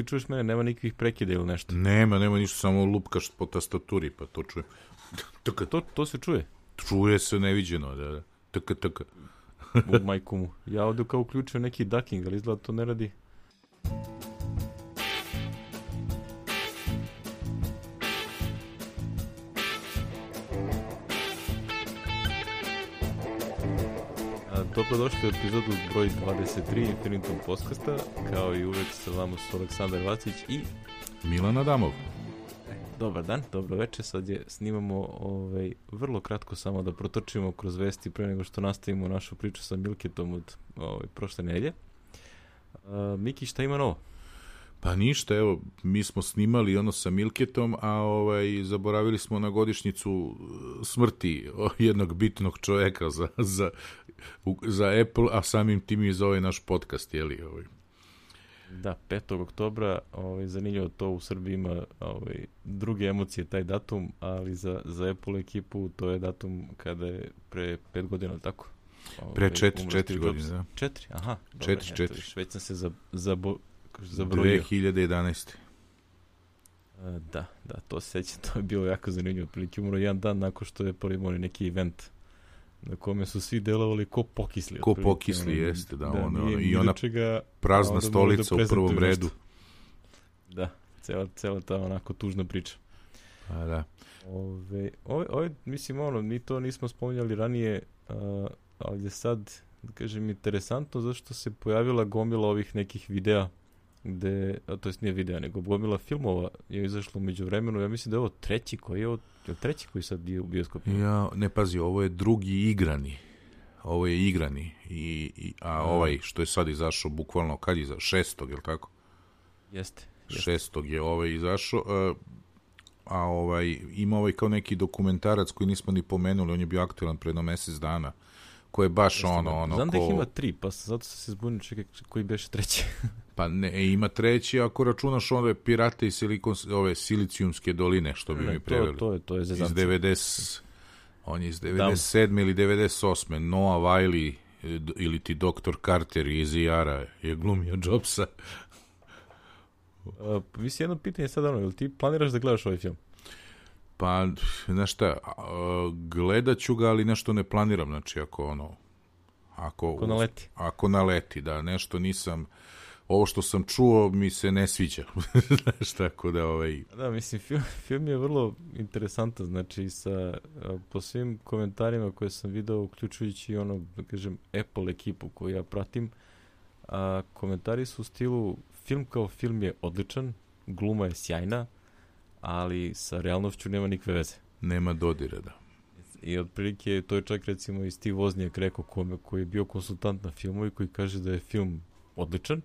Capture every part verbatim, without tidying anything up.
ti čuješ mene, nema nikakvih prekida ili nešto? Nema, nema ništa, samo lupkaš po tastaturi, pa to čujem. Taka. To, to se čuje? Čuje se neviđeno, da, da. Taka, taka. U majku mu. Ja ovdje kao uključio neki ducking, ali izgleda to ne radi. Dobrodošli u epizodu broj dvadeset tri Infinitum Podcasta, kao i uvek sa vama su Aleksandar Vacić i Milan Adamov. Dobar dan, dobro večer, sad je snimamo ovaj, vrlo kratko samo da protrčimo kroz vesti pre nego što nastavimo našu priču sa Milketom od ovaj, prošle nedelje. Uh, Miki, šta ima novo? Pa ništa, evo, mi smo snimali ono sa Milketom, a ovaj, zaboravili smo na godišnjicu smrti jednog bitnog čoveka za, za, za Apple, a samim tim i za ovaj naš podcast, jeli? Ovaj. Da, petog oktobra, ovaj, zanimljivo to u Srbiji ima ovaj, druge emocije taj datum, ali za, za Apple ekipu to je datum kada je pre pet godina, tako? Ovaj, pre četiri, četiri godine, da. Četiri, aha. Četiri, četiri. Već sam se za, za, zabrojio. dve hiljade jedanaeste. A, da, da, to se sećam, to je bilo jako zanimljivo. Prilike umro jedan dan nakon što je prvi imali neki event na kome su svi delovali ko pokisli. Ko pokisli, ono, jeste, da. da ono, nije, I ona čega, prazna stolica u prvom redu. Nešto. Da, cela, cela ta onako tužna priča. A, da. Ove, ove, ove, mislim, ono, mi to nismo spominjali ranije, a, ali je sad, da kažem, interesantno zašto se pojavila gomila ovih nekih videa gde, a to jest nije videa, nego gomila filmova je izašlo među vremenu. Ja mislim da je ovo treći koji je, je treći koji sad je u bioskopu. Ja, ne pazi, ovo je drugi igrani. Ovo je igrani. I, i, a, a ovaj što je sad izašao, bukvalno kad je izašao? Šestog, je li tako? Jeste. jeste. Šestog je ovaj izašao. A, a ovaj, ima ovaj kao neki dokumentarac koji nismo ni pomenuli, on je bio aktualan pre jedno mesec dana. Ko je baš Jeste, ono, ono... Znam ko... da ih ima tri, pa zato sam se zbunio, čekaj, koji beše treći. Pa ne, ima treći, ako računaš ove pirate i silikon, ove silicijumske doline, što bi ne, mi preveli. To, to je, to je zezancija. Iz devedeset, on je iz devedeset sedme ili devedeset osme Noah Wiley ili ti doktor Carter iz I R-a je glumio Jobsa. Uh, mislim, jedno pitanje sad, ono, ili ti planiraš da gledaš ovaj film? Pa, znaš šta, gledat ću ga, ali nešto ne planiram, znači ako ono, ako, ako naleti. Ako naleti, da, nešto nisam, ovo što sam čuo mi se ne sviđa, znaš, tako da ovaj... Da, mislim, film, film je vrlo interesantan, znači, sa, po svim komentarima koje sam video, uključujući ono, da kažem, Apple ekipu koju ja pratim, a komentari su u stilu, film kao film je odličan, gluma je sjajna, ali sa realnošću nema nikakve veze. Nema dodira, da. I otprilike to je čak recimo i Steve Wozniak rekao kome, koji je bio konsultant na filmu i koji kaže da je film odličan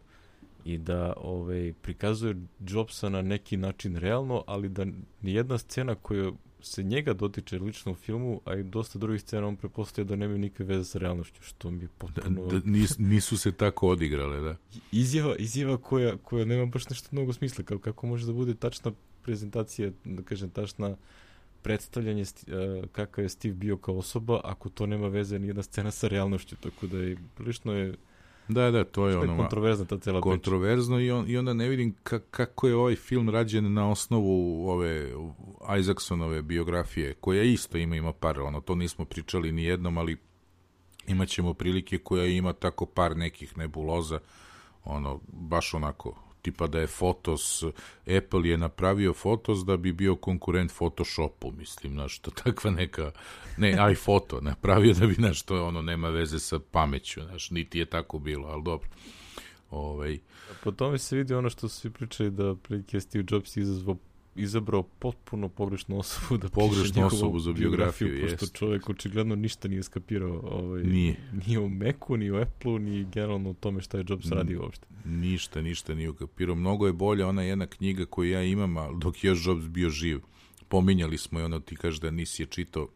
i da ovaj, prikazuje Jobsa na neki način realno, ali da nijedna scena koja se njega dotiče lično u filmu, a i dosta drugih scena on prepostavlja da nemaju nikakve veze sa realnošću, što mi je potpuno... Da, da, nis, nisu se tako odigrale, da. Izjava, izjava koja, koja nema baš nešto mnogo smisla, kao kako može da bude tačna prezentacija, da kažem, tačna predstavljanje uh, kakav je Steve bio kao osoba, ako to nema veze nijedna scena sa realnošću, tako da je prilično je da, da, to je ono kontroverzna ta cela priča. Kontroverzno i, on, i onda ne vidim ka, kako je ovaj film rađen na osnovu ove Isaacsonove biografije, koja isto ima, ima par, ono, to nismo pričali ni jednom, ali imat ćemo prilike koja ima tako par nekih nebuloza, ono, baš onako tipa da je Fotos, Apple je napravio Fotos da bi bio konkurent Photoshopu, mislim, znaš, to takva neka, ne, iPhoto napravio da bi, znaš, to ono, nema veze sa pameću, znaš, niti je tako bilo, ali dobro. Ovaj. Po tome se vidi ono što su svi pričali da prilike Steve Jobs izazvao, izabrao potpuno pogrešnu osobu da pogrešnu osobu za biografiju, biografiju pošto čovjek očigledno ništa nije skapirao ovaj, nije. Ni u Macu, ni u Apple-u, ni generalno u tome šta je Jobs N- radio uopšte. Ništa, ništa nije ukapirao. Mnogo je bolja ona jedna knjiga koju ja imam, ali dok je još Jobs bio živ. Pominjali smo i ono, ti kažeš da nisi je čitao.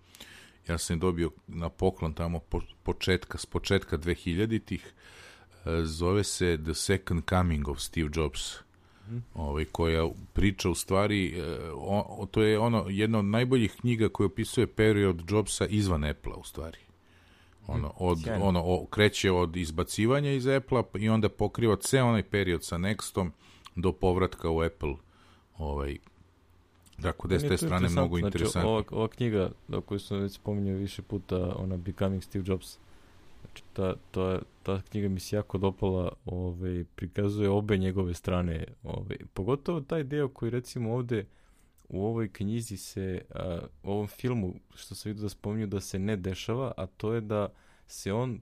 Ja sam je dobio na poklon tamo po, početka, s početka dvehiljaditih. Zove se The Second Coming of Steve Jobs. Ovaj, koja priča u stvari, o, to je ono jedna od najboljih knjiga koja opisuje period Jobsa izvan Apple-a u stvari. Ono, od, ono, o, kreće od izbacivanja iz Apple-a i onda pokriva ceo onaj period sa Nextom do povratka u Apple. Ovaj, tako da je s te strane mnogo interesantno. Znači, ova, ova knjiga, koju sam već spominjao više puta, ona Becoming Steve Jobs, znači, ta, ta, ta knjiga mi se jako dopala, ovaj, prikazuje obe njegove strane. Ovaj, pogotovo taj deo koji recimo ovde u ovoj knjizi se, a, u ovom filmu, što sam vidio da spominju, da se ne dešava, a to je da se on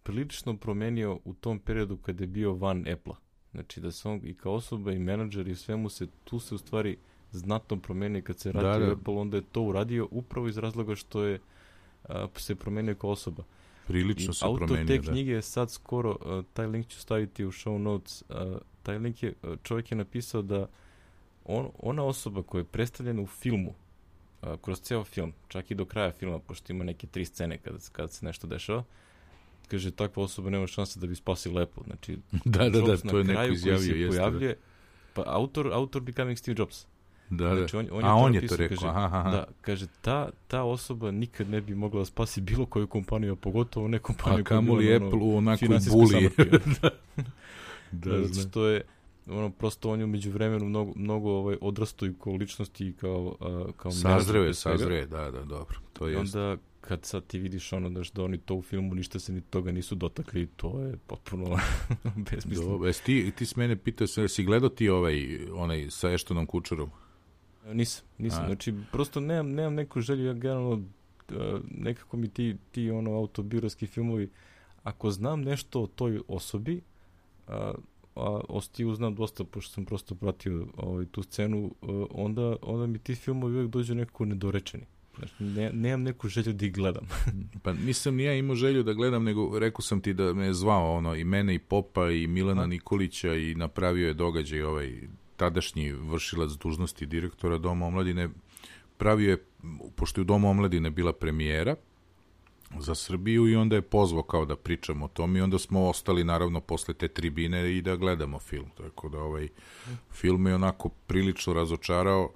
prilično promenio u tom periodu kada je bio van Apple-a. Znači da se on i kao osoba i menadžer i svemu se, tu se u stvari znatno promenio kad se radi da, da. Apple, onda je to uradio upravo iz razloga što je a, se promenio kao osoba. Prilično I se autor promenio, te da. knjige je sad skoro, a, taj link ću staviti u show notes, a, taj link je, čovjek je napisao da on, ona osoba koja je predstavljena u filmu, a, kroz ceo film, čak i do kraja filma, pošto ima neke tri scene kada, kada se nešto dešava, kaže, takva osoba nema šanse da bi spasila Apple. Znači, da, da, Jobs da, to je neko izjavio. Se jeste, pojavljuje, pa autor, autor Becoming Steve Jobs. Da, znači, on, on a je on napisao, je to rekao. Kaže, aha, aha. Da, kaže, ta, ta osoba nikad ne bi mogla da spasi bilo koju kompaniju, a pogotovo ne kompaniju. A kamoli Apple u onakoj buli. da, da, da znači, to je, ono, prosto on je umeđu vremenu mnogo, mnogo ovaj, odrastao i kao ličnosti i kao, a, kao sazreo je, sazreo je, da, da, dobro. To I jest. onda, kad sad ti vidiš ono daš da oni to u filmu ništa se ni toga nisu dotakli, to je potpuno besmisleno. Dobro, jesi ti, ti s mene pitao, si gledao ti ovaj, onaj sa Ashtonom Kutcherom? Nisam, nisam, a. Znači prosto nemam, nemam neku želju, ja generalno nekako mi ti, ti ono autobiografski filmovi, ako znam nešto o toj osobi, a, a o Steve znam dosta, pošto sam prosto pratio ovaj, tu scenu, onda, onda mi ti filmovi uvijek dođu nekako nedorečeni. Znači, ne, nemam neku želju da ih gledam. Pa nisam ni ja imao želju da gledam, nego rekao sam ti da me je zvao ono, i mene i Popa i Milana a? Nikolića i napravio je događaj ovaj tadašnji vršilac dužnosti direktora Doma omladine. Pravio je, pošto je u Domu omladine bila premijera za Srbiju i onda je pozvao kao da pričamo o tom i onda smo ostali naravno posle te tribine i da gledamo film. Tako da ovaj film je onako prilično razočarao.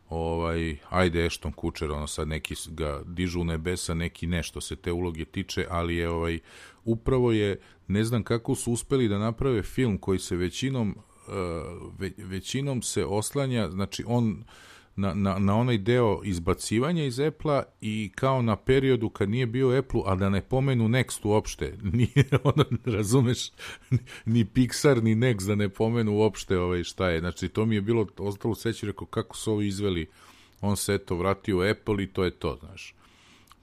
Ovaj, ajde Ashton Kutcher, ono sad neki ga dižu u nebesa, neki nešto se te uloge tiče, ali je ovaj, upravo je, ne znam kako su uspeli da naprave film koji se većinom, uh, ve, većinom se oslanja, znači on na, na, na onaj deo izbacivanja iz Apple-a i kao na periodu kad nije bio Apple-u, a da ne pomenu Next uopšte, nije ono, razumeš, ni Pixar, ni Next da ne pomenu uopšte ovaj, šta je, znači to mi je bilo ostalo seći, rekao kako su ovo izveli, on se eto vratio u Apple i to je to, znaš,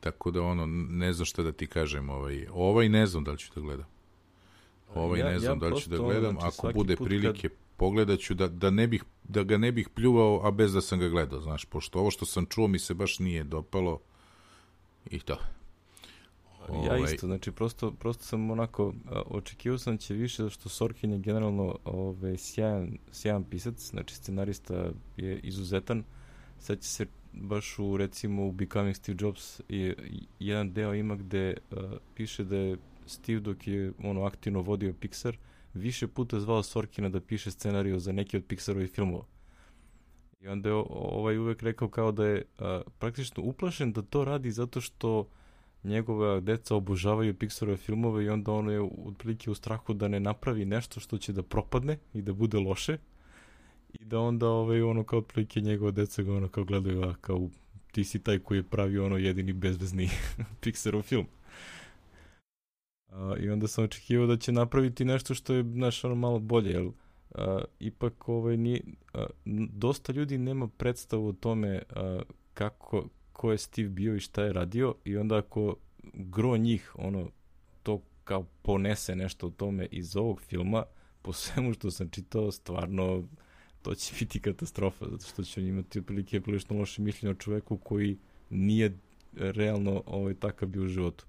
tako da ono, ne znam šta da ti kažem, ovaj, ovaj ne znam da li ću da gledam, ovaj ja, ne znam ja da li ću da gledam, ono, znači, ako bude prilike kad... pogledat ću da, da, ne bih, da ga ne bih pljuvao, a bez da sam ga gledao, znaš, pošto ovo što sam čuo mi se baš nije dopalo i to. Ja ovaj... isto, znači prosto, prosto sam onako, očekivao sam će više, zašto Sorkin je generalno ovaj, sjajan, sjajan pisac, znači scenarista je izuzetan, sad će se baš u, recimo, u Becoming Steve Jobs je, jedan deo ima gde uh, piše da je Steve dok je ono aktivno vodio Pixar, više puta zvao Sorkina da piše scenariju za neki od Pixarovih filmova. I onda je ovaj uvek rekao kao da je a, praktično uplašen da to radi zato što njegova deca obožavaju Pixarove filmove i onda ono je otprilike u strahu da ne napravi nešto što će da propadne i da bude loše i da onda ovaj, ono kao otprilike njegova deca ga ono kao gledaju, a kao ti si taj koji je pravi ono jedini bezvezni Pixarov film. Uh, i onda sam očekivao da će napraviti nešto što je, znaš, ono malo bolje, jer uh, ipak ovaj, nije, uh, dosta ljudi nema predstavu o tome uh, kako, ko je Steve bio i šta je radio i onda ako gro njih ono, to kao ponese nešto o tome iz ovog filma, po svemu što sam čitao, stvarno to će biti katastrofa, zato što će imati otprilike prilično loše mišljenje o čoveku koji nije realno ovaj, takav bio u životu.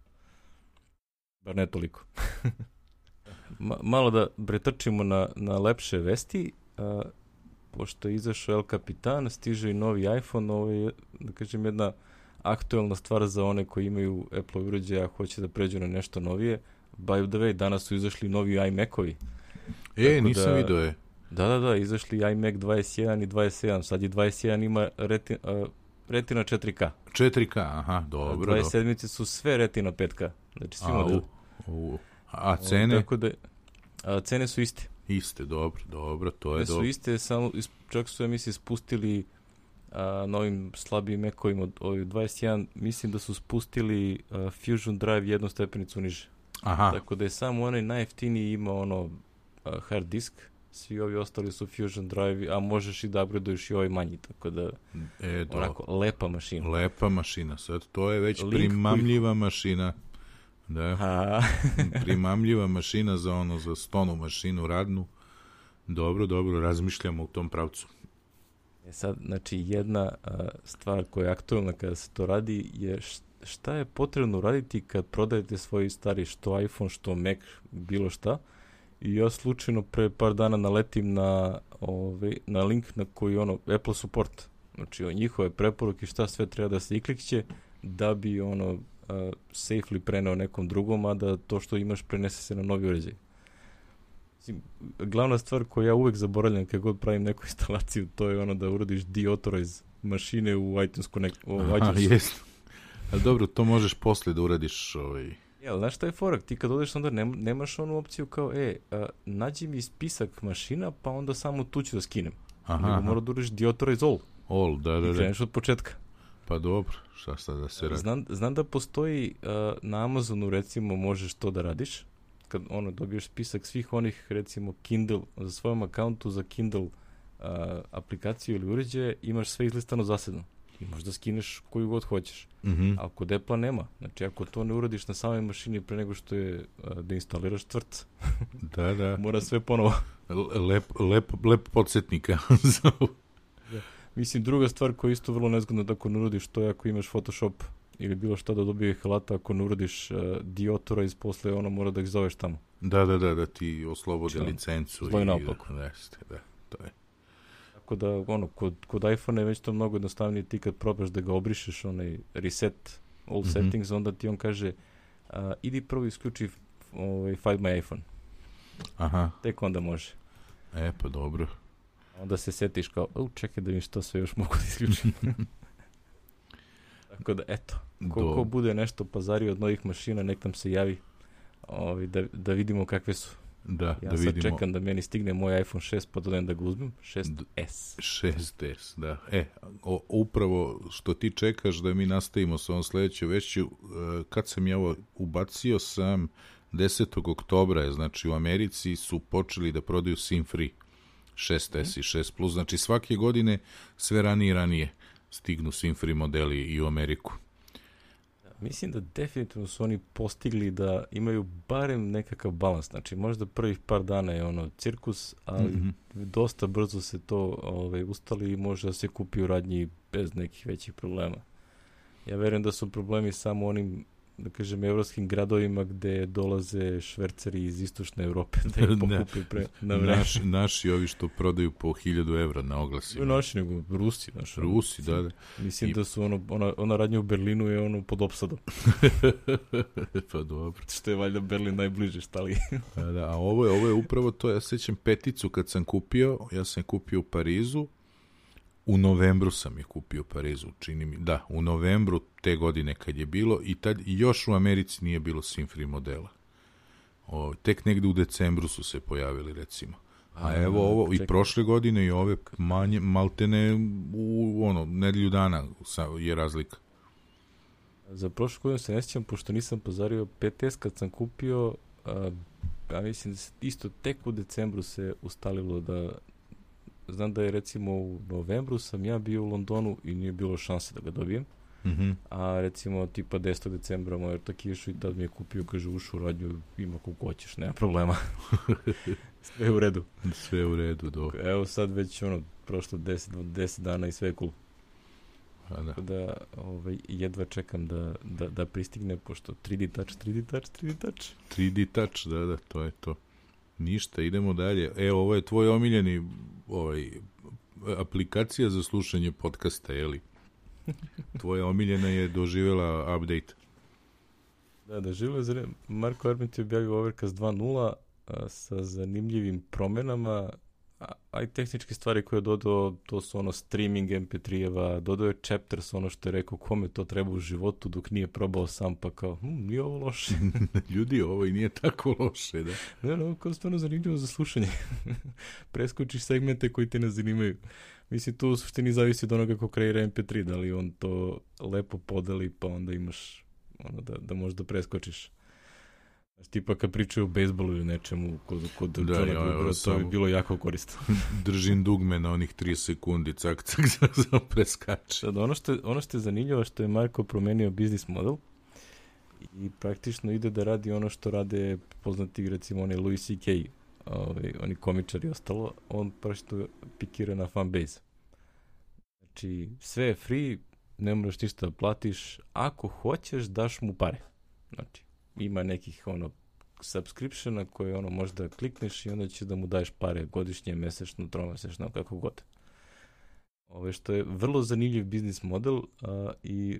Bar ne toliko. Ma, malo da pretrčimo na, na lepše vesti. A, pošto je izašao El Capitan, stiže i novi iPhone, ovo je, da kažem, jedna aktuelna stvar za one koji imaju Apple uređaja, a hoće da pređu na nešto novije. By the way, danas su izašli novi iMac-ovi. E, tako nisam da, vidio je. Da, da, da, izašli iMac dvadeset jedan i dvadeset sedam. Sad je dvadeset jedan ima retina, uh, retina četiri K. četiri K, aha, dobro. dvadeset sedam su sve retina pet K. Znači svi modeli. U, a cene? O, tako da, a, cene su iste. Iste, dobro, dobro, to je su dobro. iste, samo, čak su, ja mislim, spustili a, na ovim slabijim mekovima od ovih dvadeset jedan, mislim da su spustili a, Fusion Drive jednu stepenicu niže. Aha. Tako da je samo onaj najjeftiniji ima ono a, hard disk, svi ovi ostali su Fusion Drive, a možeš i da upgradeuješ i ovaj manji, tako da e, onako, lepa mašina. Lepa mašina, sad to je već Link primamljiva koji... mašina. Da. A. Primamljiva mašina za ono, za stonu mašinu radnu. Dobro, dobro, razmišljamo u tom pravcu. E sad, znači, jedna a, stvar koja je aktualna kada se to radi je šta je potrebno raditi kad prodajete svoj stari što iPhone, što Mac, bilo šta. I ja slučajno pre par dana naletim na, ovaj, na link na koji ono, Apple support. Znači, o njihove preporuke šta sve treba da se iklikće da bi ono uh, safely preneo nekom drugom, a da to što imaš prenese se na novi uređaj. Glavna stvar koju ja uvek zaboravljam kad god pravim neku instalaciju, to je ono da uradiš deauthorize mašine u iTunes Connect. U Aha, jest. Ali dobro, to možeš posle da uradiš ovaj... Ja, znaš šta je forak? Ti kad odeš onda nema, nemaš onu opciju kao, e, a, nađi mi spisak mašina, pa onda samo tu ću da skinem. Aha, nego mora da uradiš deauthorize all. All, da, da, da. I kreneš od početka. Pa dobro, šta sad da se radi? Znam, znam da postoji uh, na Amazonu, recimo, možeš to da radiš. Kad ono, dobiješ spisak svih onih, recimo, Kindle, za svojom akauntu za Kindle uh, aplikaciju ili uređaje, imaš sve izlistano zasebno. I možda skineš koju god hoćeš. Mm-hmm. A kod Apple nema. Znači, ako to ne uradiš na samoj mašini pre nego što je uh, da instaliraš tvrc, da, da. mora sve ponovo. Lep, lep, lep podsjetnika. Da. Mislim, druga stvar koja je isto vrlo nezgodna da ako ne uradiš to je ako imaš Photoshop ili bilo šta da dobije halata, ako ne uradiš uh, deauthorize, posle ono mora da ih zoveš tamo. Da, da, da, da ti oslobode Član. licencu. Zloj i naopako. Da, jeste, da, to je. Tako da, ono, kod, kod iPhone je već to mnogo jednostavnije, ti kad probaš da ga obrišeš, onaj reset all mm-hmm. settings, onda ti on kaže uh, idi prvo isključi ovaj, Find My iPhone. Aha. Tek onda može. E, pa dobro. Onda se setiš kao, o, čekaj da mi što sve još mogu da isključim. Tako da, eto, ko, ko bude nešto pazario od novih mašina, nek nam se javi ovaj, da, da vidimo kakve su. Da, ja da sad vidimo. čekam da meni stigne moj iPhone šest, pa dodajem da ga uzmem. šest es. šest es, da. E, o, upravo što ti čekaš da mi nastavimo sa ovom sledećom vešću, kad sam ja ovo ubacio sam desetog oktobra, znači u Americi su počeli da prodaju SIM free šest es mm. i šest plus, znači svake godine sve ranije i ranije stignu SIM free modeli i u Ameriku. Mislim da definitivno su oni postigli da imaju barem nekakav balans. Znači, možda prvih par dana je ono cirkus, ali mm-hmm. dosta brzo se to ovaj, ustali i može da se kupi u radnji bez nekih većih problema. Ja verujem da su problemi samo onim, da kažem, evropskim gradovima gde dolaze šverceri iz istočne Evrope da ih pokupi pre, na vreme. Naši, naši ovi što prodaju po hiljadu evra na oglasima. Ne naši, nego Rusi. Naš, Rusi, da, da. Mislim I... da su ono, ona, ona radnja u Berlinu je ono pod opsadom. Pa dobro. Što je valjda Berlin najbliže, šta li? Da, da, a ovo je, ovo je upravo to, ja sećam peticu kad sam kupio, ja sam kupio u Parizu, u novembru sam je kupio u Parizu, čini mi, da, u novembru te godine kad je bilo i tad još u Americi nije bilo SIM free modela. O, tek negde u decembru su se pojavili, recimo. A, a evo ovo, čekaj. I prošle godine i ove manje, maltene u ono, nedelju dana je razlika. Za prošle godine se ne sjećam, pošto nisam pozario pet es kad sam kupio, a, ja mislim da se isto tek u decembru se ustalilo da znam da je recimo u novembru sam ja bio u Londonu i nije bilo šanse da ga dobijem. Mm-hmm. A recimo tipa desetog decembra moj ortak išao i tad mi je kupio, kaže, ušu u radnju, ima koliko hoćeš, nema problema. Sve je u redu. Sve je u redu, dobro. Evo sad već ono, prošlo deset dana i sve je cool. A da. Da, ovaj, jedva čekam da, da, da pristigne, pošto tri D touch, tri D touch, tri D touch. tri D touch, da, da, to je to. Ništa, idemo dalje. Evo, ovo je tvoj omiljeni ovaj, aplikacija za slušanje podcasta, je li? Tvoja omiljena je doživjela update. Da, doživjela je. Marko Arment je objavio Overcast dva nula a, sa zanimljivim promenama. a, a i tehničke stvari koje je dodao, to su ono streaming em pe tri-eva, dodao je chapters, ono što je rekao kome to treba u životu dok nije probao sam, pa kao, hm, nije ovo loše. Ljudi, ovo i nije tako loše, da? Ne, no, kao stvarno zanimljivo za slušanje. Preskočiš segmente koji te ne zanimaju. Mislim, tu u suštini zavisi od onoga ko kreira em pe tri, da li on to lepo podeli, pa onda imaš ono da, da možda preskočiš. Znači, tipa kad pričaju o bejsbolu ili nečemu kod, kod da, Johna ja, Grubbera, to bi bilo jako korisno. Držim dugme na onih tri sekundi, cak, cak, cak, cak, preskače. Sad, ono što, ono što je zanimljivo, što je Marko promenio biznis model i praktično ide da radi ono što rade poznati, recimo, oni Louis C K, ovaj, oni komičari i ostalo, on praktično pikira na fanbase. Znači, sve je free, ne moraš ništa da platiš, ako hoćeš, daš mu pare. Znači, ima nekih ono subscriptiona koje ono možda klikneš i onda će da mu daješ pare godišnje, mesečno, tromesečno, kako god. Ove što je vrlo zanimljiv biznis model a, i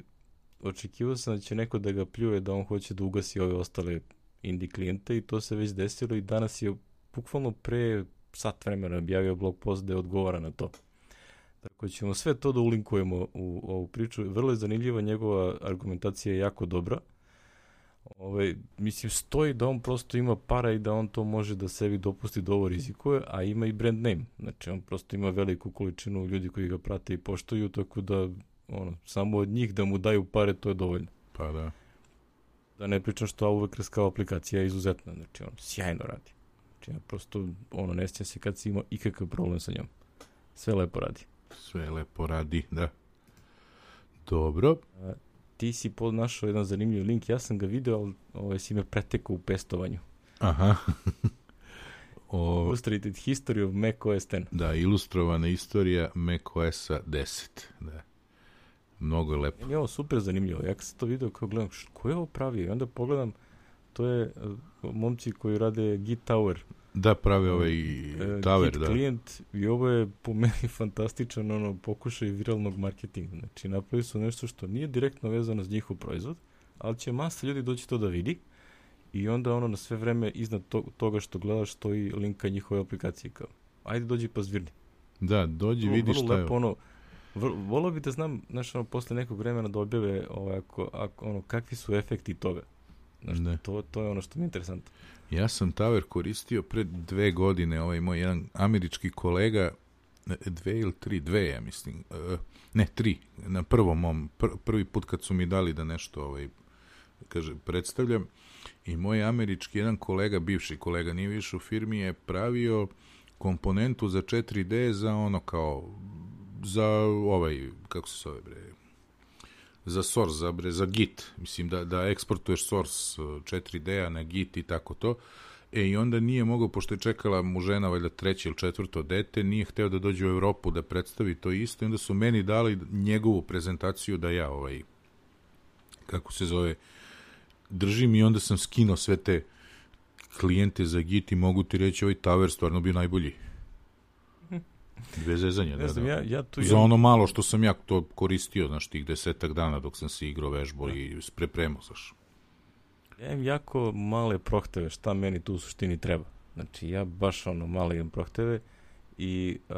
očekivao sam da će neko da ga pljuje da on hoće da ugasi ove ostale indie klijente i to se već desilo i danas je bukvalno pre sat vremena objavio blog post da je odgovara na to. Tako ćemo sve to da ulinkujemo u ovu priču. Vrlo je zanimljiva, njegova argumentacija je jako dobra. Ove, mislim, stoji da on prosto ima para i da on to može da sebi dopusti da ovo rizikuje, a ima i brand name. Znači, on prosto ima veliku količinu ljudi koji ga prate i poštuju, tako da ono, samo od njih da mu daju pare, to je dovoljno. Pa da. Da ne pričam što Overcast kao aplikacija je izuzetna, znači on sjajno radi. Znači, ja prosto, ono, ne sjećam se kad si imao ikakav problem sa njom. Sve lepo radi. Sve lepo radi, da. Dobro. A, ti si našao jedan zanimljiv link, ja sam ga video, ali ovaj, si me pretekao u pestovanju. Aha. o... Illustrated History of macOS deset. Da, ilustrovana istorija macOS-a deset. Da. Mnogo je lepo. Meni je ovo super zanimljivo. Ja kad sam to video, kao gledam, š, ko je ovo pravio? I onda pogledam, to je uh, momci koji rade Git Tower. Da, pravi ovaj uh, Tower, Git da. klijent i ovo je po meni fantastičan ono, pokušaj viralnog marketinga. Znači, napravili su nešto što nije direktno vezano s njihov proizvod, ali će masa ljudi doći to da vidi i onda ono na sve vreme iznad to, toga što gledaš stoji link ka njihove aplikacije. Kao, ajde dođi pa zvirni. Da, dođi, vidi šta je. Ono, volao bi da znam, znaš, ono, posle nekog vremena da objave ovaj, ako, ako, ono, kakvi su efekti toga. Znaš, to, to je ono što mi je interesantno. Ja sam Tower koristio pred dve godine, ovaj moj jedan američki kolega, dve ili tri, dve, ja mislim, ne, tri, na prvom mom, pr, prvi put kad su mi dali da nešto, ovaj, kaže, predstavljam, i moj američki jedan kolega, bivši kolega, nije više u firmi, je pravio komponentu za četiri de za ono kao, za ovaj, kako se zove, bre, za source, za, bre, za Git, mislim da, da eksportuješ source četiri de-a na Git i tako to, e i onda nije mogao, pošto je čekala mu žena valjda treće ili četvrto dete, nije hteo da dođe u Evropu da predstavi to isto, i onda su meni dali njegovu prezentaciju da ja ovaj, kako se zove, držim i onda sam skinuo sve te klijente za Git i mogu ti reći ovaj Tower stvarno bio najbolji. Dve zezanje, da, znam, da. Ja, ja tu za ono malo što sam ja to koristio, znaš, tih desetak dana dok sam se igrao vežbo i prepremao, znaš. Ja imam jako male prohteve, šta meni tu u suštini treba. Znači, ja baš ono male imam prohteve i uh,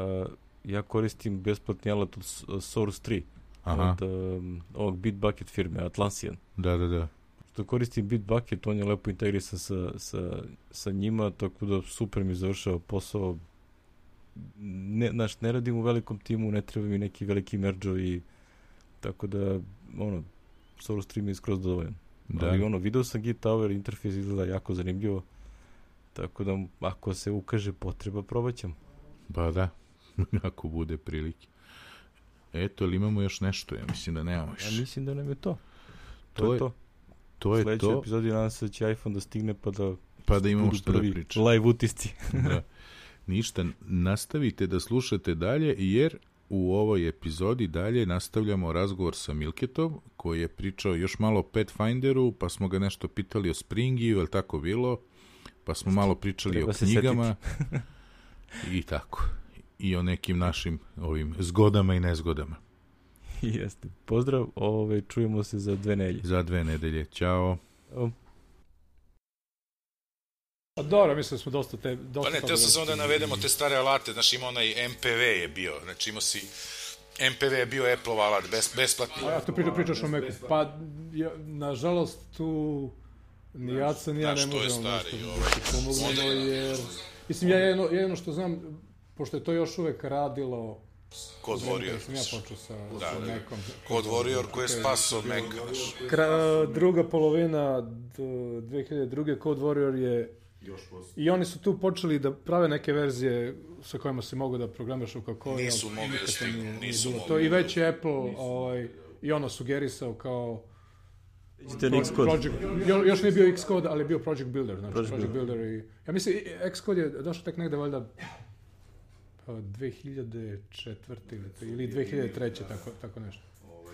ja koristim besplatni alat od Source tri. Aha. Od um, ovog Bitbucket firme, Atlassian. Da, da, da. Što koristim Bitbucket, on je lepo integrisan sa, sa, sa njima, tako da super mi završava posao. Ne, znaš, ne radim u velikom timu, ne treba mi neki veliki merđo i tako da, ono, Source tri mi je skroz dovoljan. Da. Ali ono, video sam Git Tower, interfejs izgleda jako zanimljivo, tako da ako se ukaže potreba, probat ćemo. Ba da, ako bude prilike. Eto, ali imamo još nešto? Ja mislim da nemamo još. Ja mislim da nam je to. To, to je to. To je Sljedeći to. epizodi nadam se da će iPhone da stigne pa da, pa da imamo što da pričam. Live utisci. Da. Ništa, nastavite da slušate dalje, jer u ovoj epizodi dalje nastavljamo razgovor sa Milketom, koji je pričao još malo o Pathfinderu, pa smo ga nešto pitali o Springiju, je li tako bilo? Pa smo malo pričali Treba o knjigama i tako. I o nekim našim ovim zgodama i nezgodama. Jeste. Pozdrav, ove, čujemo se za dve nedelje. Za dve nedelje. Ćao. Ćao. Pa dobro, mislim da smo dosta te... Dosta pa ne, teo sam samo da navedemo te stare alate, znači ima onaj M P V je bio, znači imao si... M P V je bio Apple-ov alat, bes, besplatni. A ja tu priča, pričaš o Macu. Pa, ja, nažalost, tu ni Jaca, ni ja ne možemo nešto da pomognemo, jer... Mislim, ja jedno, jedno što znam, pošto je to još uvek radilo... Code Warrior. Sam ja počeo sa, da, sa da. Macom. Code Warrior koji je spasao Maca. Kra, druga polovina dve hiljade druge. Code Warrior je... I oni su tu počeli da prave neke verzije sa kojima se mogu da programiraš u kako... Nisu mogli da stignu, nisu mogli. To i već je Apple ovaj, i ono sugerisao kao... Project, Project, još nije bio Xcode, ali je bio Project Builder. Znači Project, Project Builder i... Ja mislim, Xcode je došao tek negde valjda dve hiljade četvrte ili dve hiljade treće, tako, tako nešto.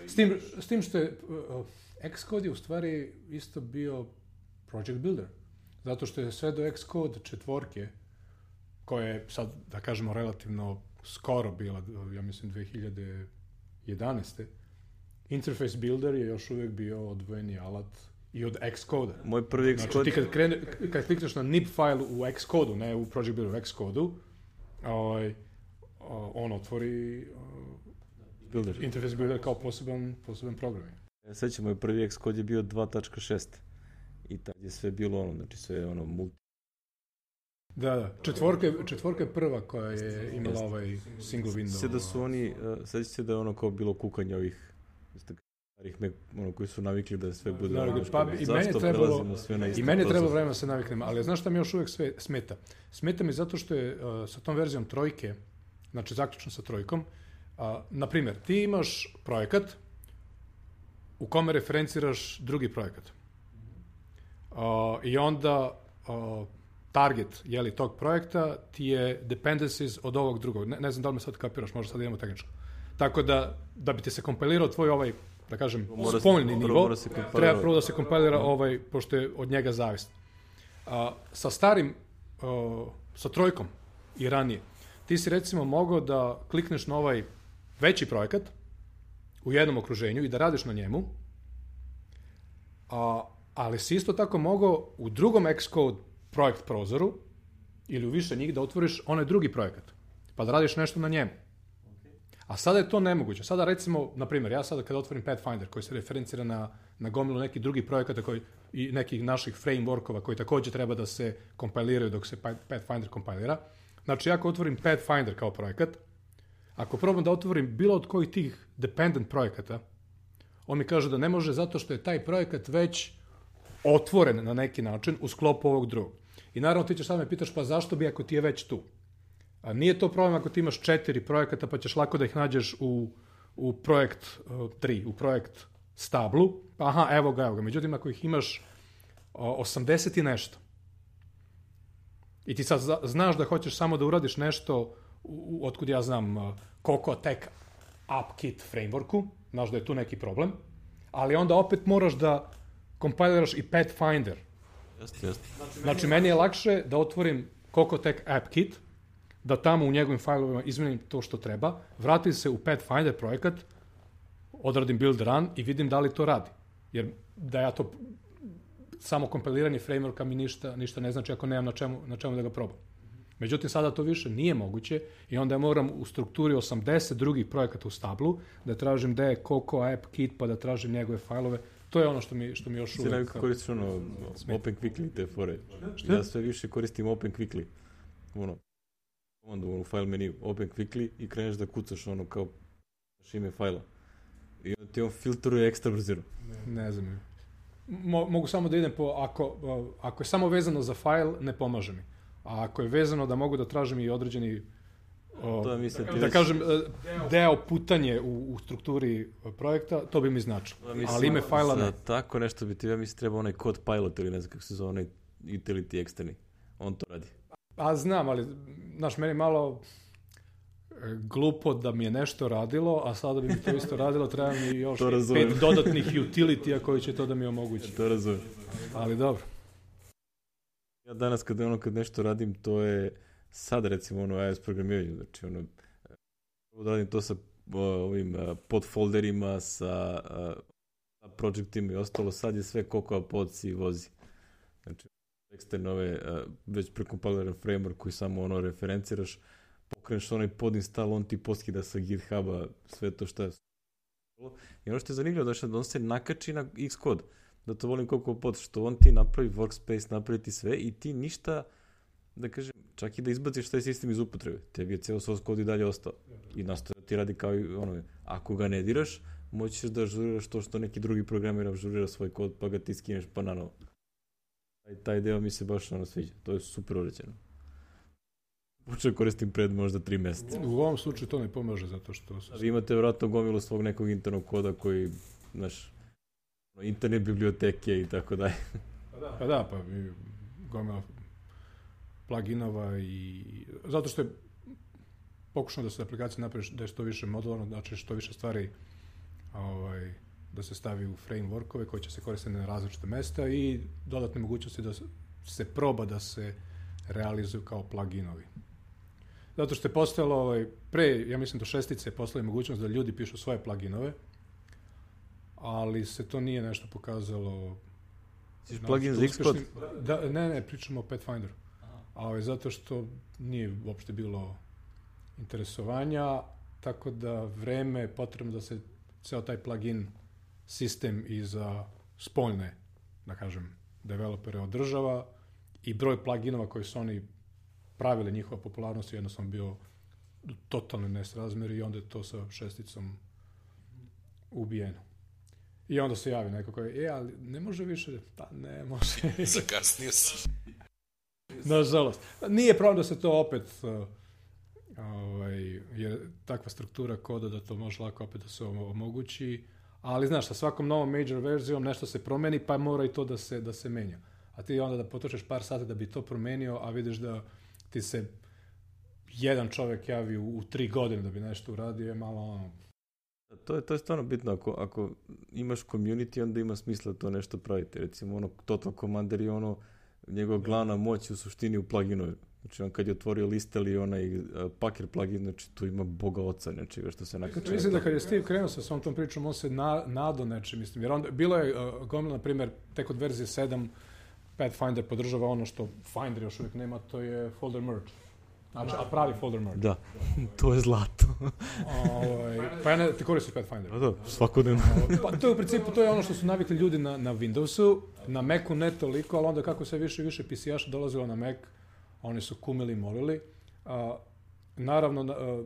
S tim, s tim što je... Uh, Xcode je u stvari isto bio Project Builder. Zato što je sve do Xcode četvorke, koja je sad, da kažemo, relativno skoro bila, ja mislim, dve hiljade jedanaeste. Interface Builder je još uvijek bio odvojeni alat i od Xcode. Moj prvi Xcode... Znači ti kad, krene, kad klikneš na nib file u Xcode, ne u Project Builder, u Xcode, ovaj, on otvori Builder. Interface Builder kao poseban, poseban program. Ja sećam, moj prvi Xcode je bio dva tačka šest. I tad je sve bilo ono, znači sve je ono multi. Da, da. Četvorka, četvorka je prva koja je imala ovaj single window. Sjeća se da su oni, uh, seća se da je ono kao bilo kukanje ovih starih Mac, ono koji su navikli da sve bude... Da, ono, pa i meni trebalo, sve na i meni trebalo vremena se naviknem, ali znaš šta mi još uvijek sve smeta? Smeta mi zato što je uh, sa tom verzijom trojke, znači zaključno sa trojkom, uh, na primjer, ti imaš projekat u kome referenciraš drugi projekat. Uh, I onda uh, target, jeli, tog projekta ti je dependencies od ovog drugog. Ne, ne znam da li me sad kapiraš, možda sad idemo tehničko. Tako da, da bi ti se kompilirao tvoj ovaj, da kažem, spoljni nivo, treba prvo da se kompilira ovaj, pošto je od njega zavist. Uh, sa starim, uh, sa trojkom i ranije, ti si recimo mogao da klikneš na ovaj veći projekat u jednom okruženju i da radiš na njemu, a uh, ali si isto tako mogao u drugom Xcode projekt prozoru ili u više njih da otvoriš onaj drugi projekat, pa da radiš nešto na njemu. A sada je to nemoguće. Sada recimo, na primjer, ja sada kada otvorim Pathfinder koji se referencira na, na gomilu nekih drugih projekata koji, i nekih naših frameworkova koji također treba da se kompiliraju dok se Pathfinder kompilira. Znači, ako otvorim Pathfinder kao projekat, ako probam da otvorim bilo od kojih tih dependent projekata, on mi kaže da ne može zato što je taj projekat već otvoren na neki način u sklopu ovog drugog. I naravno ti ćeš sad me pitaš pa zašto bi ako ti je već tu? A nije to problem ako ti imaš četiri projekata pa ćeš lako da ih nađeš u, u projekt uh, tri, u projekt stablu. Aha, evo ga, evo ga. Međutim, ako ih imaš uh, osamdeset i nešto i ti sad znaš da hoćeš samo da uradiš nešto u, u, otkud ja znam uh, Cocoa Tech AppKit frameworku, znaš da je tu neki problem, ali onda opet moraš da kompiliraš i Pathfinder. Jeste, jeste. Znači, meni je lakše da otvorim Cocoa Tech AppKit, da tamo u njegovim failovima izmenim to što treba, vratim se u Pathfinder projekat, odradim build run i vidim da li to radi. Jer da ja to samo kompiliranje frameworka mi ništa, ništa ne znači ako nemam na čemu, na čemu da ga probam. Međutim, sada to više nije moguće i onda ja moram u strukturi osamdeset drugih projekata u stablu da tražim gde je Cocoa AppKit pa da tražim njegove failove. To je ono što mi, što mi još uvijek... Sve najviše koristiš ono Open Quickly te fore. Šta? Ja sve više koristim Open Quickly. Ono, onda u file menu Open Quickly i kreneš da kucaš ono kao ime fajla. I onda ti on filtruje ekstra brzino. Ne, ne znam. Mo, mogu samo da idem po... Ako, ako je samo vezano za file, ne pomaže mi. A ako je vezano da mogu da tražim i određeni o, to mislim, da kažem deo putanje u, u strukturi projekta, to bi mi značilo. Ali ime fajla ne. Tako nešto bi ti, ja mislim, treba onaj code pilot ili ne znam kako se zove, onaj utility eksterni. On to radi. A znam, ali znaš, meni malo glupo da mi je nešto radilo, a sada bi mi to isto radilo, treba mi još pet dodatnih utility-a koji će to da mi omogući. To razumijem. Ali dobro. Ja danas kad, ono, kad nešto radim, to je sad recimo ono iOS programiranju, znači ono, radim to sa o, ovim uh, podfolderima, sa uh, projektima i ostalo, sad je sve Cocoa Pods i vozi. Znači, eksterne ove, već prekompiliran framework koji samo ono referenciraš, pokreneš onaj podinstall, on ti poskida sa GitHuba sve to što je. I ono što je zanimljivo da, da on se nakači na Xcode, da to volim koliko pot, što on ti napravi workspace, napravi ti sve i ti ništa, da kažem, čak i da izbaciš taj sistem iz upotrebe, tebi je cijelo source code i dalje ostao. I nastoja ti radi kao i ono, ako ga ne diraš, moći ćeš da ažuriraš to što neki drugi programer ažurira svoj kod, pa ga ti skineš pa nanovo. Taj, taj deo mi se baš ono sviđa, to je super uređeno. Počeo koristim pred možda tri meseca. U ovom slučaju to ne pomaže zato što... A vi imate vratno gomilu svog nekog internog koda koji, znaš, interne biblioteke i tako dalje. Pa da, pa mi gomila pluginova i... Zato što je pokušano da se aplikacija napravi da je što više modularno, znači što više stvari ovaj, da se stavi u frameworkove koji će se koristiti na različite mesta i dodatne mogućnosti da se proba da se realizuju kao pluginovi. Zato što je postojalo, ovaj, pre, ja mislim do šestice je postojala mogućnost da ljudi pišu svoje pluginove, ali se to nije nešto pokazalo... Siš plugin za Xcode? Da, ne, ne, pričamo o Pathfinderu. Ali zato što nije uopšte bilo interesovanja, tako da vreme je potrebno da se ceo taj plugin sistem i za spoljne, da kažem, developere održava i broj pluginova koji su oni pravili, njihova popularnost je jednostavno bio totalno nesrazmjer i onda je to sa šesticom ubijeno. I onda se javi neko koji, e, ali ne može više, pa ne može. Zakasnio si. Nažalost. Nije problem da se to opet, uh, ovaj, jer takva struktura koda da to može lako opet da se omogući, ali znaš, sa svakom novom major verzijom nešto se promeni, pa mora i to da se, da se menja. A ti onda da potrošiš par sata da bi to promenio, a vidiš da ti se jedan čovjek javi u, u tri godine da bi nešto uradio, je malo ono... To je, to je stvarno bitno, ako, ako imaš community, onda ima smisla to nešto praviti. Recimo, ono, Total Commander je ono, njegova glavna moć u suštini u pluginu. Znači, on kad je otvorio list ili onaj uh, Packer plugin, znači, tu ima boga oca nečega što se nakače. Mislim da kad je Steve krenuo sa svom tom pričom, on se na, nado nečem, mislim, jer onda, bilo je uh, gomila, na primjer, tek od verzije sedam, Pathfinder podržava ono što Finder još uvijek nema, to je folder merge. Znači, a pravi folder merge. Da, to je zlato. Ovaj, pa ja ne, ti koristiš Pathfinder. Da, da, svakodnevno. Pa to je u principu, to je ono što su navikli ljudi na, na Windowsu, na Macu ne toliko, ali onda kako se više i više P C A-ša dolazilo na Mac, oni su kumili i molili. A, naravno, a,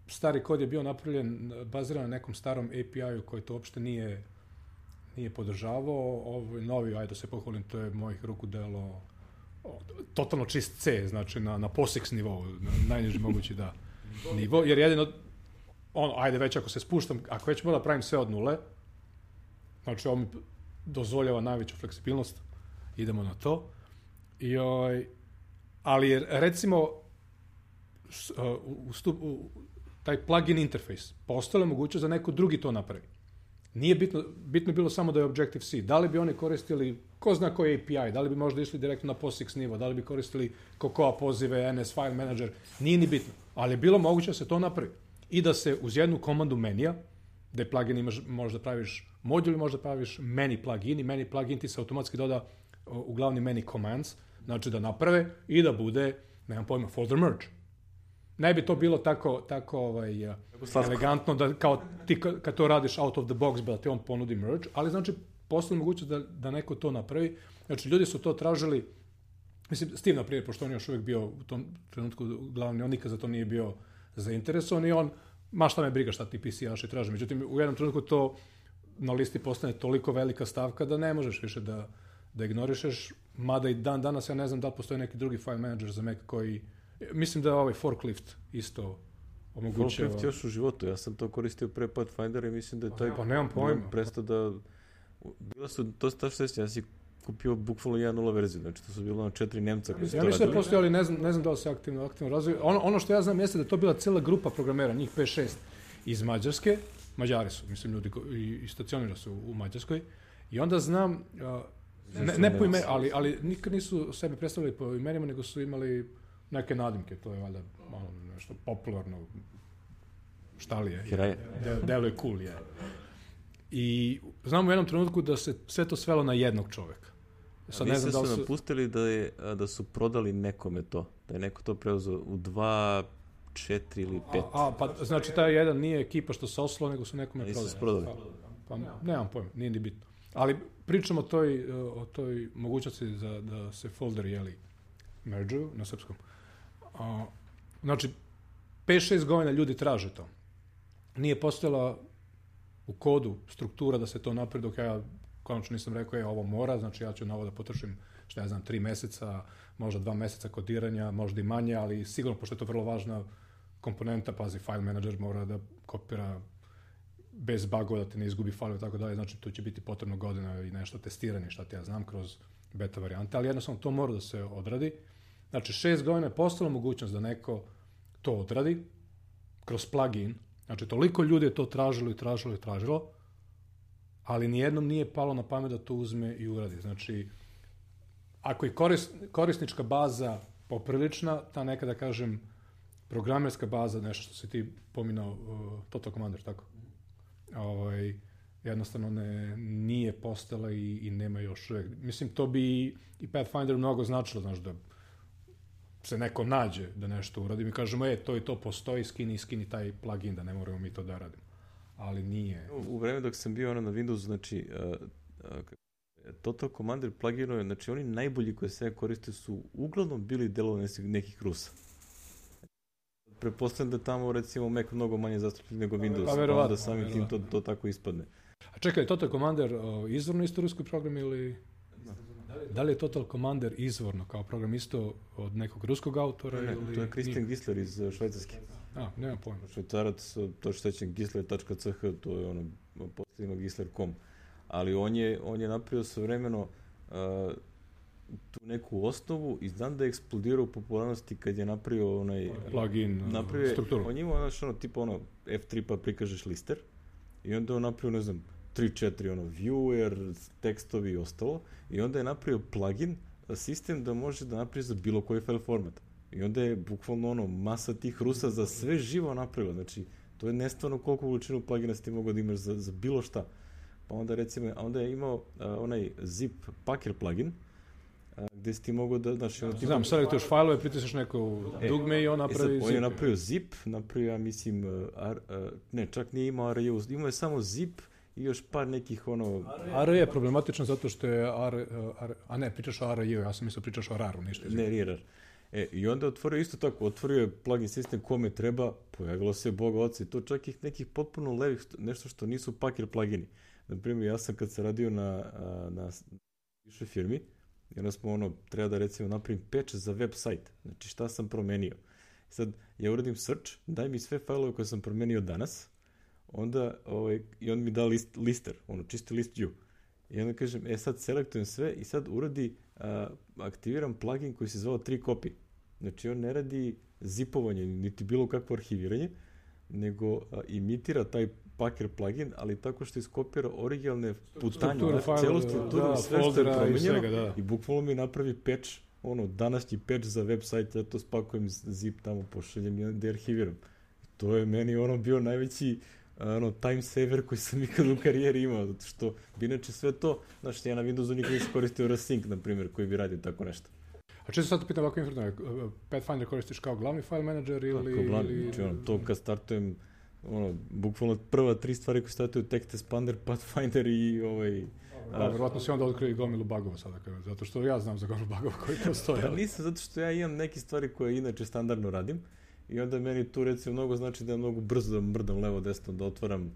stari kod je bio napravljen, baziran na nekom starom A P I-u koji to uopšte nije, nije podržavao. Ovaj novi, ajde da se pohvalim, to je mojih ruku delo totalno čist C, znači na, na POSIX nivou, na najniži mogući da nivo, jer jedino, ono, ajde već ako se spuštam, ako već moram pravim sve od nule, znači ovo mi dozvoljava najveću fleksibilnost, idemo na to, i, oj, ali je, recimo, u, u, u, taj plugin interface, postala mogućnost da neko drugi to napravi. Nije bitno, bitno bilo samo da je Objective-C. Da li bi oni koristili, ko zna koji A P I, da li bi možda išli direktno na POSIX nivo, da li bi koristili Cocoa pozive, N S File Manager, nije ni bitno. Ali je bilo moguće da se to napravi. I da se uz jednu komandu menija, da je plugin imaš, možda praviš modul, možda praviš many plugin i many plugin ti se automatski doda u glavni many commands, znači da naprave i da bude, nemam pojma, folder merge. Ne bi to bilo tako, tako ovaj, elegantno da kao ti kad to radiš out of the box da ti on ponudi merge, ali znači postoji mogućnost da, da neko to napravi. Znači ljudi su to tražili, mislim Steve na primjer, pošto on je još uvijek bio u tom trenutku glavni, on nikad za to nije bio zainteresovan i on, ma šta me briga šta ti P C A-ši traže. Međutim, u jednom trenutku to na listi postane toliko velika stavka da ne možeš više da, da ignorišeš, mada i dan danas ja ne znam da li postoji neki drugi file manager za Mac koji... Mislim da je ovaj forklift isto omogućava. Forklift još u životu, ja sam to koristio pre Pathfindera i mislim da je taj... Pa nemam pojma. Prestao da... Bila su, to ta šestica, ja si kupio bukvalno jedan nula verziju, znači to su bilo ono četiri Nemca koji su ja to mislim da postoji, ali ne znam, ne znam da li se aktivno, aktivno razviju. Ono, ono što ja znam jeste da je to bila cijela grupa programera, njih pet šest iz Mađarske, Mađari su, mislim, ljudi i, i stacionirali su u Mađarskoj, i onda znam, uh, ne, ne po ime, ali, ali nikad nisu sebe predstavili po imenima, nego su imali neke nadimke, to je valjda malo nešto popularno, šta li je, de, delo je cool, je. I znam u jednom trenutku da se sve to svelo na jednog čovjeka. Sad ne znam da su su... napustili da, je, da su prodali nekome to. Da je neko to preuzeo u dva, četiri ili pet. A, a pa znači taj jedan nije ekipa što se oslo, nego su nekome prodali. Nisu se prodali. Pa, pa nemam pojma, nije ni bitno. Ali pričamo o toj, o toj mogućnosti za, da se folderi, jeli, merge-uju na srpskom. A, znači, pet šest godina ljudi traže to. Nije postojala u kodu struktura da se to napravi, dok ja konačno nisam rekao, je, ovo mora, znači ja ću na ovo da potrošim, što ja znam, tri meseca, možda dva meseca kodiranja, možda i manje, ali sigurno, pošto je to vrlo važna komponenta, pazi, file manager mora da kopira bez bugova, da te ne izgubi file i tako dalje, znači tu će biti potrebno godina i nešto testiranje, šta ti ja znam, kroz beta varijante, ali jednostavno to mora da se odradi. Znači, šest godina je postala mogućnost da neko to odradi kroz plugin. Znači, toliko ljudi je to tražilo i tražilo i tražilo, ali nijednom nije palo na pamet da to uzme i uradi. Znači, ako je korist, korisnička baza poprilična, ta neka, da kažem, programerska baza, nešto što si ti pominao, uh, Total Commander, tako? Ovaj, jednostavno ne, nije postala i, i nema još uvijek. Mislim, to bi i Pathfinder mnogo značilo, znaš, da se neko nađe da nešto uradi. Mi kažemo, e, to i to postoji, skini, skini taj plugin, da ne moramo mi to da radimo. Ali nije. U, u vreme dok sam bio ono na Windowsu, znači, uh, uh, Total Commander pluginove, znači, oni najbolji koje se koriste su uglavnom bili delovi nekih Rusa. Pretpostavljam da tamo, recimo, Mac mnogo manje zastupljen nego Windows, pa, pa onda samim tim to, to tako ispadne. A čekaj, Total Commander uh, izvorno isto ruski program ili... No. Da li je Total Commander izvorno kao program isto od nekog ruskog autora? Ne, ili... to je Christian Gisler iz Švajcarske. A, nemam pojma. Švajcarac, to što sećam, gisler tačka c h, to je ono, posljedno gisler tačka com. Ali on je, on je napravio svojevremeno uh, tu neku osnovu i znam da je eksplodirao u popularnosti kad je napravio onaj... Plugin, napravio, strukturu. On je imao, znaš, ono, tipa ono, F tri pa prikažeš lister i onda on napravio, ne znam, tri četiri, ono, viewer, tekstovi i ostalo, i onda je napravio plugin, sistem da može da napravi za bilo koji file format. I onda je bukvalno ono, masa tih Rusa za sve živo napravila. Znači, to je nestvarno koliko količinu plugina si ti mogao da imaš za, za bilo šta. Pa onda recimo, a onda je imao uh, onaj zip packer plugin, uh, gde si ti mogao da, znači... Ono, znam, selektuješ fajlove, pritisneš neko dugme e, i on napravi e sad, zip. On je napravio zip, napravio, ja mislim, uh, ar, uh, ne, čak nije imao R U, imao je samo zip i još par nekih ono... R je problematično zato što je R, R a ne, pričaš o R U, ja sam mislio pričaš o R A R-u, ništa. Ne, nije R A R. E, i onda je otvorio isto tako, otvorio je plugin sistem kome treba, pojavilo se Boga oca i to čak ih nekih potpuno levih, nešto što nisu packer plugini. Naprimjer, ja sam kad sam radio na, na više firmi, i onda smo ono, treba da recimo napravim patch za web sajt, znači šta sam promenio. Sad, ja uradim search, daj mi sve fajlove koje sam promenio danas, onda, ovaj, i on mi da list, lister, ono, čisti list view. I onda kažem, e sad selektujem sve i sad uradi, a, aktiviram plugin koji se zvao tri copy. Znači on ne radi zipovanje, niti bilo kakvo arhiviranje, nego a, imitira taj packer plugin, ali tako što iskopira originalne putanje, celu strukturu, da, sve što je promenjeno i, da. I bukvalno mi napravi patch, ono, današnji patch za web sajt, ja to spakujem zip tamo, pošaljem i onda arhiviram. To je meni ono bio najveći ono, time saver koji sam ikad u karijeri imao, zato što bi inače sve to, znači ja na Windowsu nikad nisam koristio Rsync, na primjer, koji bi radio tako nešto. A često sad te pitam ovako informativno, Pathfinder koristiš kao glavni file manager ili... Kao glavni, ili... znači ono, to kad startujem, ono, bukvalno prva tri stvari koje startuju, Text Expander, Pathfinder i ovaj... Da, verovatno si onda otkrio i gomilu bugova sada, zato što ja znam za gomilu bugova koji postoje. Pa nisam, zato što ja imam neke stvari koje inače standardno radim, i onda meni tu recimo mnogo znači da je mnogo brzo da mrdam levo desno, da otvaram,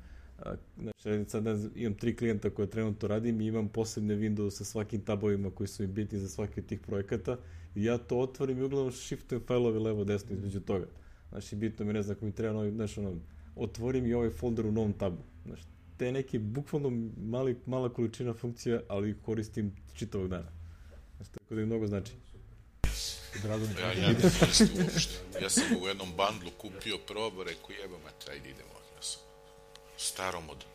znači sad ne znam, imam tri klijenta koje trenutno radim i imam posebne Windows sa svakim tabovima koji su mi bitni za svaki od tih projekata i ja to otvorim i uglavnom shiftujem fajlove levo desno između toga. Znači bitno mi ne znam ako mi treba novi, znači ono, otvorim i ovaj folder u novom tabu. Znači te neke bukvalno mali, mala količina funkcija, ali koristim čitavog dana. Znači tako da je mnogo znači. Ja, ja ne mislim uopšte. Ja sam u jednom bandlu kupio probu, rekao jeba mate, ajde idemo. Ja sam starom od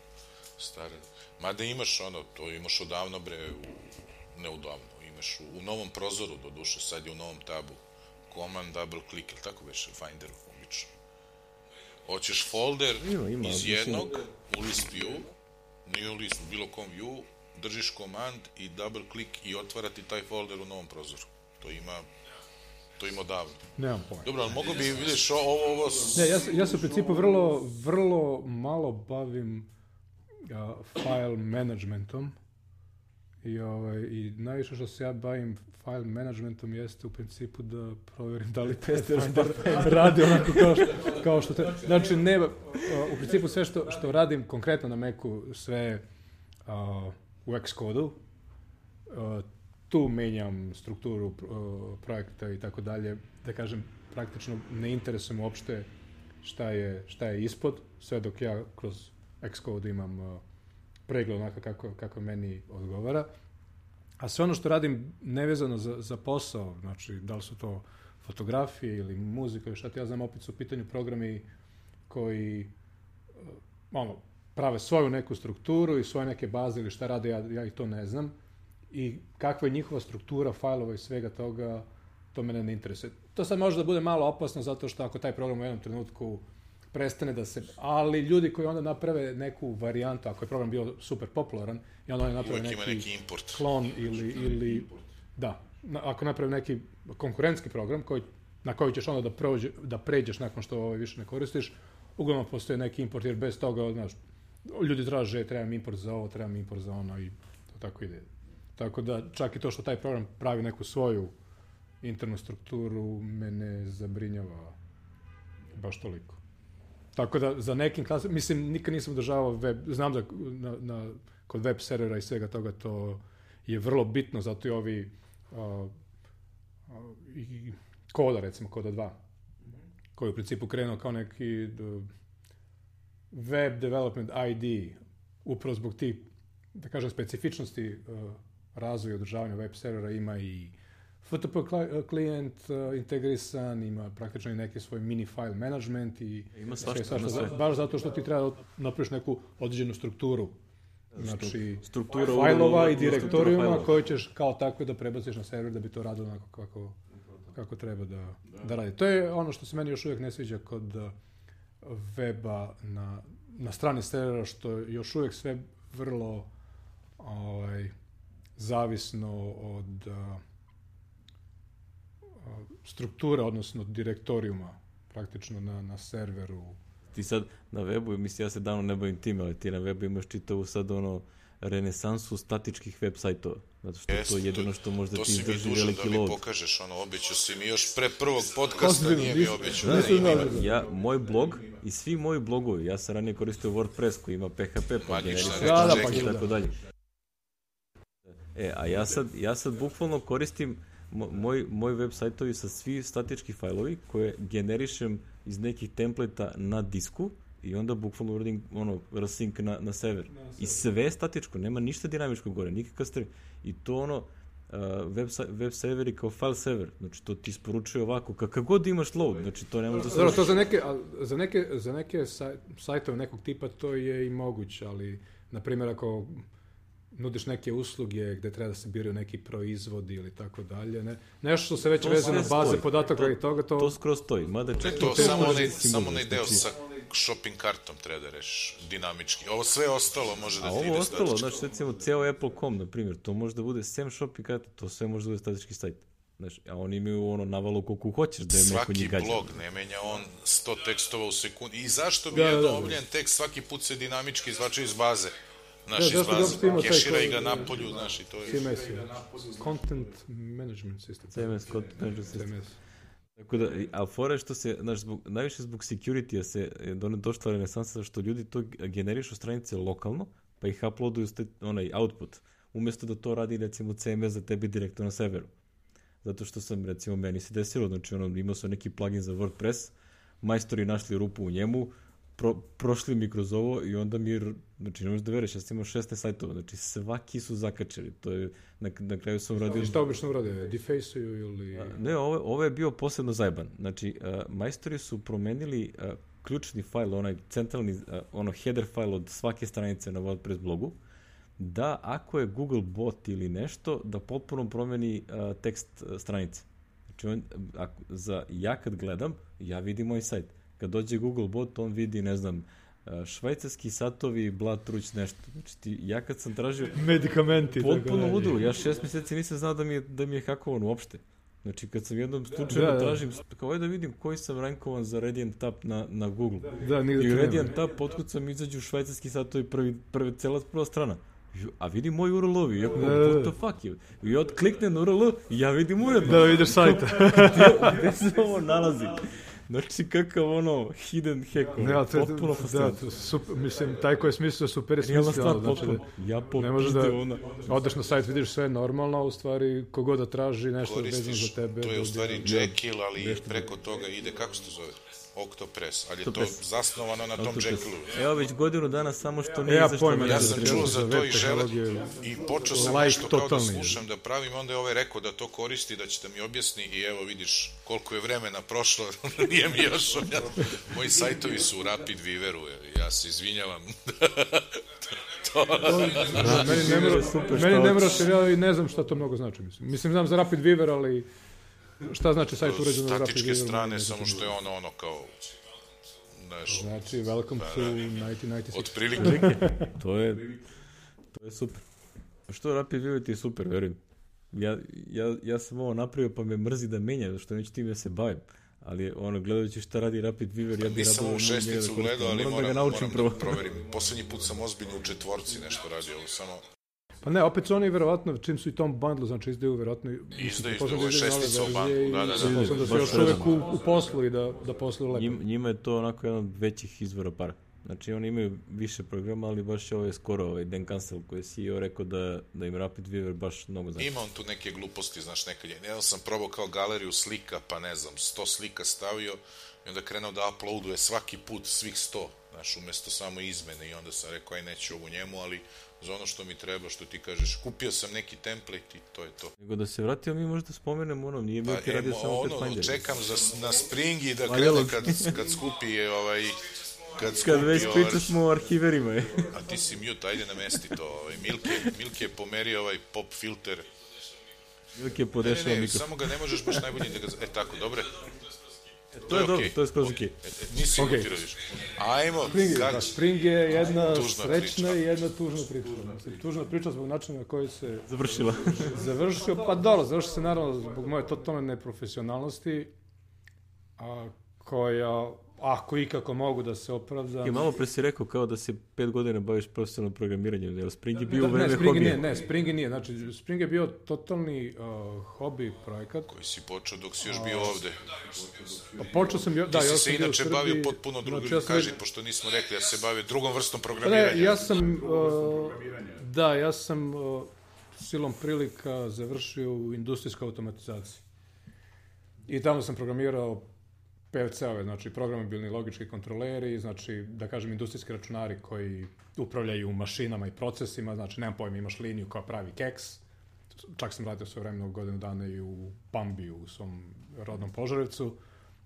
stare. Mada imaš ono, to imaš odavno bre, u, ne odavno, imaš u, u novom prozoru, do duše, sad je u novom tabu. Command, double click, ili tako već, Finderu, obično. Hoćeš folder ima, ima, iz jednog, u list view, nije u list, bilo kom view, držiš komand i double klik i otvarati taj folder u novom prozoru. To ima to ima davno. Nemam pojma. Dobro, ali mogu bi, vidiš, ovo... ovo... Ne, ja, ja se u principu vrlo, vrlo malo bavim uh, file managementom i, ovaj, i najviše što se ja bavim file managementom jeste u principu da provjerim da li Pathfinder radi onako kao što, kao što treba. Znači, ne, uh, u principu sve što, što radim konkretno na Macu, sve uh, u Xcodu, uh, tu menjam strukturu uh, projekta i tako dalje, da kažem, praktično ne interesujem uopšte šta je, šta je ispod, sve dok ja kroz Xcode imam uh, pregled onako kako, kako meni odgovara. A sve ono što radim nevezano za, za posao, znači da li su to fotografije ili muzika ili šta ti ja znam, opet su u pitanju programi koji uh, ono, prave svoju neku strukturu i svoje neke baze ili šta rade, ja, ja i to ne znam. I kakva je njihova struktura fajlova i svega toga, to mene ne interesuje. To sad može da bude malo opasno zato što ako taj program u jednom trenutku prestane da se... Ali ljudi koji onda naprave neku varijantu, ako je program bio super popularan, i onda oni naprave neki, neki import. klon ili... ili da, ako naprave neki konkurentski program koji, na koji ćeš onda da, prođe, da pređeš nakon što ovaj više ne koristiš, uglavnom postoje neki import, jer bez toga, znaš, ljudi traže, trebam import za ovo, trebam import za ono i to tako ide. Tako da čak i to što taj program pravi neku svoju internu strukturu mene zabrinjava baš toliko. Tako da za nekim klasama, mislim, nikad nisam održavao web, znam da na, na, kod web servera i svega toga to je vrlo bitno, zato i ovi uh, uh, i Koda, recimo Koda dva, koji je u principu krenuo kao neki uh, web development I D, upravo zbog tih, da kažem, specifičnosti uh, razvoja i održavanja web servera, ima i F T P klijent uh, integrisan, ima praktično i neki svoj mini file management i ima svašta, sve, svašta, ima baš zato što ti treba napraviš neku određenu strukturu, znači struktura fajlova i direktorijuma koje ćeš kao takve da prebaciš na server da bi to radilo onako kako, kako treba da, da radi. To je ono što se meni još uvijek ne sviđa kod uh, weba na, na strani servera, što je još uvijek sve vrlo ovaj, zavisno od uh, struktura, odnosno direktorijuma praktično na, na serveru. Ti sad na webu, mislim, ja se davno ne bavim tim, ali ti na webu imaš čitavu sad ono renesansu statičkih web sajtova. Zato što Jest, to je jedino što možda to ti izdrži veliki load. load. To si mi dužan da mi pokažeš, ono, običao si mi još pre prvog podcasta, nije mi običao. Da, da, da, da. Ja, moj blog i svi moji blogovi, ja sam ranije koristio WordPress koji ima P H P, pa generisam i tako dalje. E, a ja sad, ja sad bukvalno koristim moj, moj web sajtovi sa svi statički fajlovi koje generišem iz nekih templeta na disku i onda bukvalno uradim ono, rsync na, na server. I sve je statičko, nema ništa dinamičko gore, nikakav stream. I to ono, uh, web, web serveri kao file server, znači to ti isporučuje ovako, kakav god imaš load, znači to ne može da se... Dobro, to za neke, za neke, za neke saj, sajtove nekog tipa to je i moguće, ali, na primjer, ako nudiš neke usluge gde treba da se biraju neki proizvodi ili tako dalje, ne? Nešto što se već veze na baze podataka i toga, to... To skroz stoji, mada čak... To, to samo onaj, samo onaj deo sa shopping kartom treba da rešiš dinamički. Ovo sve ostalo može da ti ide statički. A ovo ostalo, znači recimo ceo Apple dot com, na primjer, to može da bude sem shopping karta, to sve može da bude statički sajt. Znači, a oni imaju ono navalu koliko hoćeš da je neko njih gađa. Svaki blog ne menja on sto tekstova u sekundi. I zašto bi jedan obavljen tekst svaki put se dinamički izvačio iz baze? Znaš, da, iz baze, kešira i ga napolju, znaš, i to je... C M S, Content Management System. C M S, Content Management System. Tako da, ali fora je što se, znaš, zbog, najviše zbog security-a se došla renesansa što ljudi to generišu stranice lokalno, pa ih uploaduju ste, onaj output, umjesto da to radi, recimo, C M S za tebi direktno na serveru. Zato što sam, recimo, meni se desilo, znači, ono, imao sam neki plugin za WordPress, majstori našli rupu u njemu, Pro, prošli mi kroz ovo i onda mi, znači ne možeš da veriš, ja sam imao šesnaest sajtova, znači svaki su zakačili, to je, na, na kraju sam uradio... Šta obično uradio, defaceuju ili... A, ne, ovo, ovo je bio posebno zajeban, znači a, majstori su promenili a, ključni fajl, onaj centralni, a, ono header fajl od svake stranice na WordPress blogu, da ako je Google bot ili nešto, da potpuno promeni a, tekst a, stranice. Znači on, ako, za, ja kad gledam, ja vidim moj sajt. Kad dođe Google bot, on vidi, ne znam, švajcarski satovi, blat, truć, nešto. Znači, ti, ja kad sam tražio... Medikamenti. Potpuno ludilo. Ja šest mjeseci nisam znao da mi je, da mi je hakovan uopšte. Znači, kad sam jednom slučajno da, da, da. tražim, kao da vidim koji sam rankovan za Radiant Tap na, na Google. Da, i u Radiant Tap otkucam izađu švajcarski satovi prvi, prvi, cela prva strana. A vidim moj U R L-ovi, ja kao, what the fuck je? I ja kliknem na U R L i ja vidim uredno. Da vidiš sajta. Gde se ovo nalazi? Znači, kakav ono, hidden hack, ono, potpuno fascinantno. Da, super, mislim, taj ko je smislio super je smislio. Znači, ja ne možeš da ona. Odeš na sajt, vidiš sve normalno, a u stvari, kogod da traži nešto vezano za tebe. To je u stvari Jekyll, ali preko toga ide, kako se to zove? Octopress, ali je to zasnovano na tom Jekyllu. Evo već godinu dana samo što nije izašlo. Ja, ja sam čuo za to i žele i počeo sam like nešto kao totalni. Da slušam, da pravim, onda je ovaj rekao da to koristi, da će da mi objasni i evo vidiš koliko je vremena prošlo, nije mi još objasno. Moji sajtovi su u Rapid Weaveru, ja se izvinjavam. to... da, meni ne mora, meni ne moraš jer ja ne znam šta to mnogo znači. Mislim, mislim znam za Rapid Weaver, ali... Šta znači sajt uređen za Rapid Weaver? Statičke strane, samo što je ono, ono kao... Neš, znači, welcome to devetnaest devedeset šest. Otprilike. to, je, to je super. Što Rapid Weaver ti je super, verujem. Ja, ja, ja sam ovo napravio pa me mrzi da menja, što neću tim ja se bavim. Ali ono, gledajući šta radi Rapid Weaver, ja bih nisam u šesticu da gledao, ali moram, da moram da proverim. Poslednji put sam ozbiljno u četvorci nešto radio, samo... Pa ne, opet su oni verovatno, čim su i tom bundlu, znači izdaju verovatno... Izdaju, izdaju, ovo šestica u bundlu, da, da, da. Mislim da su još uvek u, u poslu i da, da posluju lepo. Njim, njima je to onako jedan od većih izvora para. Znači oni imaju više programa, ali baš je ovaj skoro, ovaj Dan Cancel koji je C E O rekao da, da im Rapid Weaver baš mnogo znači. Ima on tu neke gluposti, znaš, nekad je. Jedan sam probao kao galeriju slika, pa ne znam, sto slika stavio i onda krenuo da uploaduje svaki put svih sto, znaš, umjesto samo izmene i onda sam rekao, aj neću ovu njemu, ali za ono što mi treba, što ti kažeš, kupio sam neki template i to je to. Nego da se vratio, mi možda spomenemo ono, nije bio ti radio samo Pathfinder. Ono, čekam za, na Springi da krene kad, kad skupi je ovaj... Kad, kad već priča smo o arhiverima je. A ti si mute, ajde namesti to. Ovaj. Milke, Milke je pomerio ovaj pop filter. Milke je podešao mikrofon. Samo ga ne možeš baš najbolje da ga... E tako, dobre. E, to, to je dobro, okay. To je skroz ok. okay. E, nisi okay. Mutirao više. Ajmo. Spring, kak... da, Spring je jedna srećna i jedna tužna priča. Mislim, tužna priča zbog načina na koji se... Završila. Završio, pa dobro, završio se naravno zbog moje totalne neprofesionalnosti, a koja... Ako ikako mogu da se opravdam... I malo pre si rekao kao da se pet godina baviš profesionalnom programiranjem, jer Spring je bio u vreme hobija. Ne, ne, Spring nije. Znači, Spring je bio totalni uh, hobi projekat. Koji si počeo dok si još bio ovde. Pa počeo sam... Da, ti si ja se inače Srbiji, bavio potpuno drugim, znači, ja sam... kaži, pošto nismo rekli, ja se bavio drugom vrstom programiranja. Ne, ja sam... Uh, da, ja sam uh, silom prilika završio u industrijskoj automatizaciji. I tamo sam programirao P L C-ove, znači programabilni logički kontroleri, znači, da kažem, industrijski računari koji upravljaju mašinama i procesima, znači, nemam pojma, imaš liniju koja pravi keks, čak sam radio sve vremena godinu dana i u Pambiju, u svom rodnom Požarevcu,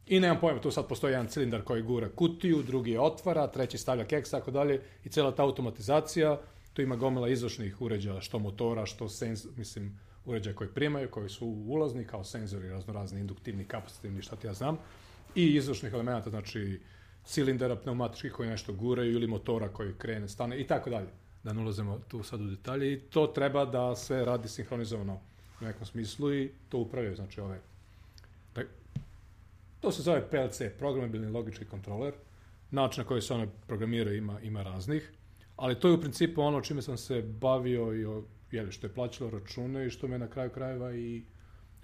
i nemam pojma, tu sad postoji jedan cilindar koji gura kutiju, drugi je otvara, treći stavlja keks, tako dalje, i cijela ta automatizacija, tu ima gomila izvršnih uređaja, što motora, što sens, mislim, uređaja koji primaju, koji su ulazni, kao senzori, raznorazni, induktivni, kapacitivni, šta ti ja znam, i izvršnih elemenata, znači cilindera pneumatičkih koji nešto guraju ili motora koji krene, stane i tako dalje. Da ne ulazimo tu sad u detalje i to treba da sve radi sinhronizovano u nekom smislu i to upravljaju, znači ove... To se zove P L C, programabilni logički kontroler. Način na koji se one programiraju ima, ima raznih, ali to je u principu ono čime sam se bavio i o, jeli, što je plaćalo račune i što me na kraju krajeva i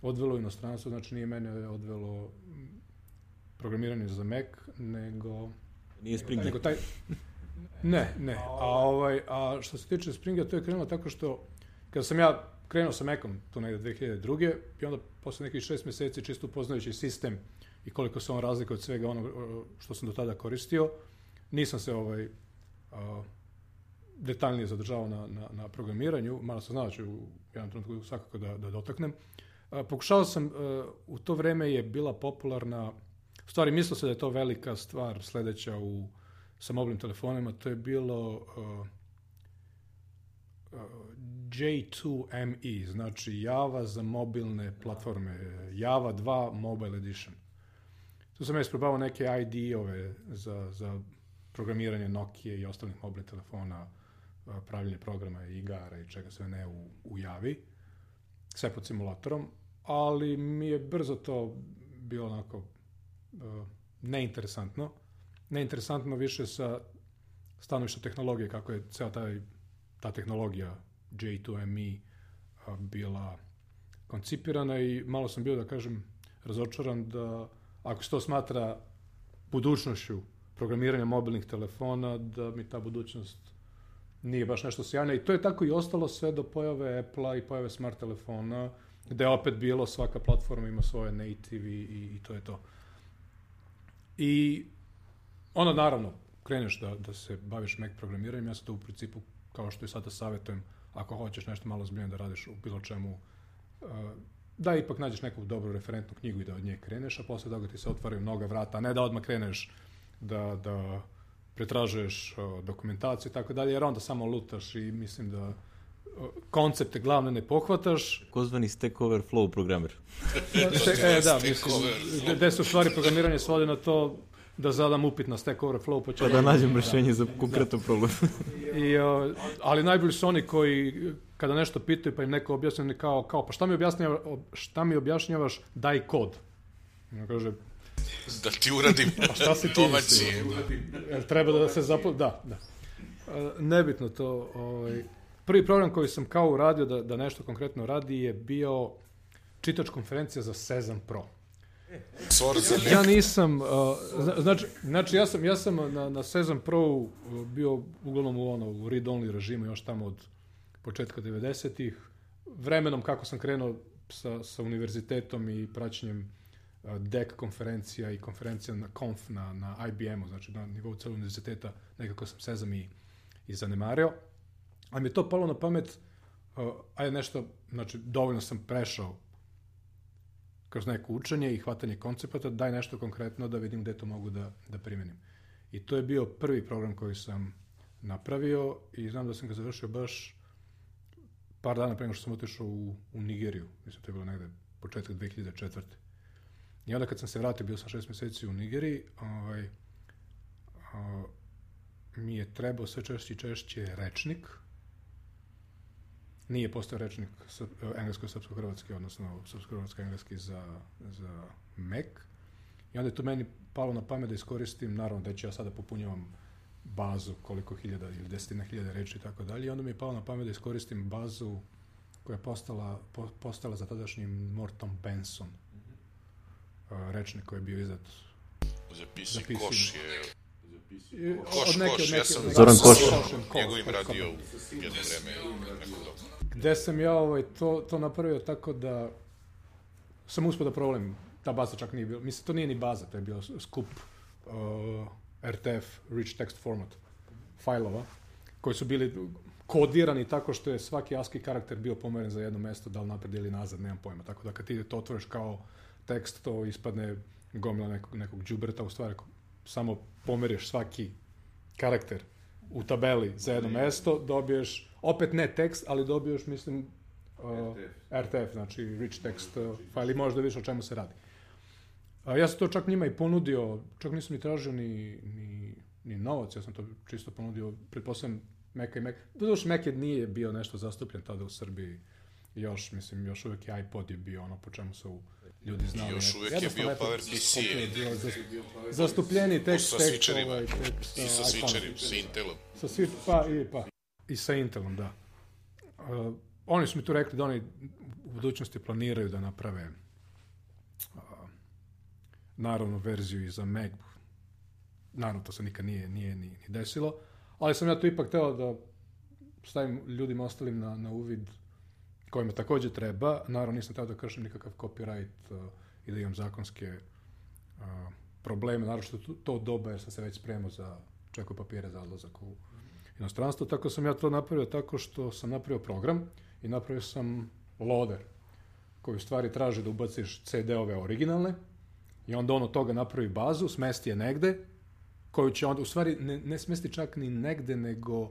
odvelo u inostranstvo, znači nije mene odvelo programiranje za Mac, nego... Nije Spring. Nego taj... Ne, ne. A, ovaj, a što se tiče Springa, to je krenulo tako što, kada sam ja krenuo sa Macom, tu negde dve hiljade druge. i onda posle nekih šest mjeseci, čisto upoznajući sistem i koliko se on razlikuje od svega onog što sam do tada koristio, nisam se ovaj, a, detaljnije zadržavao na, na, na programiranju, malo sam znao da ću u jednom trenutku svakako da, da dotaknem. A, pokušao sam, a, u to vreme je bila popularna, u stvari mislio se da je to velika stvar sledeća u, sa mobilnim telefonima, to je bilo uh, uh, J dva M E, znači Java za mobilne platforme, Java dva Mobile Edition. Tu sam ja isprobavao neke I D E-ove za, za programiranje Nokia i ostalih mobilnih telefona, pravljenje programa, igara i čega sve ne u, u javi, sve pod simulatorom, ali mi je brzo to bilo onako uh, neinteresantno. Neinteresantno više sa stanovišta tehnologije, kako je ceo taj, ta tehnologija J two M E uh, bila koncipirana i malo sam bio, da kažem, razočaran da ako se to smatra budućnošću programiranja mobilnih telefona, da mi ta budućnost nije baš nešto sjajna. I to je tako i ostalo sve do pojave Apple-a i pojave smart telefona, gde je opet bilo, svaka platforma ima svoje native i, i to je to. I onda naravno, kreneš da, da se baviš Mac programiranjem, ja sam to u principu, kao što i sada savjetujem, ako hoćeš nešto malo zbiljeno da radiš u bilo čemu, da ipak nađeš neku dobru referentnu knjigu i da od nje kreneš, a posle toga ti se otvaraju mnoga vrata, a ne da odmah kreneš da, da pretražuješ dokumentaciju i tako dalje, jer onda samo lutaš i mislim da koncepte glavne ne pohvataš. Kozvani Stack Overflow programer. e, da, mislim, gde se u stvari programiranje svodi na to da zadam upit na Stack Overflow, pa, pa da nađem rešenje za konkretan problem. I, uh, ali najbolji su oni koji, kada nešto pitaju, pa im neko objasni kao, kao pa šta mi, objašnjava, šta mi objašnjavaš, daj kod. I on kaže, da ti uradim pa šta si ti misli? Jel treba da se zapl... Da, da. Uh, nebitno to. Ovaj. Prvi program koji sam kao uradio da, da nešto konkretno radi je bio čitač konferencija za Sezam Pro. Ja nisam, uh, znači, znači ja sam, ja sam na, na Sezam Pro bio uglavnom u, ono, u read-only režimu još tamo od početka devedesetih. Vremenom kako sam krenuo sa, sa univerzitetom i praćenjem uh, D E C konferencija i konferencija na Conf na, na I B M-u, znači na nivou celog univerziteta, nekako sam Sezam i, i zanemario. Ali mi je to palo na pamet, uh, ajde nešto, znači dovoljno sam prešao kroz neko učenje i hvatanje koncepata, daj nešto konkretno da vidim gde to mogu da, da primenim. I to je bio prvi program koji sam napravio i znam da sam ga završio baš par dana pre nego što sam otišao u, u Nigeriju. Mislim, to je bilo negde početak dve hiljade četvrte. I onda kad sam se vratio, bio sam šest meseci u Nigeriji, ovaj, a, mi je trebao sve češće i češće rečnik. Nije postao rečnik englesko-srpsko-hrvatski, odnosno srpsko-hrvatsko-engleski za, za Mac. I onda je to meni palo na pamet da iskoristim, naravno da ću ja sada popunjavam bazu koliko hiljada ili desetina hiljada reči i tako dalje. I onda mi je palo na pamet da iskoristim bazu koja je postala, po, postala za tadašnjim Morton Benson. Mm-hmm. Rečnik koji je bio izdat za P C Koš je... Koš, od neke, Koš, od neke, ja sam Zoran Koš. Njegovim radio jedno vreme. Gde sam ja ovaj, to, to napravio tako da sam uspio da problem, ta baza čak nije bila, mislim, to nije ni baza, to je bio skup uh, R T F, Rich Text Format, fajlova, koji su bili kodirani tako što je svaki ASCII karakter bio pomeren za jedno mesto, da li napred ili nazad, nemam pojma, tako da kad ti to otvoriš kao tekst, to ispadne gomila nekog, nekog džubreta, u stvari samo pomeriš svaki karakter u tabeli za jedno mesto, dobiješ, opet ne tekst, ali dobiješ, mislim, uh, R T F, znači Rich Text uh, file i možeš da vidiš o čemu se radi. Uh, ja sam to čak njima i ponudio, čak nisam ni tražio ni, ni, ni novac, ja sam to čisto ponudio, pretpostavljam Mac i Mac. Doduše, Mac nije bio nešto zastupljen tada u Srbiji, još, mislim, još uvijek je iPod je bio ono po čemu su ljudi znali. I još uvijek je bio PowerPC. Zastupljeni tekst, sa tekst, ovaj, tekst i sa switcherima, sa Intelom. Sa switch, pa, i, pa, i sa Intelom, da. Uh, oni su mi tu rekli da oni u budućnosti planiraju da naprave uh, naravno verziju i za Mac. Naravno, to se nikad nije, nije ni, ni desilo, ali sam ja tu ipak teo da stavim ljudima ostalim na, na uvid kojima također treba. Naravno, nisam teo da kršim nikakav copyright uh, i da imam zakonske uh, probleme, naravno što to, to doba jer sam se već spremao za čekao papire za odlazak u inostranstvo, tako sam ja to napravio tako što sam napravio program i napravio sam loader koji u stvari traži da ubaciš C D-ove originalne i onda on od toga napravi bazu, smesti je negde, koju će onda, u stvari ne, ne smesti čak ni negde, nego uh,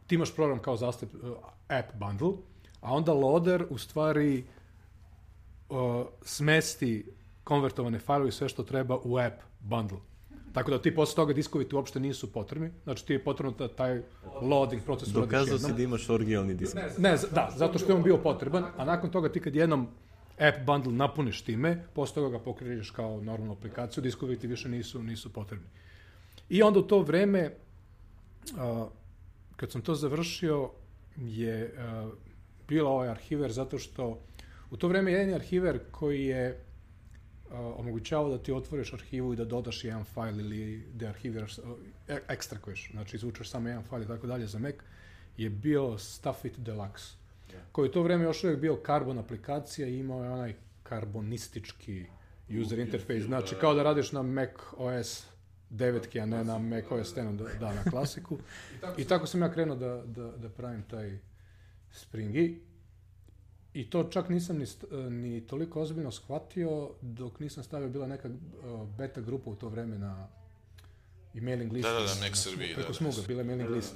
ti imaš program kao zastup uh, app bundle, a onda loader u stvari uh, smesti konvertovane fajlove i sve što treba u app bundle. Tako da ti posle toga diskovi ti uopšte nisu potrebni, znači ti je potrebno da taj loading proces uradiš jednom. Dokazao si da imaš originalni disk. Ne, da, zato što je on bio potreban, a nakon toga ti kad jednom app bundle napuniš time, posle toga ga pokriješ kao normalnu aplikaciju, diskovi ti više nisu, nisu potrebni. I onda u to vreme, uh, kad sam to završio, je uh, bio ovaj arhiver, zato što u to vreme jedini arhiver koji je uh, omogućavao da ti otvoriš arhivu i da dodaš jedan fajl ili da arhiviraš, uh, ekstrakuješ, znači izvučeš samo jedan fajl i tako dalje za Mac, je bio Stuffit Deluxe, yeah. koji u to vreme još uvijek bio Carbon aplikacija i imao je onaj karbonistički user interface, znači kao da radiš na Mac O S devetki, a ne na Mac O S deset, da, na klasiku. I tako sam ja krenuo da, da, da pravim taj Springy. I to čak nisam ni, ni toliko ozbiljno shvatio dok nisam stavio, bila neka uh, beta grupa u to vreme na i mailing listu. Da, da, da, Mac Srbiji. Preko da, Smuga, bila je mailing list.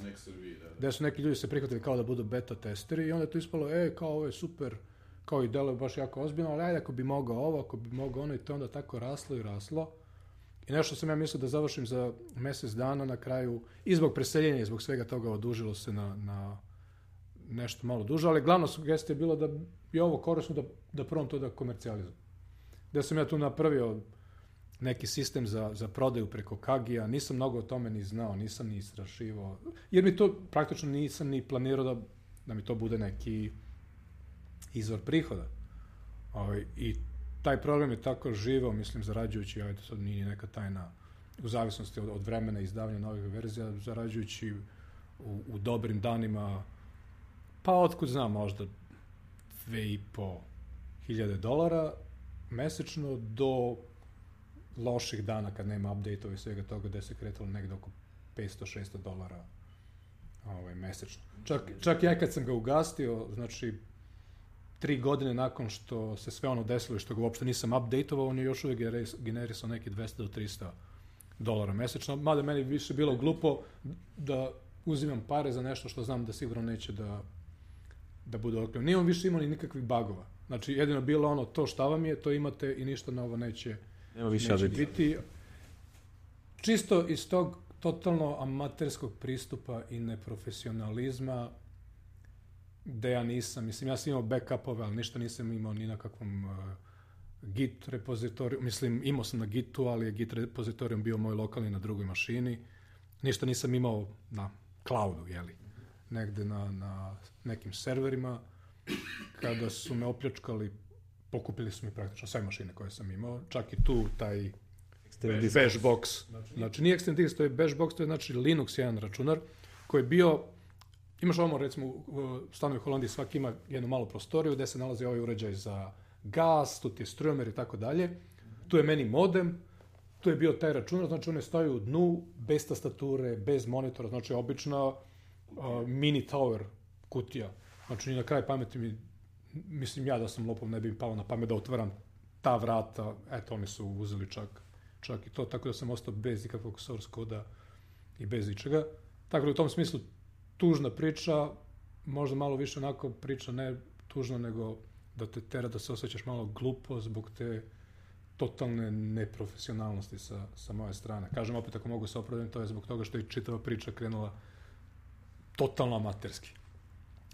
Gde su neki ljudi se prihvatili kao da budu beta testeri i onda je to ispalo, e, kao ovo je super, kao i delo je baš jako ozbiljno, ali ajde ako bi mogao ovo, ako bi mogao ono, i to onda tako raslo i raslo. I nešto sam ja mislio da završim za mjesec dana, na kraju, i zbog preseljenja i zbog svega toga odužilo se na, na nešto malo duže, ali glavna sugestija je bila da je ovo korisno da, da probam to da komercijalizujem. Da sam ja tu napravio neki sistem za, za prodaju preko Kagija, nisam mnogo o tome ni znao, nisam ni istraživao, jer mi to praktično nisam ni planirao da, da mi to bude neki izvor prihoda. Ovaj, I taj program je tako živao, mislim, zarađujući, ajde, sad nije neka tajna, u zavisnosti od, od vremena izdavanja novih verzija, zarađujući u, u dobrim danima, pa otkud znam, možda dve i po hiljade dolara mesečno do loših dana kad nema update-ova i svega toga, gde se kretalo negde oko petsto šesto dolara ovaj, mesečno. Čak, čak ja kad sam ga ugastio, znači, tri godine nakon što se sve ono desilo i što ga uopšte nisam update-ovao, on je još uvijek generisao neki dvesta do trista dolara mesečno, mada meni više bilo glupo da uzimam pare za nešto što znam da sigurno neće da, da bude otkrio. Nije on više imao ni nikakvih bagova. Znači, jedino bilo ono, to šta vam je, to imate i ništa novo neće, Nema više neće biti. Čisto iz tog totalno amaterskog pristupa i neprofesionalizma, gde ja nisam, mislim, ja sam imao backupove, ali ništa nisam imao ni na kakvom uh, Git repozitoriju, mislim, imao sam na Gitu, ali je Git repozitorijum bio moj lokalni na drugoj mašini, ništa nisam imao na cloudu, jeli, negde na, na nekim serverima. Kada su me opljačkali, pokupili su mi praktično sve mašine koje sam imao, čak i tu taj bash box, znači nije extended disk, to je bash box, to je znači Linux jedan računar, koji je bio, imaš ovamo, recimo, u stanu u Holandiji svaki ima jednu malu prostoriju gde se nalazi ovaj uređaj za gas, tu ti je strujomer i tako dalje. Tu je meni modem, tu je bio taj računar, znači on je stoji u dnu, bez tastature, bez monitora, znači obična uh, mini tower kutija. Znači na kraj pameti mi, mislim ja da sam lopov, ne bi mi palo na pamet da otvaram ta vrata, eto oni su uzeli čak, čak i to, tako da sam ostao bez ikakvog source koda i bez ičega. Tako da u tom smislu tužna priča, možda malo više onako priča, ne tužna, nego da te tera da se osjećaš malo glupo zbog te totalne neprofesionalnosti sa, sa moje strane. Kažem opet, ako mogu se opravdati, to je zbog toga što je čitava priča krenula totalno amaterski.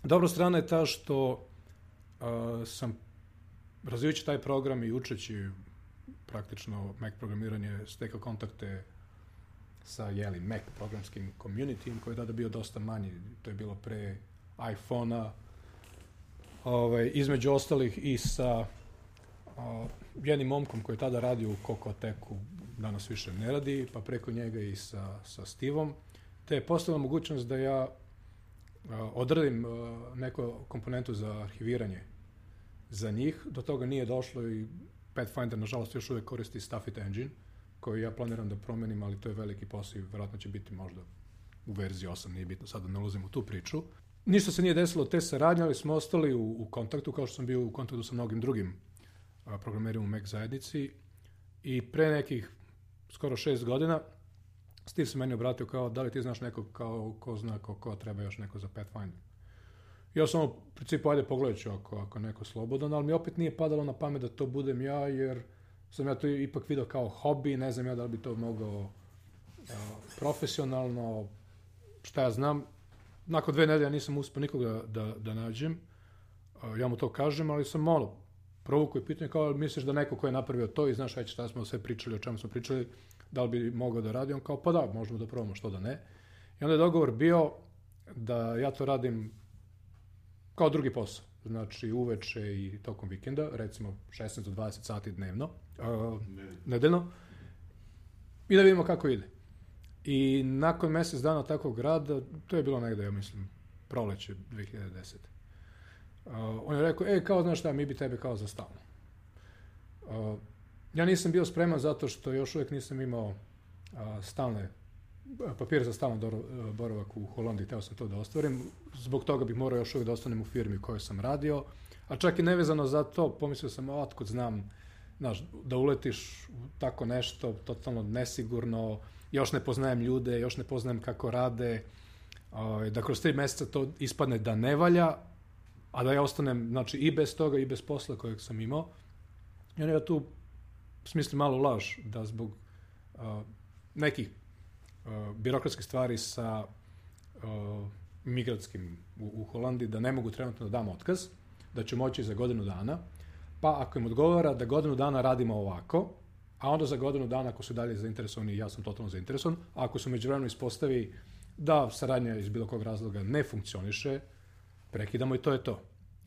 Dobra strana je ta što uh, sam razvijajući taj program i učeći praktično Mac programiranje, stekao kontakte sa jeli, Mac programskim communityjem koji je tada bio dosta manji, to je bilo pre iPhone-a, ovaj, između ostalih i sa uh, jednim momkom koji je tada radio u Kokoteku, danas više ne radi, pa preko njega i sa, sa Stevom, te je postavila mogućnost da ja uh, odradim uh, neku komponentu za arhiviranje za njih. Do toga nije došlo i Pathfinder, nažalost, još uvijek koristi Stuffit Engine, koji ja planiram da promenim, ali to je veliki posao i vjerojatno će biti možda u verziji osam, nije bitno, sada ne ulazim u tu priču. Ništa se nije desilo te saradnje, ali smo ostali u, u kontaktu, kao što sam bio u kontaktu sa mnogim drugim a, programerima u Mac zajednici. I pre nekih skoro šest godina Steve se meni obratio kao, da li ti znaš nekog kao, ko zna ko, ko treba još neko za Pathfinder. Ja sam u principu, ajde pogledat ću ako, ako neko slobodan, ali mi opet nije padalo na pamet da to budem ja, jer sam ja to ipak vidio kao hobi, ne znam ja da li bi to mogao profesionalno, šta ja znam, nakon dve nedelje nisam uspio nikoga da, da nađem, ja mu to kažem, ali sam malo provukao i pitanje kao, misliš da neko ko je napravio to i znaš već šta smo sve pričali, o čemu smo pričali, da li bi mogao da radi, on kao, pa da, možemo da probamo, što da ne. I onda je dogovor bio da ja to radim kao drugi posao, znači uveče i tokom vikenda, recimo šesnaest do dvadeset sati dnevno, uh, nedeljno, i da vidimo kako ide. I nakon mjesec dana takvog rada, to je bilo negde, ja mislim, proleće dve hiljade desete. Uh, on je rekao, e, kao, znaš šta, mi bi tebe kao za stalno. Uh, ja nisam bio spreman zato što još uvijek nisam imao uh, stalne papire za stalno dor- boravak u Holandiji, teo sam to da ostvarim. Zbog toga bih morao još uvijek da ostanem u firmi u kojoj sam radio. A čak i nevezano za to, pomislio sam, otkud znam, znaš, da uletiš u tako nešto, totalno nesigurno, još ne poznajem ljude, još ne poznajem kako rade, uh, da kroz tri mjeseca to ispadne da ne valja, a da ja ostanem, znači, i bez toga i bez posla kojeg sam imao. I onda ja tu smislim malu laž, da zbog uh, nekih uh, birokratskih stvari sa uh, migratskim u, u Holandiji, da ne mogu trenutno da dam otkaz, da ću moći za godinu dana, pa ako im odgovara da godinu dana radimo ovako, a onda za godinu dana ako su dalje zainteresovani, ja sam totalno zainteresovan, a ako su međuvremeno ispostavi da saradnja iz bilo kog razloga ne funkcioniše, prekidamo i to je to.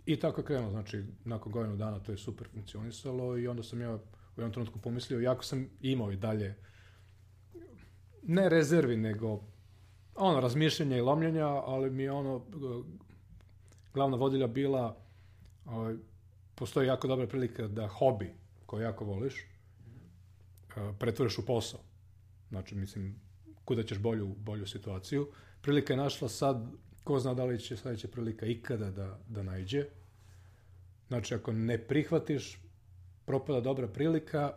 I tako je krenulo, znači nakon godinu dana to je super funkcionisalo i onda sam ja u jednom trenutku pomislio, jako sam imao i dalje ne rezervi, nego ono, razmišljanja i lomljenja, ali mi je ono, glavna vodilja bila, ovaj, postoji jako dobra prilika da hobi, koji jako voliš, pretvoriš u posao. Znači, mislim, kuda ćeš bolju, bolju situaciju. Prilika je našla sad, ko zna da li će sljedeća prilika ikada da, da naiđe. Znači, ako ne prihvatiš, propada dobra prilika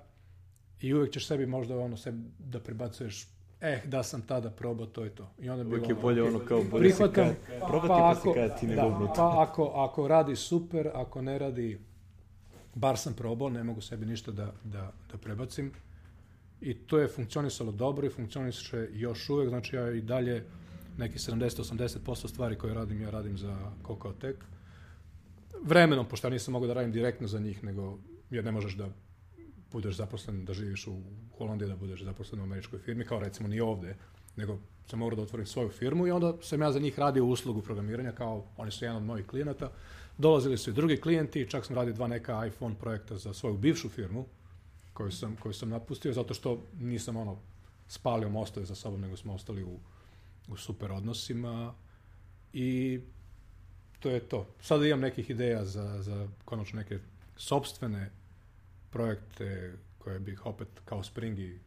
i uvijek ćeš sebi možda ono sebi da prebacuješ, eh, da sam tada probao, to je to. I onda uvijek bilo je bolje ono kao bolje prihvatam, si kad, probati pa pa ako, si kad ti nego da, pa ako, ako radi super, ako ne radi, bar sam probao, ne mogu sebi ništa da, da, da prebacim. I to je funkcionisalo dobro i funkcioniše još uvijek, znači ja i dalje neki sedamdeset do osamdeset posto stvari koje radim, ja radim za Kokotek. Vremenom, pošto ja nisam mogao da radim direktno za njih, nego jer ne možeš da budeš zaposlen, da živiš u Holandiji, da budeš zaposlen u američkoj firmi, kao recimo ni ovdje, nego sam morao da otvorim svoju firmu i onda sam ja za njih radio uslugu programiranja, kao oni su jedan od mojih klijenata. Dolazili su i drugi klijenti, čak sam radio dva neka iPhone projekta za svoju bivšu firmu, koju sam, koju sam napustio, zato što nisam ono spalio mostove za sobom, nego smo ostali u, u super odnosima i to je to. Sada imam nekih ideja za, za konačno neke sopstvene projekte koje bih opet kao Springi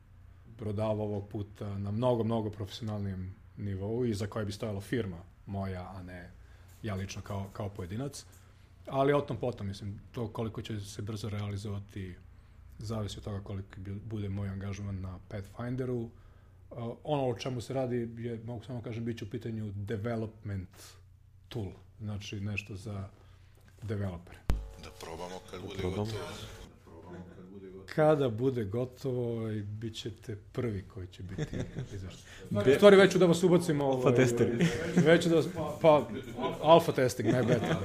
prodavao ovog puta na mnogo, mnogo profesionalnijem nivou i za koje bi stojala firma moja, a ne ja lično kao, kao pojedinac. Ali o tom potom, mislim, to koliko će se brzo realizovati zavisi od toga koliko bude moj angažman na Pathfinderu. Uh, ono o čemu se radi je, mogu samo kažem, bit će u pitanju development tool, znači nešto za developere. Da probamo kad bude gotovo. Kada bude gotovo, bit ćete prvi koji će biti izvršten. U stvari, već ću da vas ubacimo... Alfa testeri. Već ću da vas... Pa, alfa testing, ne beta.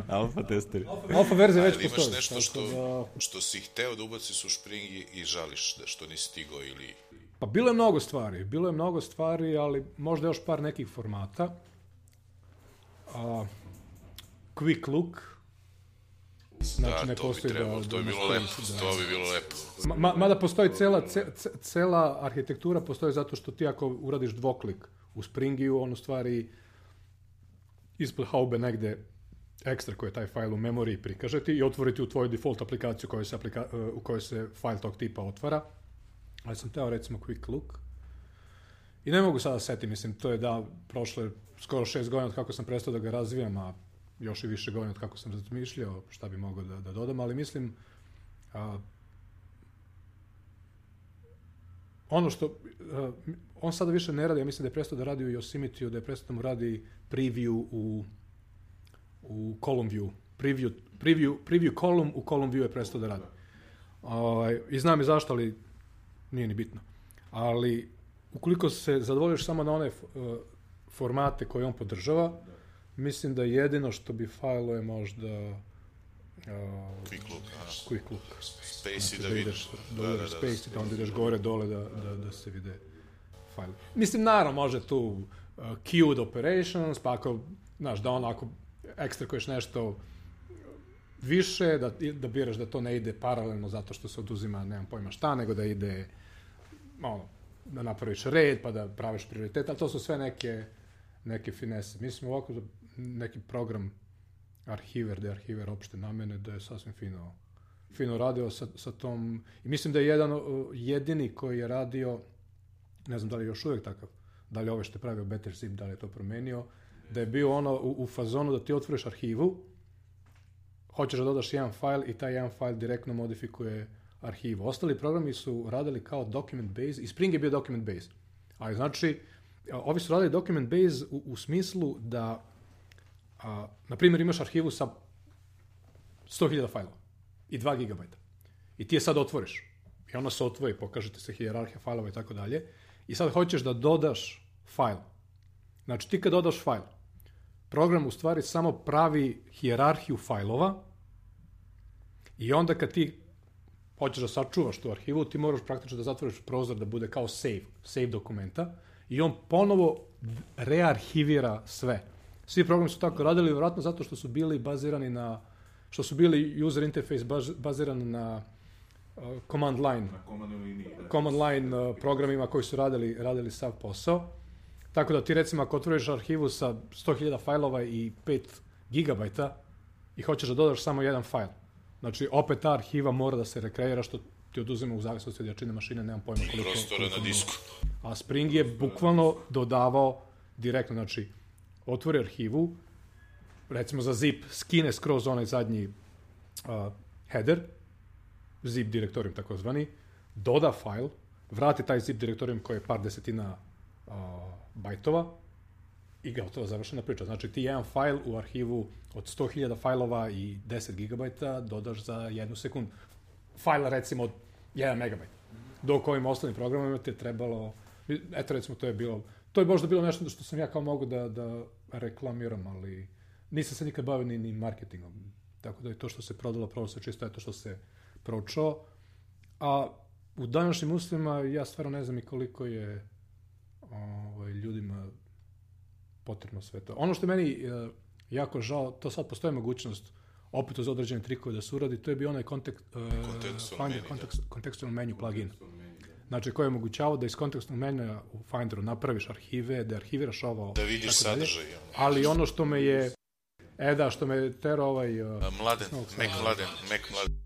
Alfa testeri. Alfa verzija već ali postoji. Imaš nešto što, da... što si hteo da ubaciš u Springi i žališ da što nisi stigao ili... Pa bilo je mnogo stvari. Bilo je mnogo stvari, ali možda još par nekih formata. Uh, quick look. Znači, da, ne to bi trebalo, da, to bi bilo da, lepo, da. to bi bilo lepo. Ma, mada postoji cela, ce, cela arhitektura, postoji zato što ti ako uradiš dvoklik u Springiju, on u stvari ispod haube negde ekstra koji je taj fajl u memoriji prikaže ti i otvoriti u tvoju default aplikaciju kojoj se aplika, u kojoj se fajl tog tipa otvara. Ali sam teo recimo quick look. I ne mogu sada setiti, mislim, to je da prošle skoro šest godina od kako sam prestao da ga razvijam, a još i više godina od kako sam razmišljao šta bi mogao da, da dodam, ali mislim a, ono što a, on sada više ne radi, ja mislim da je prestao da radi u Yosemite-u, da je prestao da mu radi preview u u column view, preview, preview, preview column u column view je prestao da radi. A, I znam i zašto, ali nije ni bitno. Ali ukoliko se zadovoljiš samo na one uh, formate koje on podržava, da. Mislim da jedino što bi fajlo je možda uh, Quick Look, Quick Look. Space znači, i da, da ideš, da, da, da, da, Space i da onda ideš gore dole da, da, da se vide fajli. Mislim, naravno, može tu uh, queued operations, pa ako, znaš, da ono, ako ekstrakuješ nešto više, da, da biraš da to ne ide paralelno zato što se oduzima, nemam pojma šta, nego da ide, ono, da napraviš red, pa da praviš prioritet, ali to su sve neke, neke finese. Mislim, ovako za neki program arhiver, da je arhiver opšte namene, da je sasvim fino, fino radio sa, sa tom, i mislim da je jedan jedini koji je radio, ne znam da li je još uvijek takav, da li ove što je pravio Better Zip, da li je to promenio, da je bio ono u, u fazonu da ti otvoriš arhivu, hoćeš da dodaš jedan fajl i taj jedan fajl direktno modifikuje arhivu. Ostali programi su radili kao document base, i Spring je bio document base. Ali znači, ovi su radili document base u, u smislu da, a, na primjer, imaš arhivu sa sto hiljada fajlova i dva gigabajta. I ti je sad otvoriš. I ona se otvori, pokažete se hijerarhija fajlova i tako dalje. I sad hoćeš da dodaš fajl. Znači, ti kad dodaš fajl, program u stvari samo pravi hijerarhiju fajlova i onda kad ti hoćeš da sačuvaš tu arhivu, ti moraš praktično da zatvoriš prozor da bude kao save, save dokumenta i on ponovo rearhivira sve. Svi programi su tako radili, vjerojatno zato što su bili bazirani na, što su bili user interface baziran na uh, command line, na command line, command line uh, programima koji su radili, radili sav posao. Tako da ti recimo ako otvoriš arhivu sa sto hiljada fajlova i pet gigabajta i hoćeš da dodaš samo jedan fajl. Znači opet ta arhiva mora da se rekreira što ti oduzima u zavisnosti od jačine mašine, nemam pojma koliko. Prostora na disku. A Spring je bukvalno dodavao direktno, znači otvori arhivu, recimo za zip, skine skroz onaj zadnji uh, header, zip direktorijum takozvani, doda fajl, vrati taj zip direktorijum koji je par desetina uh, bajtova i gotovo završena priča. Znači ti jedan fajl u arhivu od sto hiljada fajlova i deset gigabajta dodaš za jednu sekundu. Fajla recimo od jedan megabajt. Dok ovim ostalim programima ti je trebalo, eto recimo to je bilo, to je možda bilo nešto što sam ja kao mogu da, da reklamiram, ali nisam se nikad bavio ni, ni marketingom. Tako da je to što se prodalo, prodalo se čisto je to što se proučao. A u današnjim uslovima ja stvarno ne znam i koliko je ovaj, ljudima potrebno sve to. Ono što je meni uh, jako žao, to sad postoji mogućnost opet uz određene trikove da se uradi, to je bio onaj kontekst, uh, Finder kontekst, kontekstualno menu plugin. Znači koji je omogućavao da iz kontekstualnog menija u Finderu napraviš arhive, da arhiviraš ovo. Da vidiš sadržaj. Ali ono što me je, e da, što me je tero ovaj... Uh, mladen, Mek Mladen, Mek Mladen.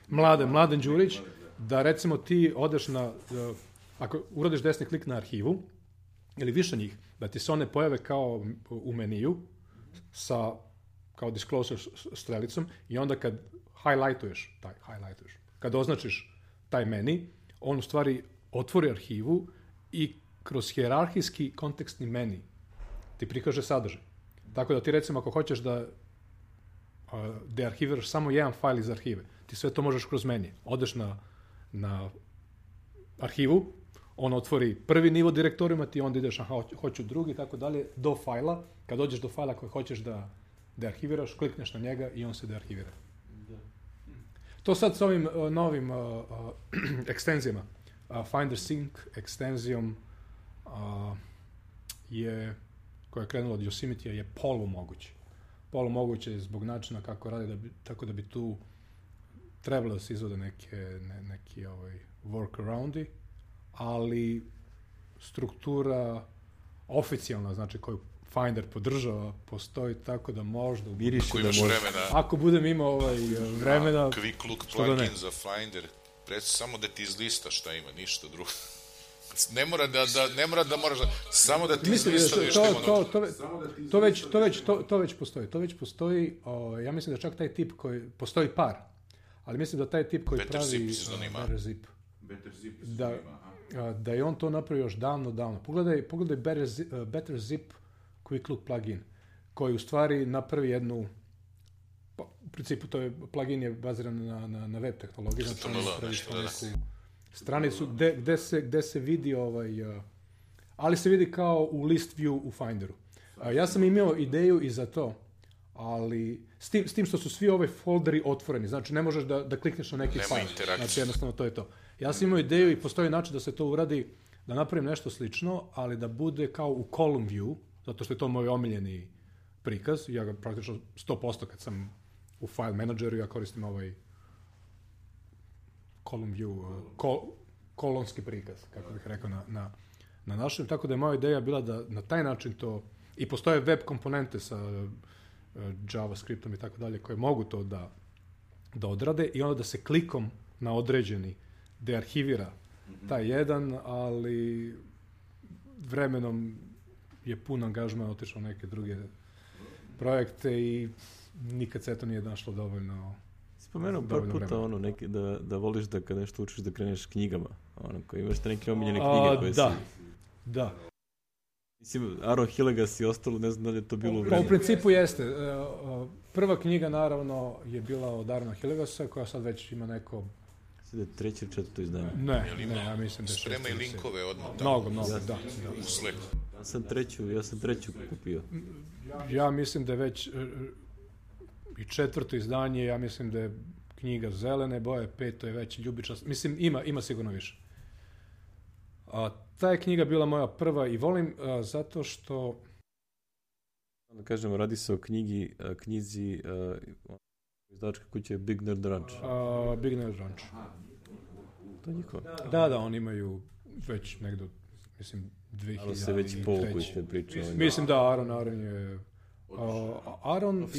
Mladen, Mladen Đurić, da recimo ti odeš na, uh, ako uradiš desni klik na arhivu, ili više njih, da ti se one pojave kao u meniju, sa, kao disclosure strelicom, i onda kad highlightuješ, taj, highlightuješ, kad označiš taj meni, on u stvari otvori arhivu i kroz hijerarhijski kontekstni meni ti prikaže sadržaj. Tako da ti recimo ako hoćeš da uh, dearhiviraš samo jedan fajl iz arhive, ti sve to možeš kroz meni. Odeš na, na arhivu, on otvori prvi nivo direktorijuma, ti onda ideš, aha, hoću drugi, tako dalje, do fajla. Kad dođeš do fajla koji hoćeš da dearhiviraš, klikneš na njega i on se dearhivira. Da. To sad s ovim uh, novim uh, uh, ekstenzijama, uh, Finder Sync ekstenzijom uh, je, koja je krenula od Yosemite, je polu moguće. Polu moguće zbog načina kako radi, da bi, tako da bi tu trebalo da se izvode neke, ne, neki ovaj, workaroundi, ali struktura oficijalna, znači koju Finder podržava, postoji tako da možda... Ako imaš vremena... Ako budem imao ovaj, vremena... Quick Look plugin za Finder, preci samo da ti izlista šta ima, ništa drugo. Ne mora da, da, ne mora da moraš da... Samo da ti izlista da što ima to, to, to, već, to, već, to, to već postoji. To već postoji, o, ja mislim da čak taj tip koji... Postoji par, ali mislim da taj tip koji Better pravi... Better Zip. Better Zip. Da, da je on to napravio još davno, davno. Pogledaj, pogledaj Better Zip, uh, Better Zip Quick Look plugin, koji u stvari napravi jednu, pa, u principu to je, plugin je baziran na, na, na web tehnologiji, znači on napravi neku stranicu gde, gde, se, gde se vidi ovaj, uh, ali se vidi kao u list view u Finderu. A, ja sam imao ideju i za to, ali s tim, s tim što su svi ove folderi otvoreni, znači ne možeš da, da klikneš na neki file, znači jednostavno to je to. Ja sam imao ideju i postoji način da se to uradi, da napravim nešto slično, ali da bude kao u column view, zato što je to moj omiljeni prikaz, ja ga praktično sto posto kad sam u file manageru, ja koristim ovaj column view, kol, kolonski prikaz, kako bih rekao na, na, na našem, tako da je moja ideja bila da na taj način to, i postoje web komponente sa uh, JavaScriptom i tako dalje, koje mogu to da, da odrade i onda da se klikom na određeni dearhivira taj jedan, ali vremenom je pun angažman otišao neke druge projekte i nikad se to nije našlo dovoljno. Spomenuo par puta ono, neki, da, da voliš da kad nešto učiš da kreneš knjigama, ono, koji imaš te neke omiljene knjige koje da, si... Da, Mislim, Aaron Hillegas i ostalo, ne znam da li je to bilo u pa vremenu. u principu jeste. Prva knjiga naravno je bila od Aarona Hillegasa, koja sad već ima neko... Sada je treće ili četvrto izdanje. Ne, ne, ja mislim da je Spremaj šesto, linkove odmah tamo. Mnogo, mnogo, da, da. U Slacku. Ja sam treću, ja sam treću kupio. Ja mislim da je već i četvrto izdanje, ja mislim da je knjiga zelene boje, peto je već ljubičast. Mislim, ima, ima sigurno više. A, ta je knjiga bila moja prva i volim a, zato što... Da kažemo, radi se o knjigi, a, knjizi a, izdavačke kuće Big Nerd Ranch. A, Big Nerd Ranch. To je njihova. Da, da, oni imaju već negdje, mislim, dve hiljade treće. Ali se već povuku iz te priče. Mislim da, Aaron, Aaron je... Uh, Aaron i,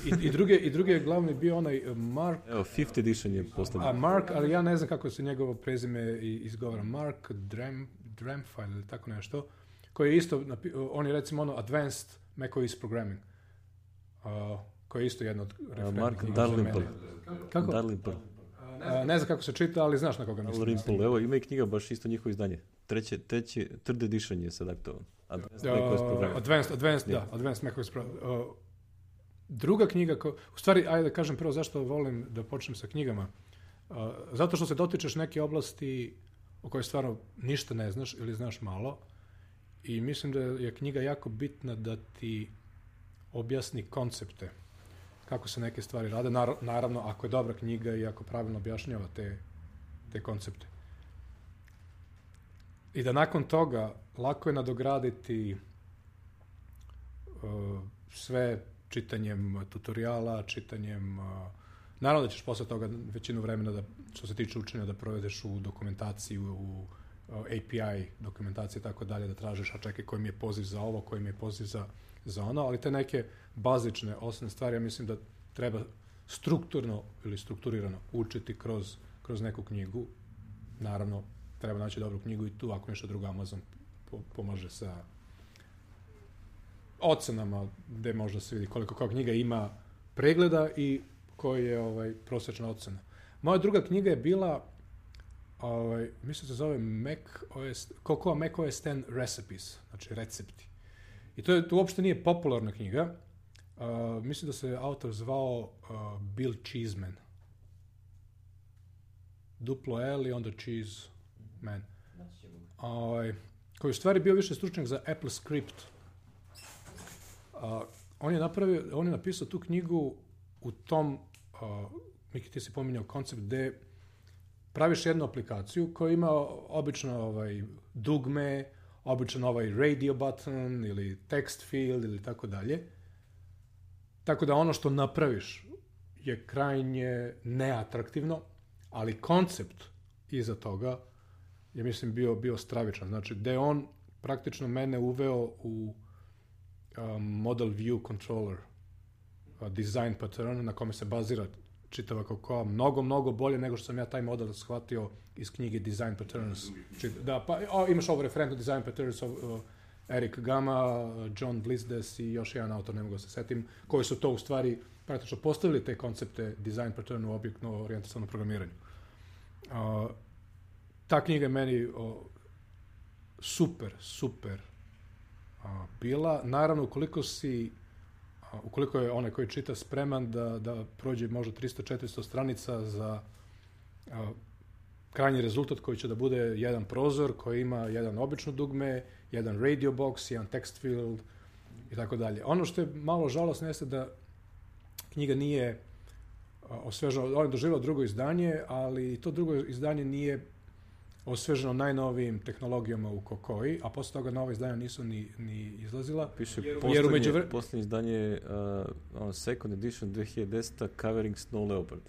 i, i, druge, i druge je glavni bio onaj Mark... Evo, fifth edition je postavljen. A Mark, ali ja ne znam kako se njegovo prezime izgovara. Mark Drem, Dremfile ili tako nešto. Koji je isto, on je recimo ono Advanced macOS Programming. Uh, koji je isto jedno od referentnih. Mark Dalrymple. Kako? Dalrymple. Uh, ne znam kako se čita, ali znaš na koga mislim. Dalrymple, evo, ima i knjiga, baš isto njihovo izdanje. Treće, treći, third edition je sad aktualan. Advanced macOS Programming. Advanced, advanced, yeah. da, Advanced macOS Programming. Uh, druga knjiga, ko, u stvari, ajde da kažem prvo zašto volim da počnem sa knjigama. Uh, zato što se dotičeš neke oblasti o kojoj stvarno ništa ne znaš ili znaš malo i mislim da je knjiga jako bitna da ti objasni koncepte, kako se neke stvari rade. Naravno, ako je dobra knjiga i ako pravilno objašnjava te, te koncepte. I da nakon toga lako je nadograditi uh, sve čitanjem tutoriala, čitanjem... Uh, naravno da ćeš posle toga većinu vremena, da, što se tiče učenja, da provedeš u dokumentaciji, u uh, A P I dokumentaciji i tako dalje, da tražiš, a čekaj koji mi je poziv za ovo, koji mi je poziv za, za ono, ali te neke bazične, osnovne stvari, ja mislim da treba strukturno ili strukturirano učiti kroz, kroz neku knjigu. Naravno, treba naći dobru knjigu i tu, ako nešto drugo, Amazon pomaže sa ocenama, gde možda se vidi koliko kao knjiga ima pregleda i koji je ovaj, prosječna ocena. Moja druga knjiga je bila, ovaj, mislim se zove Mac O S, Cocoa Mac O S ten Recipes, znači recepti. I to, je, to uopšte nije popularna knjiga. Uh, mislim da se autor zvao uh, Bill Cheeseman. Duplo L i onda Cheese Man. Uh, koji je u stvari bio više stručnjak za Apple Script. Uh, on je napravio, on je napisao tu knjigu u tom, uh, Miki ti si pominjao koncept gde praviš jednu aplikaciju koja ima obično ovaj, dugme, običan ovaj radio button ili text field ili tako dalje. Tako da ono što napraviš je krajnje neatraktivno, ali koncept iza toga je, mislim, bio, bio stravičan. Znači, gde on praktično mene uveo u um, model view controller uh, design pattern na kome se bazira čitava Cocoa, mnogo, mnogo bolje nego što sam ja taj model shvatio iz knjige Design Patterns. Da, pa o, imaš ovo referentno Design Patterns, uh, Eric Gama, John Blisdes i još jedan autor, ne mogu se setim, koji su to u stvari praktično postavili te koncepte Design Pattern u objektno orijentacionom programiranju. Uh, ta knjiga je meni uh, super, super uh, bila. Naravno, ukoliko si ukoliko je onaj koji čita spreman da, da prođe možda tristo četiristo stranica za uh, krajnji rezultat koji će da bude jedan prozor koji ima jedan obično dugme, jedan radio box, jedan text field i tako dalje. Ono što je malo žalosno jeste da knjiga nije osveženo, on je doživio drugo izdanje, ali to drugo izdanje nije osveženo najnovijim tehnologijama u Kokoji, a posle toga nova izdanja nisu ni, ni izlazila. Piše jer, poslednje, jer umeđu... poslednje izdanje uh, second edition dve hiljade deseta covering Snow Leopard.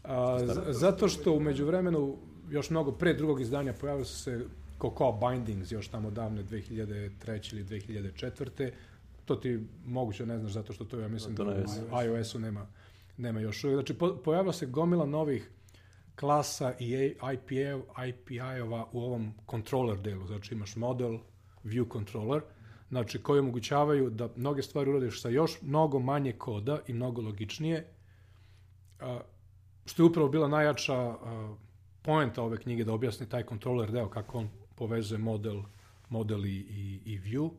A, z- zato što umeđu vremenu, još mnogo pre drugog izdanja pojavili su se Cocoa Bindings, još tamo davne dve hiljade treće ili dve hiljade četvrte. To ti moguće ne znaš zato što to ja mislim da, da u iOS-u nema, nema još uvijek. Znači po, pojavila se gomila novih klasa i I P I-ova u ovom controller delu. Znači imaš model, view controller, znači koji omogućavaju da mnoge stvari uradiš sa još mnogo manje koda i mnogo logičnije, a, što je upravo bila najjača a, poenta ove knjige da objasni taj controller deo, kako on povezuje model, model i, i, i view.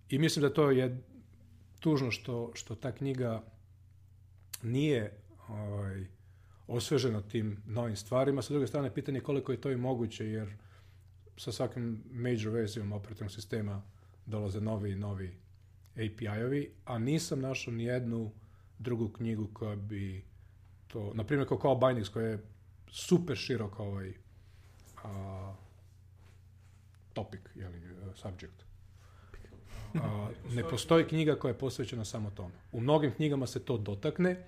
I mislim da to je tužno što, što ta knjiga nije ovaj, osvežena tim novim stvarima. Sa druge strane, pitanje je koliko je to i moguće, jer sa svakim major verzijom operativnog sistema dolaze novi i novi A P I-ovi, a nisam našao ni jednu drugu knjigu koja bi to, na primjer Cocoa Bindings, koja je super širok ovaj a, topic, jeli, subject. A, ne postoji knjiga koja je posvećena samo tome. U mnogim knjigama se to dotakne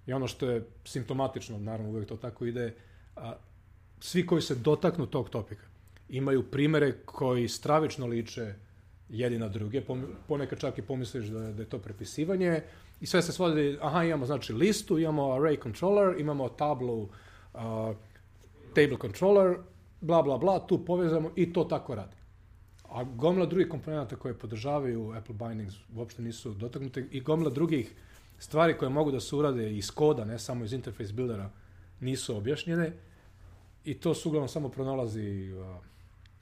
i ono što je simptomatično, naravno uvijek to tako ide, a, svi koji se dotaknu tog topika imaju primere koji stravično liče jedni na druge, ponekad čak i pomisliš da je, da je to prepisivanje i sve se svodi, aha, imamo znači listu, imamo array controller, imamo tablu, uh, table controller, bla, bla, bla, tu povezamo i to tako radi. A gomila drugih komponenta koje podržavaju Apple Bindings uopšte nisu dotaknute i gomila drugih stvari koje mogu da se urade iz koda, ne samo iz interface buildera, nisu objašnjene i to se uglavnom samo pronalazi uh,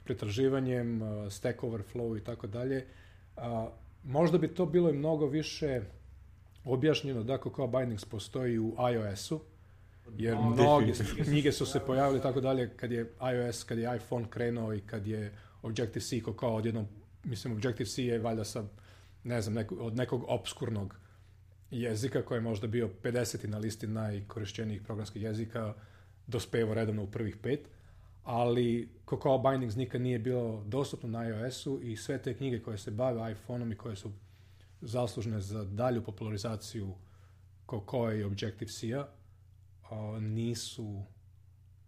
pretraživanjem, uh, Stack Overflow i tako dalje. Možda bi to bilo i mnogo više objašnjeno da Cocoa Bindings postoji u iOS-u, jer mnoge knjige su se pojavile tako dalje kad je iOS, kad je iPhone krenuo i kad je Objective-C Cocoa odjednom, mislim Objective-C je valjda sa, ne znam, neko, od nekog obskurnog jezika koji je možda bio pedeseti na listi najkorišćenijih programskih jezika, dospevao redovno u prvih pet, ali Cocoa Bindings nikad nije bilo dostupno na iOS-u i sve te knjige koje se bave iPhone-om i koje su zaslužne za dalju popularizaciju Cocoa i Objective-C-a nisu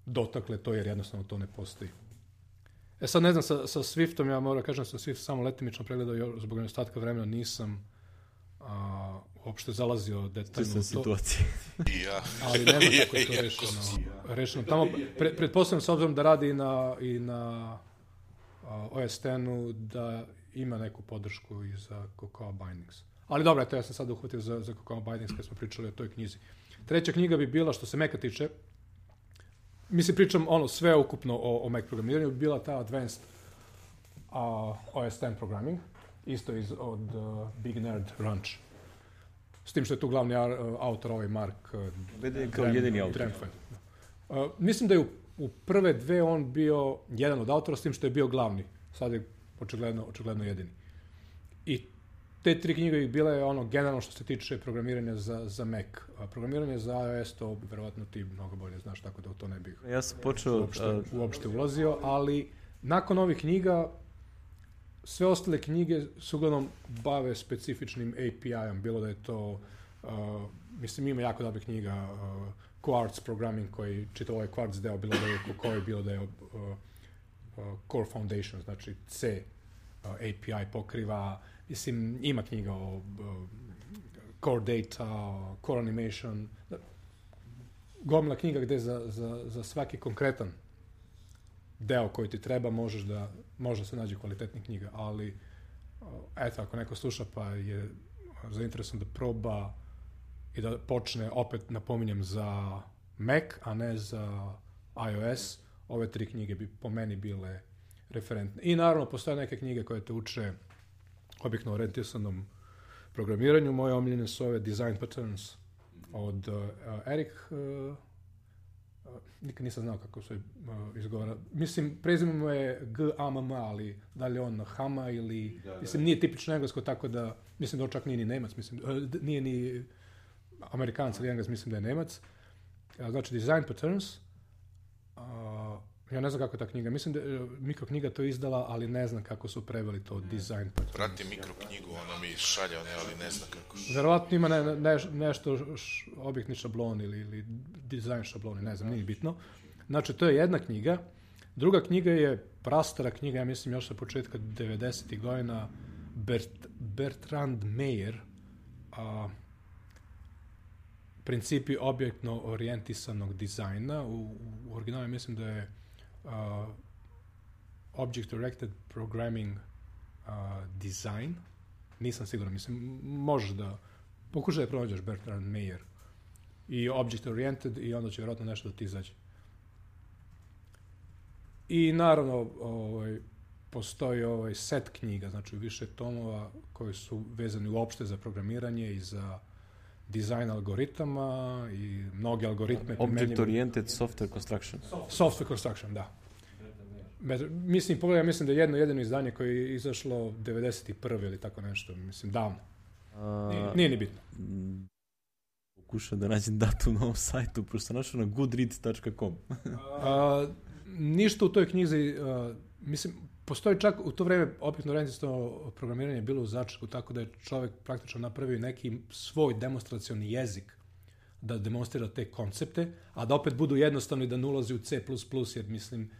dotakle to jer jednostavno to ne postoji. E sad ne znam, sa, sa Swiftom, ja moram kažem, sa Swift samo letimično pregledao, zbog nedostatka vremena nisam a, uopšte zalazio detaljno u to. Situacije. Ja. Ali ne znam kako je to rešeno. rešeno. Tamo, pre, pretpostavljam s obzirom da radi i na, i na a, O S X-u, da ima neku podršku i za Cocoa Bindings. Ali dobro, eto, ja sam sad uhvatio za, za Cocoa Bindings kad smo pričali o toj knjizi. Treća knjiga bi bila, što se Maca tiče, mislim, pričam ono sve ukupno o, o Mac programiranju, bi bila ta Advanced uh, O S X Programming, isto iz, od uh, Big Nerd Ranch. S tim što je tu glavni uh, autor ovaj Mark uh, Vede kao jedini autor. Uh, mislim da je u, u prve dve on bio jedan od autora, s tim što je bio glavni. Sad je očigledno, očigledno jedini. I te tri knjige bi bile ono generalno što se tiče programiranja za, za Mac. A programiranje za iOS to verovatno ti mnogo bolje znaš, tako da u to ne bih ja sam počeo, uopšte, uh, uopšte ulazio, ali nakon ovih knjiga sve ostale knjige se uglavnom bave specifičnim A P I-om, bilo da je to, uh, mislim ima jako dobrih knjiga, uh, Quartz Programming koji čitav ovaj Quartz deo, bilo da je koji, bilo da je uh, uh, Core Foundation, znači C uh, A P I pokriva. Mislim, ima knjiga o uh, Core Data, Core Animation, gomila knjiga gde za, za, za svaki konkretan deo koji ti treba možeš da, može se nađe kvalitetnih knjiga, ali uh, eto, ako neko sluša pa je zainteresovan da proba i da počne, opet napominjem, za Mac, a ne za iOS, ove tri knjige bi po meni bile referentne. I naravno, postoje neke knjige koje te uče objektivno orijentisanom programiranju. Moje omiljene su ove Design Patterns od uh, Eric uh, nikad nisam znao kako se uh, izgovara. Mislim, prezime mu je G A M M, ali da li on Hama ili... Da, da. Mislim, nije tipično englesko, tako da... Mislim da on čak nije ni Nemac, mislim, uh, nije ni Amerikanac ili Engles, mislim da je Nemac. Uh, znači, Design Patterns. Uh, ja ne znam kako je ta knjiga. Mislim da uh, mikroknjiga to izdala, ali ne znam kako su preveli to Design Patterns. Prati mikroknjigu, ona mi šalja, ne, ali ne znam kako. Verovatno ima ne, ne, nešto š, objektni šablon ili, ili dizajn šabloni, ne znam, nije bitno. Znači, to je jedna knjiga. Druga knjiga je prastara knjiga, ja mislim još sa početka devedesetih godina, Bert, Bertrand Meyer, a, principi objektno orijentisanog dizajna. U, u originalu mislim da je a, Object Directed Programming a, Design. Nisam siguran, mislim, možeš da pokušaj da pronađeš Bertrand Meyer i Object Oriented i onda će vjerojatno nešto da ti izađe. I naravno, ovaj, postoji ovaj set knjiga, znači više tomova koji su vezani uopšte za programiranje i za dizajn algoritama i mnoge algoritme. Object Oriented Software Construction. Software Construction, da. Mislim, pogledaj, mislim da je jedno jedino izdanje koje je izašlo devedeset prve ili tako nešto, mislim, davno. A, nije, nije ni bitno. Pokušao da nađem datum na ovom sajtu, pošto sam našao na goodreads dot com. A, ništa u toj knjizi, a, mislim, postoji čak u to vreme objektno orijentisano programiranje bilo u začetku, tako da je čovjek praktično napravio neki svoj demonstracioni jezik da demonstrira te koncepte, a da opet budu jednostavni, da ne ulazi u C plus plus, jer mislim,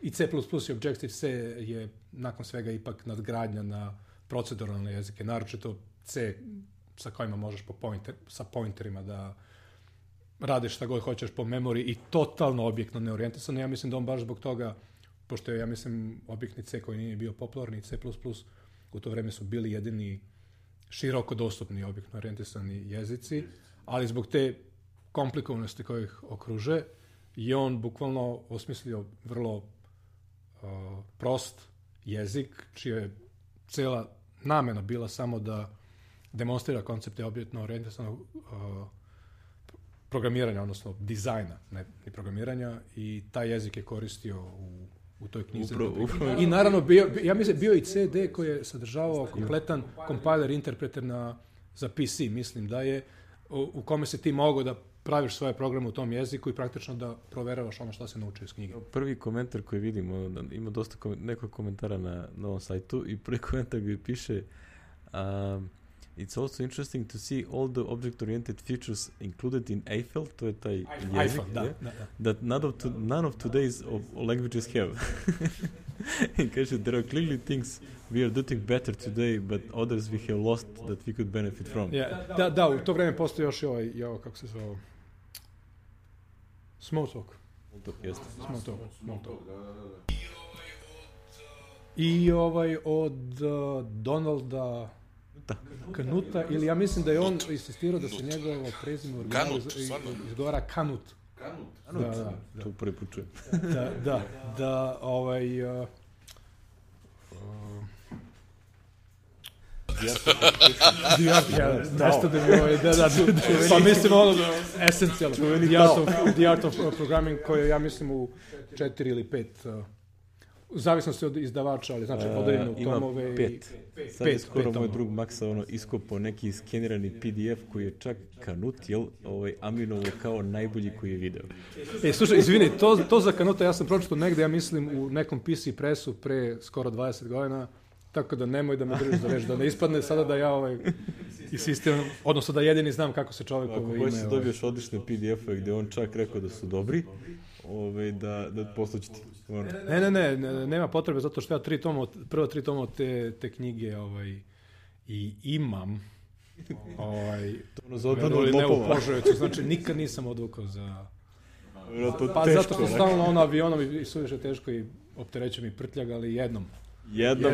i C plus plus i Objective-C je nakon svega ipak nadgradnja na proceduralne jezike, naročito C sa kojima možeš po pointer, sa pointerima da radiš šta god hoćeš po memoriji i totalno objektno neorijentisano. Ja mislim da on baš zbog toga, pošto je, ja mislim, objektni C koji nije bio popularni, C plus plus, u to vreme su bili jedini široko dostupni objektno orijentisani jezici, ali zbog te komplikovanosti koje ih okruže, je on bukvalno osmislio vrlo uh, prost jezik, čija je cela namena bila samo da demonstrira koncepte objektno orijentisanog uh, programiranja, odnosno dizajna, ne ni programiranja, i taj jezik je koristio u, u toj knjizi. Upro, upro. I naravno, bio, ja mislim, bio i C D koji je sadržavao kompletan compiler interpreter na, za P C, mislim da je, u, u kome se ti mogao da praviš svoje programe u tom jeziku i praktično da proveravaš ono što se naučio iz knjige. Prvi komentar koji vidimo, ima dosta kom, nekog komentara na, na ovom sajtu, i prvi komentar gdje piše um, it's also interesting to see all the object-oriented features included in Eiffel, to je taj jezik, Eiffel, da, yeah, da, da. that none of, to, none of today's of languages have. I kaže, there are clearly things we are doing better today, but others we have lost that we could benefit from. Yeah, da, da, u to vreme postoji još i ovaj, i ovaj, kako se zove, Smalltalk. Smalltalk, jeste. Smalltalk, Smalltalk. I ovaj od uh, Donalda Knuta, ili ja mislim da je on insistirao da se njegovo prezime u originalu izgovara Kanut. Kanut? Da, da, da. To prvi put čujem. Da, da, da, ovaj... Uh, nešto da mi ovaj, da, da, pa mislim ono esencijalno, the art of, the art of Programming, koje ja mislim u četiri ili pet, uh, u zavisnosti od izdavača, ali znači podeljeno u tomove. Ima pet. pet. Sad je skoro moj drug Maksa ono, iskopao neki skenirani P D F koji je čak Kanut, jel, ovaj, Aminovo kao najbolji koji je video. E, slušaj, izvini, to, to za Kanuta ja sam pročitao negde, ja mislim, u nekom P C presu pre skoro dvadeset godina, tako da nemoj da me držiš za reč, da ne ispadne sada da ja ovaj, insistiram, odnosno da jedini znam kako se čovjek ovaj, ime. Ako hoćeš dobiješ odlične P D F-ove gdje on čak rekao da su dobri, ovaj, da, da poslući ti. Ne, ne, ne, ne, nema potrebe, zato što ja tri toma, prva tri toma te, te knjige ovaj, i imam. Ovaj, to ono za odbranu od lopova. Znači nikad nisam odvukao za... Pa teško, zato što stalno ono avionom i suviše teško i opterećujem i prtljag, ali jednom. Jednom.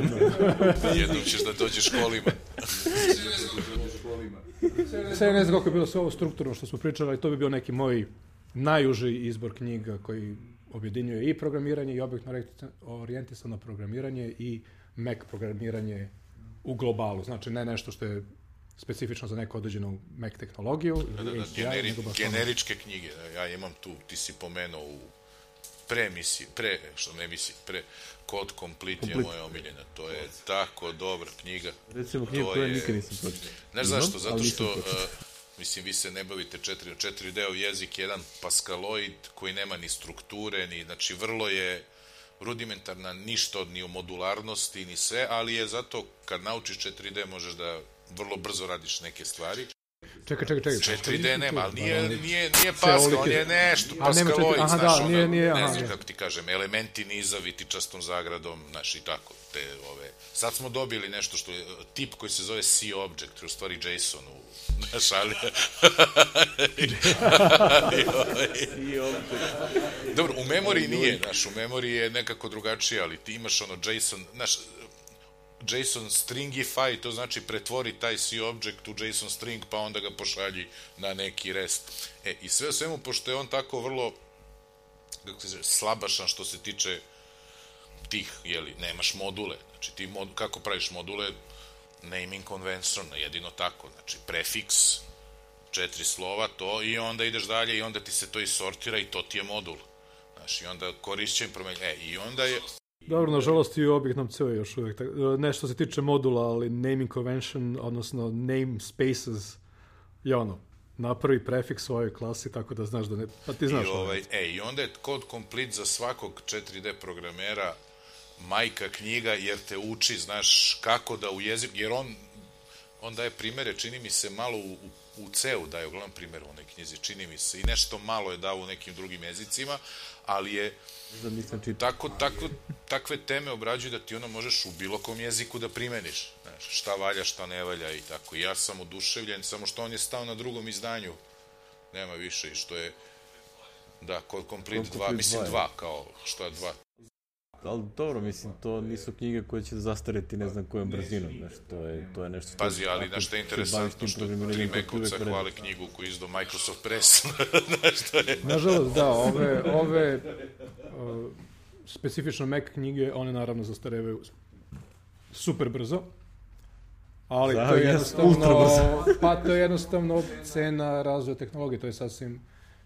Jednom ćeš da dođeš kolima. Sve ne znam kako je bilo sve ovo strukturno što smo pričali, ali to bi bio neki moj najuži izbor knjiga koji objedinjuje i programiranje i objektno orijentisano programiranje i Mac programiranje u globalu. Znači ne nešto što je specifično za neku određenu Mac tehnologiju. Da, da, da, generi, generičke knjige. Ja imam tu, ti si pomenuo u pre misiji, pre, što ne misiji, pre Code Complete, Complete je moja omiljena. To je tako dobra knjiga. Recimo knjiga koja nikad nisam pročitao. Znaš zašto? Zato što, uh, mislim, vi se ne bavite četiri, četiri D-ov jezik, jedan Pascaloid koji nema ni strukture, ni, znači vrlo je rudimentarna, ništa od ni u modularnosti, ni sve, ali je zato kad naučiš četiri D možeš da vrlo brzo radiš neke stvari. Čekaj, čekaj, čekaj. četiri D nema, ali nije, nije, nije Pascal, on je nešto, Pascaloid, aha, znaš, da, ono, nije, nije, ne aha, znam kako ti kažem, elementi niza vitičastom zagradom, znaš, i tako, te, ove, sad smo dobili nešto što je, tip koji se zove C-Object, u stvari JSON, u, znaš, ali, dobro, u memoriji nije, znaš, u memoriji je nekako drugačije, ali ti imaš ono JSON, znaš, JSON stringify, to znači pretvori taj C-Object u JSON string, pa onda ga pošalji na neki rest. E, i sve o svemu, pošto je on tako vrlo, kako se zove, slabašan što se tiče tih, jeli, nemaš module. Znači, ti mod, kako praviš module? Naming convention, jedino tako. Znači, prefiks, četiri slova, to, i onda ideš dalje i onda ti se to isortira i to ti je modul. Znači, i onda korišćen promenj... E, i onda je... Dobro, nažalost i u Object C još uvijek. Ne što se tiče modula, ali naming convention, odnosno name spaces, je ono, napravi prefiks svojoj klasi, tako da znaš da ne... Pa ti znaš. I, ovaj, e, i onda je Code Complete za svakog četiri D programera majka knjiga, jer te uči, znaš, kako da u jeziku, jer on, on daje primere, čini mi se, malo u, u, u C-u daje uglavnom primjer u onoj knjizi, čini mi se, i nešto malo je dao u nekim drugim jezicima, ali je tako, tako, takve teme obrađuju da ti ono možeš u bilo kom jeziku da primeniš. Znaš, šta valja, šta ne valja i tako. I ja sam oduševljen, samo što on je stao na drugom izdanju. Nema više i što je, da, Code Complete dva, mislim dva, kao, što je dva. Ali dobro, mislim, to nisu knjige koje će zastareti ne znam kojom brzinom, znaš, to je, to je nešto... Pazi, ali znaš što je interesantno, što tri Mekovca hvale knjigu koju izdao Microsoft Press, znaš, to je... Nažalost, da, ove, ove uh, specifično Mac knjige, one naravno zastarevaju super brzo, ali da, to je jednostavno, pa to je jednostavno cena razvoja tehnologije, to je sasvim,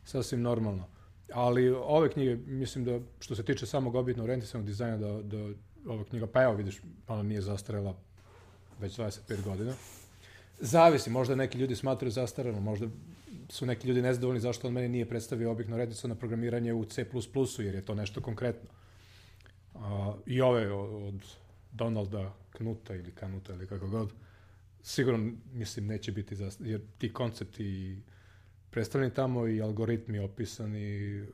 sasvim normalno. Ali ove knjige, mislim da što se tiče samog objetno orijentisanog dizajna, da, da ova knjiga, pa evo vidiš, ona nije zastarela već dvadeset pet godina. Zavisi, možda neki ljudi smatraju zastarelo, možda su neki ljudi nezadovoljni zašto on meni nije predstavio objetno orijentisano programiranje u C plus plus, jer je to nešto konkretno. A, I ove od Donalda Knuta ili Kanuta ili kako god, sigurno, mislim, neće biti zastarelo, jer ti koncepti predstavljeni tamo i algoritmi opisani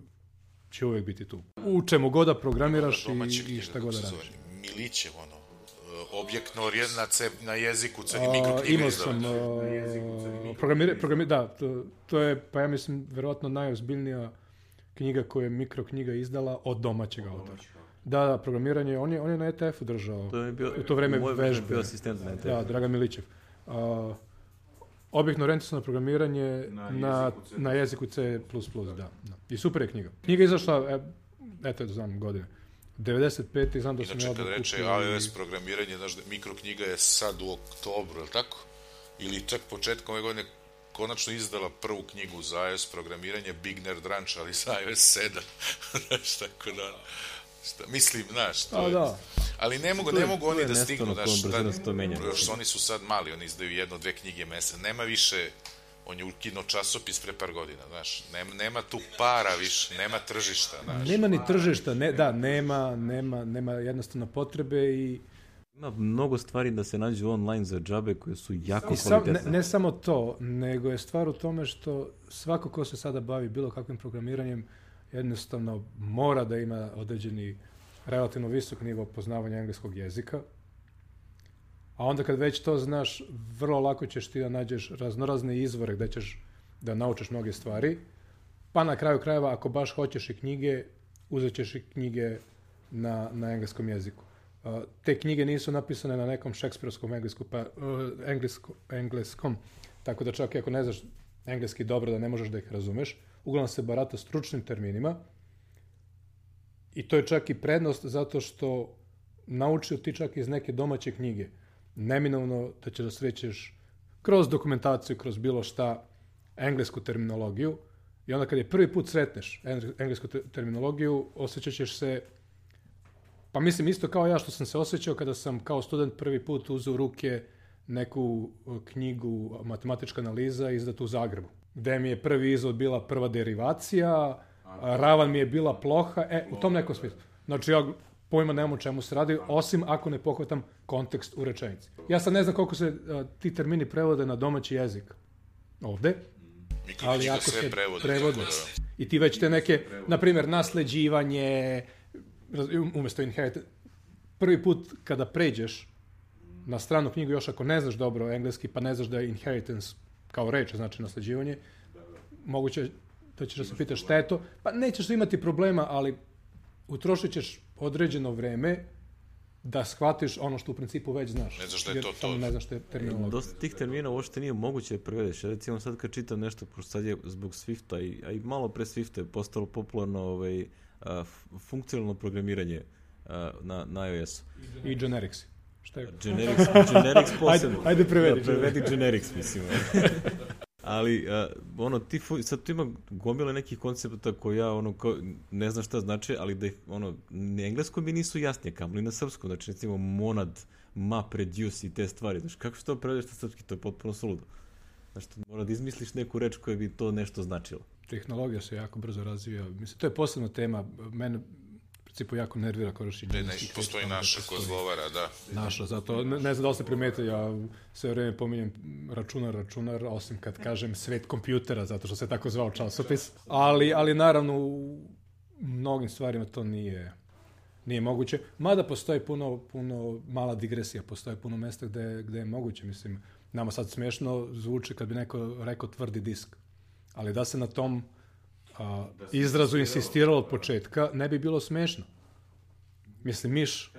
će uvijek biti tu. U čemu god da programiraš i, i šta god da radiš. Milićev, ono, objektno orijentacija na jeziku, C, i mikroknjiga imao sam, programir, programir, da, to, to je, pa ja mislim, verovatno najozbiljnija knjiga koju je mikroknjiga izdala od domaćeg autora. Da, da, programiranje, on je, on je na E T F-u držao, to je bio, u to vreme moj vežbe. Bio asistent na E T F-u. Da, Dragan Milićev. Uh, Objektno orijentisano programiranje na, na, na jeziku C plus plus, da, da. I super je knjiga. Knjiga je izašla, e, eto, znam godine, devedeset pete znam da sam ja... Inače, kad reče iOS programiranje, znaš, mikroknjiga je sad u oktobru, je li tako? Ili čak početkom ove godine konačno izdala prvu knjigu za iOS programiranje, Big Nerd Ranch, ali za iOS sedam. Znaš, tako da... Šta, mislim, znaš, to A, je... Da. Ali ne mogu, ne mogu oni da stignu, znaš, da, oni su sad mali, oni izdaju jedno, dve knjige mese, nema više, on je ukinuo časopis pre par godina, znaš, nema, nema tu para više, nema tržišta, znaš. Nema ni tržišta, ne, da, nema, nema, nema jednostavno potrebe i... Ima mnogo stvari da se nađu online za džabe koje su jako sam, kvalitetne. Ne, ne samo to, nego je stvar u tome što svako ko se sada bavi bilo kakvim programiranjem jednostavno mora da ima određeni relativno visok nivo poznavanja engleskog jezika, a onda kad već to znaš, vrlo lako ćeš ti da nađeš raznorazne izvore gde ćeš da naučiš mnoge stvari, pa na kraju krajeva, ako baš hoćeš i knjige, uzet ćeš i knjige na, na engleskom jeziku. Uh, te knjige nisu napisane na nekom šekspirovskom englesku, pa, uh, englesko, engleskom, tako da čak i ako ne znaš engleski dobro, da ne možeš da ih razumeš, uglavnom se barata stručnim terminima i to je čak i prednost zato što naučio ti čak iz neke domaće knjige. Neminovno da ćeš da srećeš kroz dokumentaciju, kroz bilo šta, englesku terminologiju. I onda kad je prvi put sretneš englesku te- terminologiju, osjećat ćeš se, pa mislim isto kao ja što sam se osjećao kada sam kao student prvi put uzeo u ruke neku knjigu matematička analiza izdatu u Zagrebu, gde mi je prvi izvod bila prva derivacija, ravan mi je bila ploha, e, u tom nekom smislu. Znači ja pojma nemam o čemu se radi, osim ako ne pohvatam kontekst u rečenici. Ja sad ne znam koliko se a, ti termini prevode na domaći jezik ovde, ali ako se prevode, prevode da. I ti već te neke, na primjer, nasleđivanje, umjesto inherit, prvi put kada pređeš na stranu knjigu, još ako ne znaš dobro engleski, pa ne znaš da je inheritance kao reč, znači nasleđivanje, moguće da ćeš da se pitaš šta je to, pa nećeš imati problema, ali utrošit ćeš određeno vreme da shvatiš ono što u principu već znaš. Ne znaš da je to to. Ne znaš što je terminologija. Dosta tih termina uopšte nije moguće da prevedeš. Recimo sad kad čitam nešto, pošto sad je zbog Swifta, i, a i malo pre Swifta je postalo popularno ovaj, a, funkcionalno programiranje a, na, na iOS-u. I generics. Šta je? Generics, generics posebno. Ajde, ajde prevedi. Da, prevedi generics, mislim. Ali, a, ono, ti, sad tu ima gomile nekih koncepta koji ja, ono, kao, ne znam šta znači, ali da ih, ono, na engleskom mi nisu jasnije, kamoli na srpskom, znači, recimo, monad, map, reduce i te stvari, znači, kako što to prevedeš na srpski, to je potpuno suludo. Znači, mora da izmisliš neku reč koja bi to nešto značilo. Tehnologija se jako brzo razvija, mislim, to je posebna tema, mene, u principu jako nervira korištenje. Ne, postoji naša koja zgovara, da. Naša, zato ne, ne znam da li ste primetili, ja sve vreme pominjem računar, računar, osim kad kažem svet kompjutera, zato što se tako zvao časopis. Ali, ali naravno u mnogim stvarima to nije, nije moguće. Mada postoji puno, puno mala digresija, postoji puno mesta gde, gde je moguće. Mislim, nama sad smešno zvuči kad bi neko rekao tvrdi disk. Ali da se na tom a, izrazu insistiralo od početka, ne bi bilo smešno. Mislim, miš,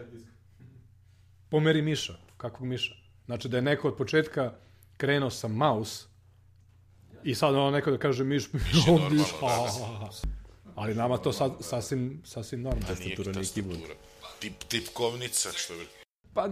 pomeri miša, kakvog miša. Znači da je neko od početka krenuo sa mouse i sad ono neko da kaže miš, miš, miš, ali nama to sad sasvim, sasvim normalno. Tastatura nije keyboard. Tip, tipkovnica, što je... Pa,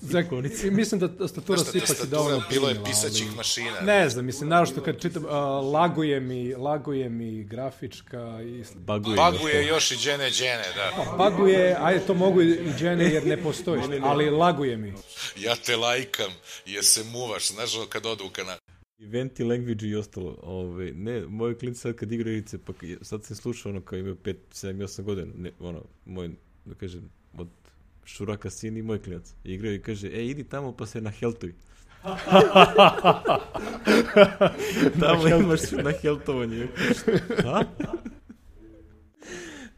za, mislim da tastatura se ipak i dovoljno bilo je pisaćih ali, mašina. Ne znam, mislim, naravno kad čitam, uh, laguje mi, laguje mi grafička i... Baguje, baguje još i džene, džene, da. Pa, baguje, ajde, to mogu i džene jer ne postoji, ali laguje mi. Ja te lajkam jer se muvaš, znaš ono kad odu u kanal. Eventi, language i ostalo. Ove, ne, moji klinci sad kad igraju igrice, pa sad se sluša ono kao imaju pet, sedam, osam godina, ne, ono, moj, da kažem, od Šuraka sin i moj klinac. Igraju i kaže, e, idi tamo pa se naheltuj. Tamo imaš na heltovanje. Ha?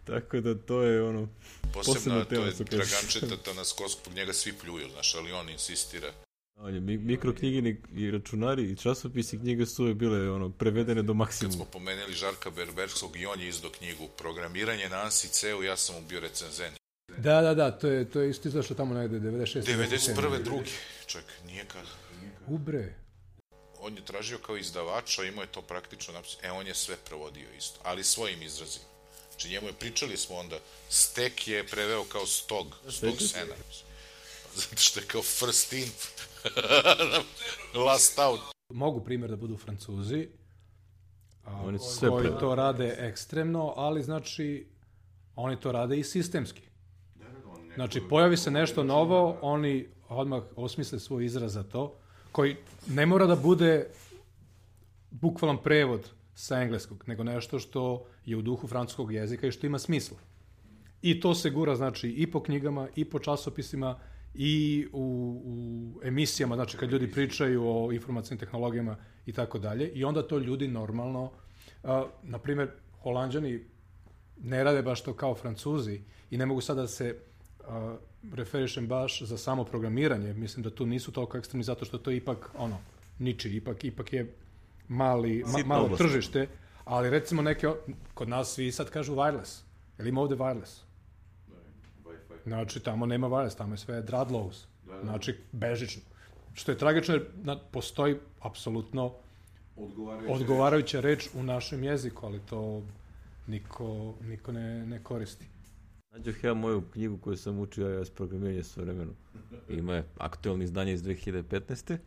Tako da to je ono... Posebno to je Dragančeta Tanaskos, zbog njega svi pljuju, znaš, ali on insistira. On je mikroknjige i računari i časopisi knjige su uvijek bile ono, prevedene do maksimuma. Kad smo pomenuli Žarka Berberskog i on je izdao knjigu Programiranje na ANSI C-u, ja sam mu bio recenzent. Da, da, da, to je, to je isto izašlo tamo negde, devedeset šeste. devedeset prve drugi, čak, nije kad... Ubre. On je tražio kao izdavača, imao je to praktično napisano, e, on je sve prevodio isto, ali svojim izrazima. Znači, njemu je, pričali smo onda, stek je preveo kao stog, stog sena. Zato što je kao first in, last out. Mogu primjer da budu Francuzi, a, oni sve koji to rade ekstremno, ali znači, oni to rade i sistemski. Znači, pojavi se nešto novo, oni odmah osmisle svoj izraz za to, koji ne mora da bude bukvalan prevod sa engleskog, nego nešto što je u duhu francuskog jezika i što ima smisla. I to se gura, znači, i po knjigama, i po časopisima, i u, u emisijama, znači, kad ljudi pričaju o informacijnim tehnologijama i tako dalje, i onda to ljudi normalno, a, na primjer, Holanđani ne rade baš to kao Francuzi i ne mogu sada da se uh, referišem baš za samo programiranje. Mislim da tu nisu toliko ekstremni zato što to ipak ono, niči, ipak, ipak je mali, ma, malo tržište, ali recimo neke, kod nas svi sad kažu wireless. Jel ima ovde wireless? Znači tamo nema wireless, tamo je sve Dradlows. Znači bežično. Što je tragično jer na, postoji apsolutno odgovarajuća, odgovarajuća reč u našem jeziku, ali to niko, niko ne, ne koristi. Nađoh ja moju knjigu koju sam učio iOS programiranje sve vremenu. Ima je aktualno izdanje iz dve hiljade petnaeste.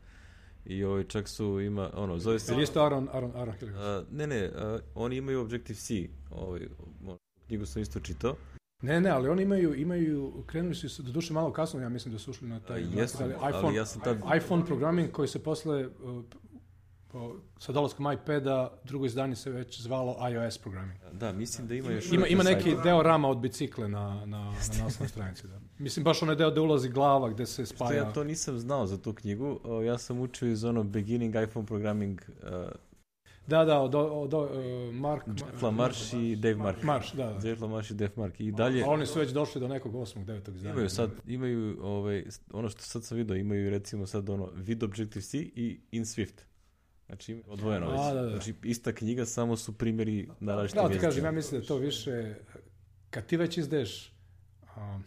i ovaj, čak su ima, ono, zove se... Ili isto Aaron, Aaron, Aaron Hilligan? Uh, ne, ne, uh, oni imaju Objective-C, ovaj, knjigu sam isto čitao. Ne, ne, ali oni imaju, imaju krenuli su do duše malo kasno, ja mislim da su ušli na taj... Uh, jesu, iPhone, ali ja sam tad... iPhone programming koji se posle, uh, po, sa dolaskom iPada, drugo izdanje se već zvalo iOS programming. Da, mislim da ima još... Ima, ima neki deo rama od bicikle na, na, na naslovnoj stranici, da. Mislim, baš onaj deo gde ulazi glava, gde se spaja... Što ja to nisam znao za tu knjigu, uh, ja sam učio iz ono Beginning iPhone Programming... Uh, Da, da, od, od, od uh, Mark... Jeff LaMarche i Dave Mark. Marsh, da, da. Jeff LaMarche i Dave Mark. I dalje... A oni su već došli do nekog osmog, devetog izdanja. Imaju sad, imaju, ovaj, ono što sad sam vidio, imaju recimo sad ono vid Objective-C i in Swift. Znači, odvojeno već. A, da, da. Znači, ista knjiga, samo su primjeri na različitim Da, ti jezicima. kažem, ja mislim da to više, kad ti već izdeš, um,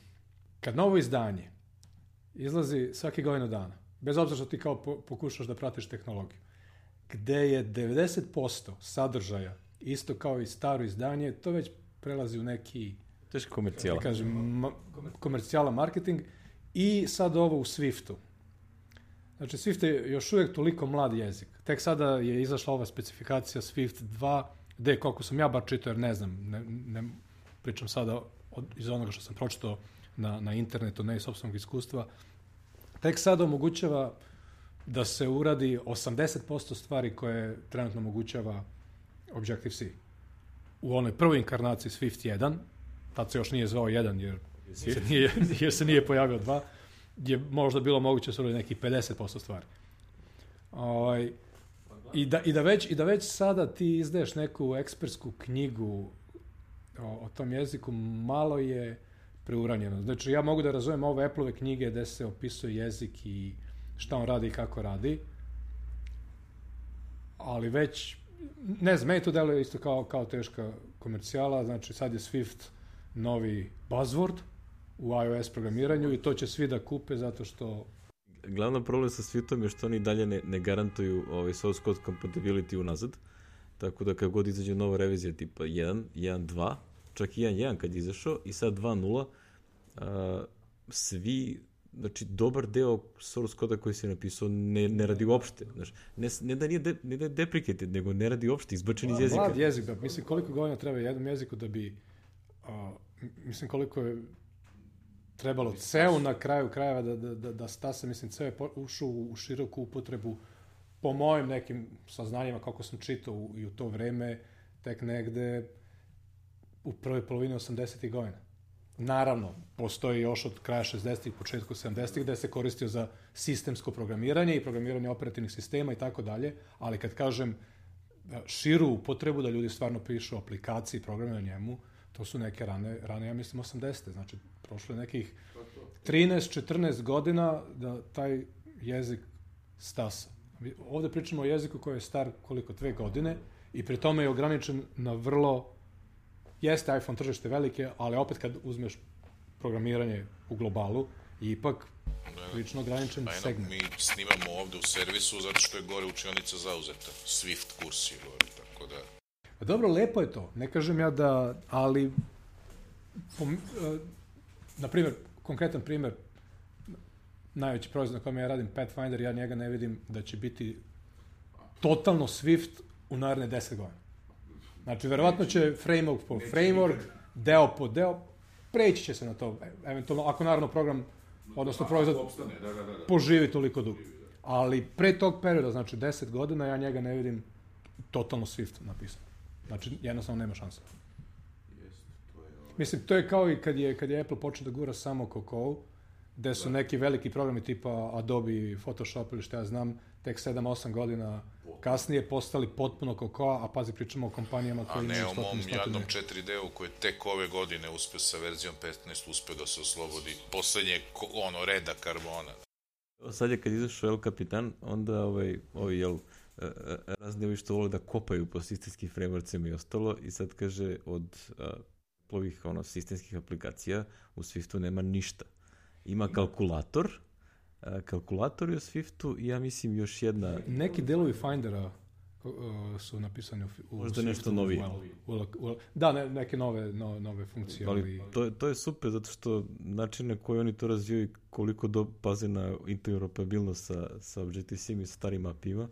kad novo izdanje izlazi svake godine dana, bez obzira što ti kao po, pokušaš da pratiš tehnologiju, gde je devedeset posto sadržaja isto kao i staro izdanje, to već prelazi u neki, Teška komercijala. da kažem, ma, komercijala marketing i sad ovo u Swiftu. Znači, Swift je još uvijek toliko mlad jezik. Tek sada je izašla ova specifikacija Swift dva, gde, koliko sam ja bar čitao, jer ne znam, ne, ne pričam sada od, iz onoga što sam pročitao na, na internetu, ne iz sopstvenog iskustva, tek sada omogućava da se uradi osamdeset posto stvari koje trenutno omogućava Objective-C. U onoj prvoj inkarnaciji Swift jedan, tad se još nije zvao jedan jer se nije, jer se nije pojavio dva, je možda bilo moguće da se uradi neki pedeset posto stvari. Ovaj, i, da, i, da već, I da već sada ti izdaješ neku ekspertsku knjigu o, o tom jeziku, malo je preuranjeno. Znači, ja mogu da razumem ove Apple-ove knjige gde se opisuje jezik i šta on radi i kako radi, ali već, ne znam, meni to deluje isto kao, kao teška komercijala, znači sad je Swift novi buzzword u iOS programiranju i to će svi da kupe zato što... Glavna problem sa Swiftom je što oni dalje ne, ne garantuju ovaj source code compatibility unazad, tako da kad god izađe nova revizija tipa jedan, jedan dva, čak i jedan jedan kad je izašao i sad dva nula, uh, svi, znači dobar deo source koda koji se napisao ne, ne radi uopšte. Znači, ne, ne da nije de, ne da je deprecated, nego ne radi uopšte, izbačen iz jezika. Mlad jezik, da, mislim koliko godina treba jednom jeziku da bi, uh, mislim koliko je trebalo ceo na kraju krajeva da, da, da, da stase, mislim, ceo je ušao u široku upotrebu po mojim nekim saznanjima kako sam čitao u, i u to vreme, tek negde u prvoj polovini osamdesetih godina. Naravno, postoji još od kraja šezdesetih, početku sedamdesetih gde se koristio za sistemsko programiranje i programiranje operativnih sistema i tako dalje, ali kad kažem širu upotrebu da ljudi stvarno pišu aplikacije i programe na njemu, to su neke rane, rane ja mislim, osamdesete. Znači, prošlo je nekih trinaest četrnaest godina da taj jezik stasa. Ovde pričamo o jeziku koji je star koliko, dve godine i pri tome je ograničen na vrlo... Jeste iPhone tržište velike, ali opet kad uzmeš programiranje u globalu, je ipak lično ograničen Ajno, segment. mi snimamo ovde u servisu zato što je gore učionica zauzeta. Swift kurs je gore, tako da... Pa dobro, lepo je to. Ne kažem ja da... Ali, pom, uh, na primjer, konkretan primjer, najveći proizvod na kojem ja radim, Pathfinder, ja njega ne vidim da će biti totalno Swift u naredne deset godina. Znači, verovatno će framework po framework, deo po deo, preći će se na to, eventualno, ako naravno program, odnosno proizvod, poživi toliko dugo. Ali pre tog perioda, znači deset godina, ja njega ne vidim totalno Swift napisano. Znači, jednostavno nema šanse. Mislim, to je kao i kad je, kad je Apple počeo da gura samo Cocoa, gde su neki veliki programi tipa Adobe, Photoshop ili šta ja znam, tek sedam osam godina kasnije postali potpuno Cocoa, a pazi, pričamo o kompanijama koje imaju stotine. A ne o mom jadnom četiri D-u koji tek ove godine uspeo sa verzijom petnaest, uspeo da se oslobodi poslednjeg ono, reda karbona. Sad je kad izašao El Capitan, onda ovaj, ovaj jel, razni ovi što vole da kopaju po sistemskim frameworkcima i ostalo, i sad kaže od ovih ono, sistemskih aplikacija u Swiftu nema ništa. Ima kalkulator, kalkulator je u Swiftu i ja mislim još jedna... Neki delovi Findera uh, su napisani u, u možda nešto novije. U, u, u, da, ne, neke nove, no, nove funkcije. Ali, ali... to, to je super, zato što način na koji oni to razvijaju i koliko do, paze na interoperabilnost sa, sa Objective-C i sa starim A P I-ima.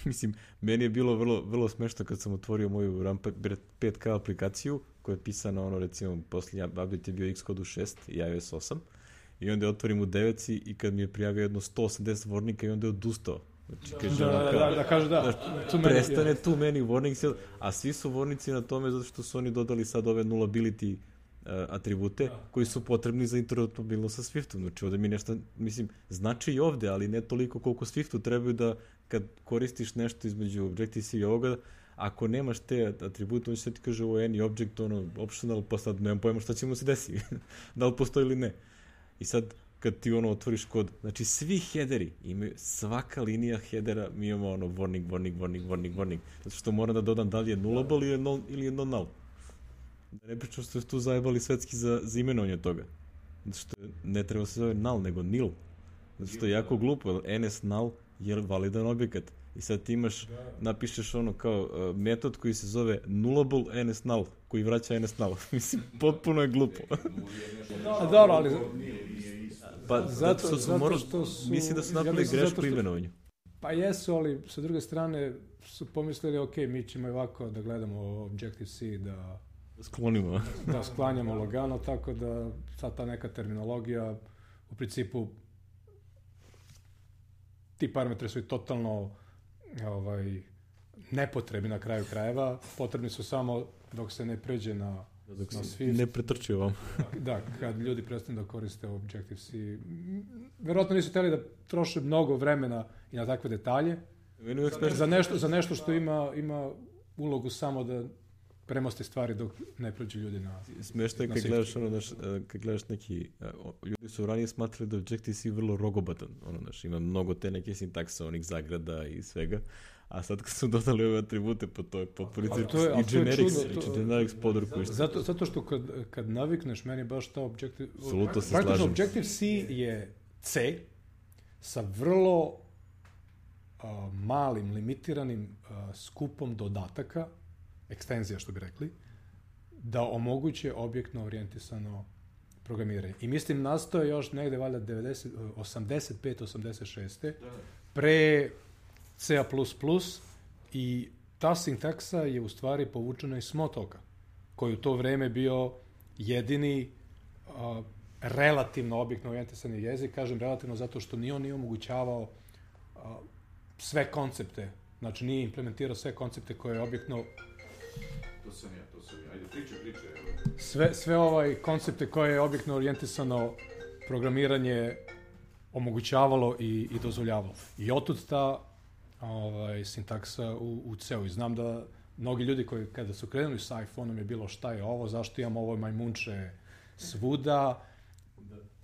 Mislim, meni je bilo vrlo, vrlo smešno kad sam otvorio moju RAM pet K aplikaciju, koja je pisana, ono, recimo, posljednji update je bio Xcode u šest i iOS osam, i onda je otvorim u devet i kad mi je prijavio jedno sto osamdeset warninga i onda je odustao. Znači, kaže, da, da, da, da, kaže da. Znači, prestane tu many warnings, a svi su warninci na tome zato što su oni dodali sad ove nullability uh, atribute koji su potrebni za interoperabilnost sa Swiftom. Znači, ovde mi nešto, mislim, znači i ovde, ali ne toliko koliko Swiftu trebaju da kad koristiš nešto između Objective-C i ovoga, ako nemaš te atribute, on će se ti kaže ovo any object, ono, optional, pa sad nemam pojma šta će mu se desiti, da li postoji ili ne. I sad, kad ti ono otvoriš kod, znači svi headeri imaju, svaka linija headera mi imamo ono warning, warning, warning, warning, warning, zato što moram da dodam da li je nullable ili je, non, ili je non-null. Da ne pričam što su tu zajebali svetski za, za imenovanje toga. Zato što ne treba se zove null, nego nil. Zato što je jako glupo, ns null je validan objekat. I sad ti imaš, napišeš ono kao uh, metod koji se zove nullable ns null, koji vraća ns null. Mislim, potpuno je glupo. A dobro, ali... Pa, zato, zato, što su morali, što su, mislim da su napravili ja grešku u imenovanju. Pa jesu, ali sa druge strane su pomislili, ok, mi ćemo ovako da gledamo Objective-C, da sklonimo. Da sklanjamo lagano, tako da sad ta neka terminologija, u principu, ti parametri su i totalno ovaj, nepotrebni na kraju krajeva, potrebni su samo dok se ne pređe na dok na se ne pretrči ovom. Da, kad ljudi prestanu da koriste Objective-C. Verovatno nisu hteli da troše mnogo vremena i na takve detalje. Za nešto, za nešto što ima, ima ulogu samo da premosti stvari dok ne prođu ljudi na... Smešno je kad gledaš, ono, naš, kad gledaš neki... Ljudi su ranije smatrali da Objective-C vrlo rogobatan. Ono, naš, ima mnogo te neke sintakse, onih zagrada i svega. A sad kad su dodali ove atribute, pa to je potpuno i generics, to, generics podruku. Zato, zato što kad, kad navikneš, meni baš ta Objective... Absolutno se slažem. Objective-C je C sa vrlo uh, malim, limitiranim uh, skupom dodataka, ekstenzija što bi rekli, da omoguće objektno orijentisano programiranje. I mislim, nastao je još negde valjda osamdeset pete osamdeset šeste pre C A plus plus i ta sintaksa je u stvari povučena iz Smalltalka, koji u to vreme bio jedini uh, relativno objektno orijentisani jezik. Kažem relativno zato što ni on nije omogućavao uh, sve koncepte, znači nije implementirao sve koncepte koje je objektno... To sam ja, to sam ja. Ajde, priče, priče. Sve, sve ovaj koncepte koje je objektno orijentisano programiranje omogućavalo i, i dozvoljavalo. I otud ta ovaj, sintaksa u, u C-u. I znam da mnogi ljudi koji kada su krenuli sa iPhone-om je bilo šta je ovo, zašto imam ovo majmunče svuda.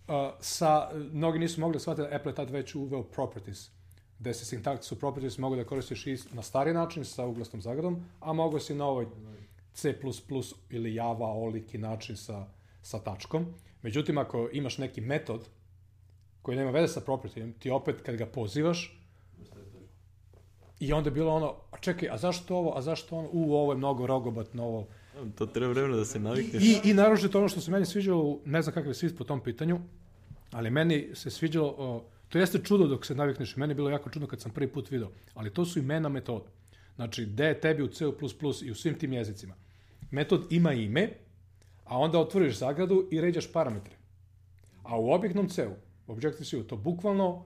Uh, sa, mnogi nisu mogli shvatiti da Apple je tad već uveo properties, gde se sintaksu properties mogu da koristiš i na stari način sa uglasnom zagradom, a mogu si na ovoj C plus plus ili Java oliki način sa, sa tačkom. Međutim, ako imaš neki metod koji nema veze sa propertijem, ti opet kad ga pozivaš i onda je bilo ono, a čekaj, a zašto ovo, a zašto ono, u, ovo je mnogo rogobatno, ovo... To treba vremena da se navikneš. I, i naročito ono što se meni sviđalo, ne znam kakav je svit po tom pitanju, ali meni se sviđalo, o, to jeste čudo dok se navikneš, meni je bilo jako čudno kad sam prvi put video, ali to su imena metoda. Znači, gde je tebi u C plus plus i u svim tim jezicima. Metod ima ime, a onda otvoriš zagradu i ređaš parametre. A u objektnom C-u, Objective-C, to bukvalno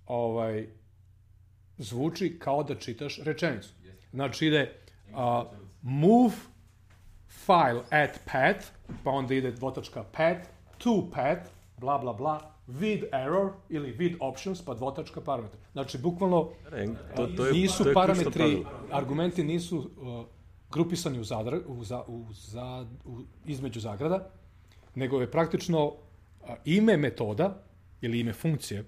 ovaj, zvuči kao da čitaš rečenicu. Znači ide uh, move file at path, pa onda ide dvotačka path, to path, bla bla bla, with error ili with options, pa dvotačka parametra. Znači, bukvalno to, to je, nisu to je parametri, argumenti nisu uh, grupisani u zadra, u za, u za, u, između zagrada, nego je praktično uh, ime metoda ili ime funkcije,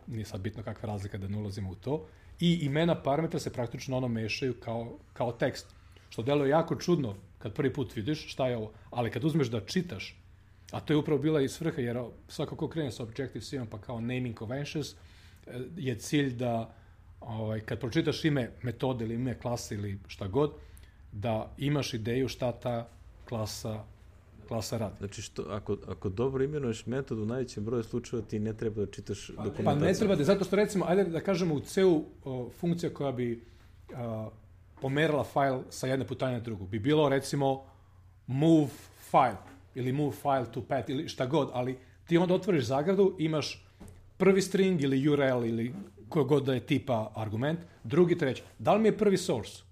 nije sad bitno kakva razlika da ne ulazimo u to, i imena parametra se praktično ono mešaju kao, kao tekst. Što deluje jako čudno kad prvi put vidiš šta je ovo, ali kad uzmeš da čitaš, a to je upravo bila i svrha, jer svako ko krene sa Objective-C-om pa kao naming conventions, je cilj da ovaj, kad pročitaš ime metode ili ime klase ili šta god, da imaš ideju šta ta klasa, klasa radi. Znači, što, ako, ako dobro imenuješ metod, u najvećem broju slučajeva ti ne treba da čitaš dokumentaciju. Pa ne treba da, zato što recimo, ajde da kažemo u C-u o, funkcija koja bi a, pomerala file sa jedne putanje na drugu, bi bilo recimo move file ili move file to path ili šta god, ali ti onda otvoriš zagradu, imaš prvi string ili U R L ili koji god da je tipa argument, drugi, treći. Da li mi je prvi source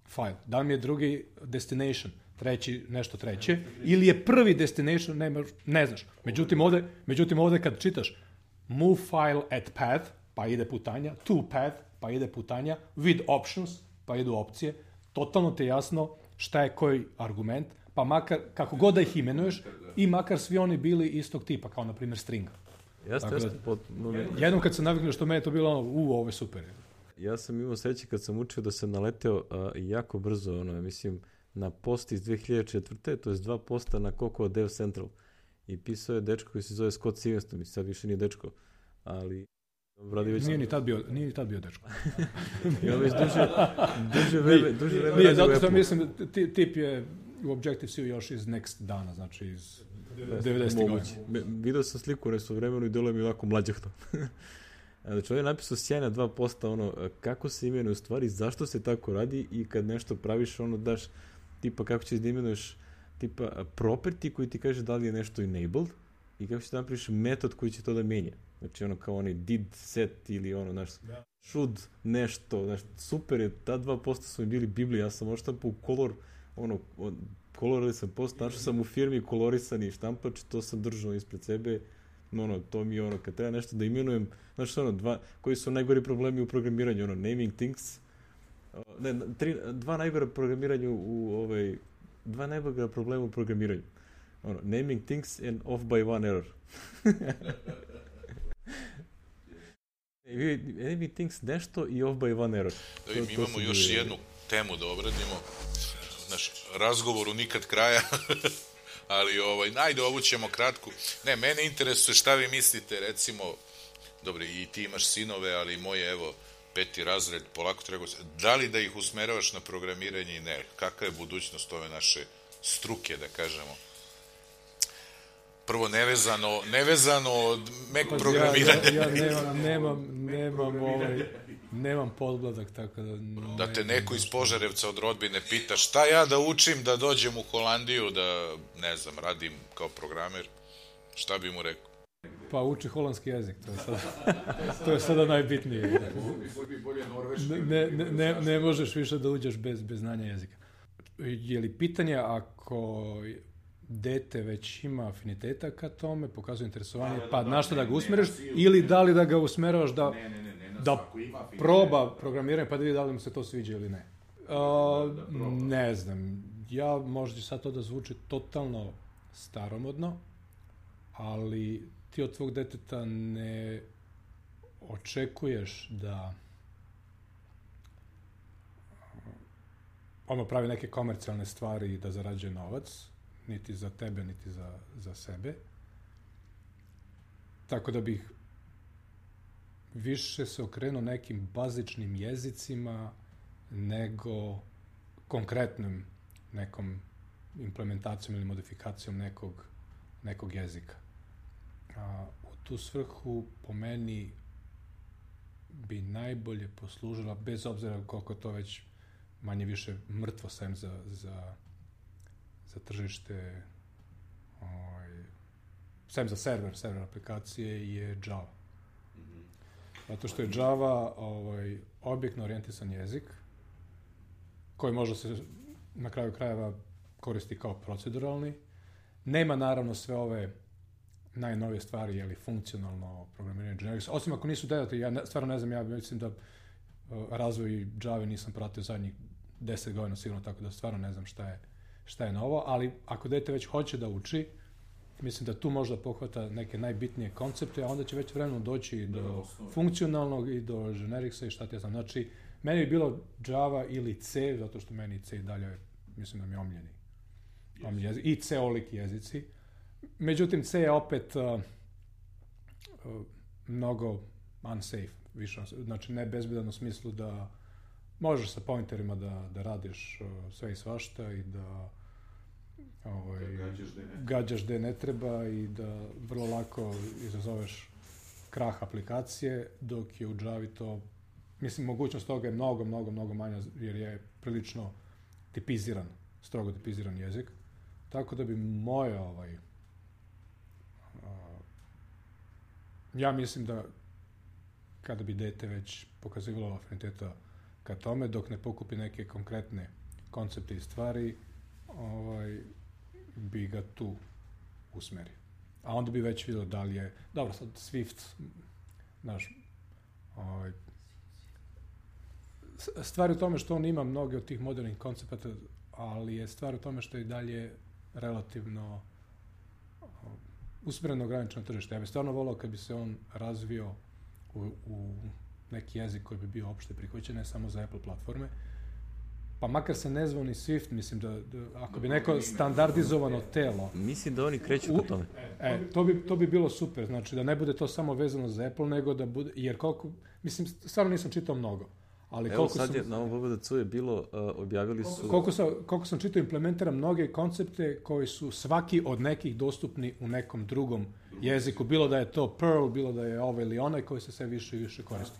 file? Da li mi je drugi destination? Treći, nešto treće? Ili je prvi destination? Ne, ne znaš. Međutim ovde, međutim, ovde kad čitaš move file at path, pa ide putanja, to path, pa ide putanja, with options, pa idu opcije, totalno ti je jasno šta je koji argument, pa makar, kako god da ih imenuješ, i makar svi oni bili istog tipa, kao na primjer stringa. Jeste, jeste. Pod, no, jednom kad sam naviknuo što meni je to bilo ono, u, ovo je super. Ja sam imao sreće kad sam učio da sam naleteo a, jako brzo, ono, mislim, na post iz dve hiljade četvrte. To je dva posta na Cocoa Dev Central. I pisao je dečko koji se zove Scott Stevens, mi sad više nije dečko, ali... Već... Nije ni tad bio, nije ni tad bio dečko. Ja već duže, duže vreme, duže vreme nije, zato što mislim, tip je u Objective-C još iz Next dana, znači iz devedesetih godina. Video sam sliku nešto vremenu i delo mi je ovako mlađahto. Znači, on je napisao sjajna dva posta, ono, kako se imenuje u stvari, zašto se tako radi i kad nešto praviš, ono, daš, tipa, kako ćeš da imenuješ, tipa, property koji ti kaže da li je nešto enabled i kako ćeš da napraviš metod koji će to da menja. Znači, ono, kao onaj did, set ili ono, znaš, should, nešto, znaš, super je, ta dva posta su mi bili Biblija, ja sam oštampao u kolor, ono, kolorali sam post, našao sam u firmi kolorisani štampač, to sam držao ispred sebe, ono, to mi je ono, kad treba nešto da imenujem, znaš, ono, dva, koji su najgori problemi u programiranju, ono, naming things, ne, tri, dva najgora programiranju u, ovaj, dva najgora problema u programiranju, ono, naming things and off by one error. Naming things nešto i off by one error. Da, mi imamo još je... jednu temu da obradimo, naš razgovoru nikad kraja, ali ovaj, najde ovu ćemo kratku. Ne, mene interesuje šta vi mislite, recimo, dobro, i ti imaš sinove, ali moje, evo, peti razred, polako treba, da li da ih usmeravaš na programiranje i ne, kakva je budućnost ove naše struke, da kažemo? Prvo, nevezano, nevezano od Mac pa, programiranja. Ja, ja, ja nemam, nemam, nemam, ovaj, nemam podbladak, tako da... No, da te neko iz Požarevca od rodbine pita šta ja da učim da dođem u Holandiju, da, ne znam, radim kao programer, šta bi mu rekao? Pa uči holandski jezik, to je sada, to je sada najbitnije. Ne, ne, ne, ne možeš više da uđeš bez, bez znanja jezika. Je li pitanje ako dete već ima afiniteta ka tome, pokazuje interesovanje, pa na što da ga usmeriš, ili da li da ga usmeravaš da, ne, ne, ne, ne, da proba programiranje pa da vidi da li mu se to sviđa ili ne. Uh, ne znam, ja možda sad to da zvuči totalno staromodno, ali ti od tvog deteta ne očekuješ da ono pravi neke komercijalne stvari i da zarađuje novac, niti za tebe, niti za, za sebe. Tako da bih više se okrenuo nekim bazičnim jezicima nego konkretnom nekom implementacijom ili modifikacijom nekog, nekog jezika. A, u tu svrhu po meni bi najbolje poslužila, bez obzira koliko to već manje više mrtvo sem za, za, za tržište, ovaj, sem za server, server aplikacije je Java. Mm-hmm. Zato što je Java ovaj, objektno orijentisan jezik koji možda se na kraju krajeva koristi kao proceduralni. Nema naravno sve ove najnovije stvari, jeli funkcionalno programiranje generics, osim ako nisu dodati, ja ne, stvarno ne znam, ja mislim da uh, razvoj Java nisam pratio zadnjih deset godina sigurno, tako da stvarno ne znam šta je, šta je novo, ali ako dete već hoće da uči, mislim da tu možda pohvata neke najbitnije koncepte, a onda će već vremenom doći do funkcionalnog i do genericsa i šta ti ja znam. Znači, meni bi bilo Java ili C, zato što meni C i dalje, mislim da mi je omljeni. Omljeni jezik, i C-oliki jezici. Međutim, C je opet uh, uh, mnogo unsafe, više, znači ne bezbedan u smislu da možeš sa pointerima da, da radiš uh, sve i svašta i da ovaj, gađaš gde ne treba i da vrlo lako izazoveš krah aplikacije, dok je u Javi to, mislim, mogućnost toga je mnogo, mnogo, mnogo manja, jer je prilično tipiziran, strogo tipiziran jezik. Tako da bi moje, ovaj, uh, ja mislim da kada bi dete već pokazivalo afiniteta ka tome, dok ne pokupi neke konkretne koncepte i stvari, ovaj, bi ga tu usmerio. A onda bi već vidio da li je, dobro, sad Swift, znaš, ovaj, stvar je u tome što on ima mnoge od tih modernih koncepata, ali je stvar u tome što je i dalje relativno usmjereno ograničeno tržište. Ja bih stvarno volao kad bi se on razvio u, u neki jezik koji bi bio opšte prihvaćen, ne samo za Apple platforme. Pa makar se ne zvao ni Swift, mislim da, da ako bi neko standardizovano telo... Mislim da oni kreću po tome. E, to bi, to bi bilo super, znači da ne bude to samo vezano za Apple, nego da bude, jer koliko, mislim, stvarno nisam čitao mnogo. Ali evo koliko sad sam, je na ovom B B D C-u je bilo, uh, objavili su... Koliko sam, koliko sam čitao, implementira mnoge koncepte koji su svaki od nekih dostupni u nekom drugom jeziku, bilo da je to Perl, bilo da je ovaj ili onaj koji se sve više i više koristi.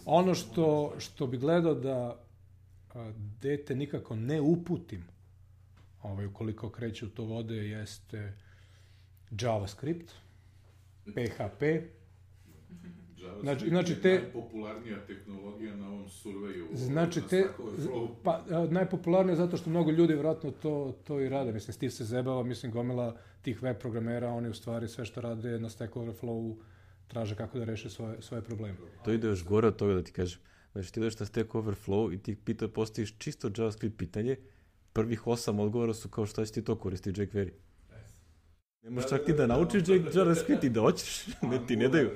Ono što, što bi gledao da a, dete nikako ne uputim, ovaj, ukoliko kreće u to vode, jeste JavaScript, P H P. Znači, znači te... najpopularnija tehnologija na ovom surveju. Znači, te... Pa, najpopularnija zato što mnogo ljudi vjerojatno to, to i rade. Mislim, Steve se zebava, mislim, gomila tih web programera, oni u stvari sve što rade na Stack Overflow traže kako da reše svoje, svoje probleme. To ide još gore od toga da ti kažem. Znači, ti ideš na Stack Overflow i ti pita, postaviš čisto JavaScript pitanje, prvih osam odgovora su kao šta će ti to koristiti jQuery. Ne možeš čak ti da naučiš JavaScript i da hoćeš, ne ti ne daju.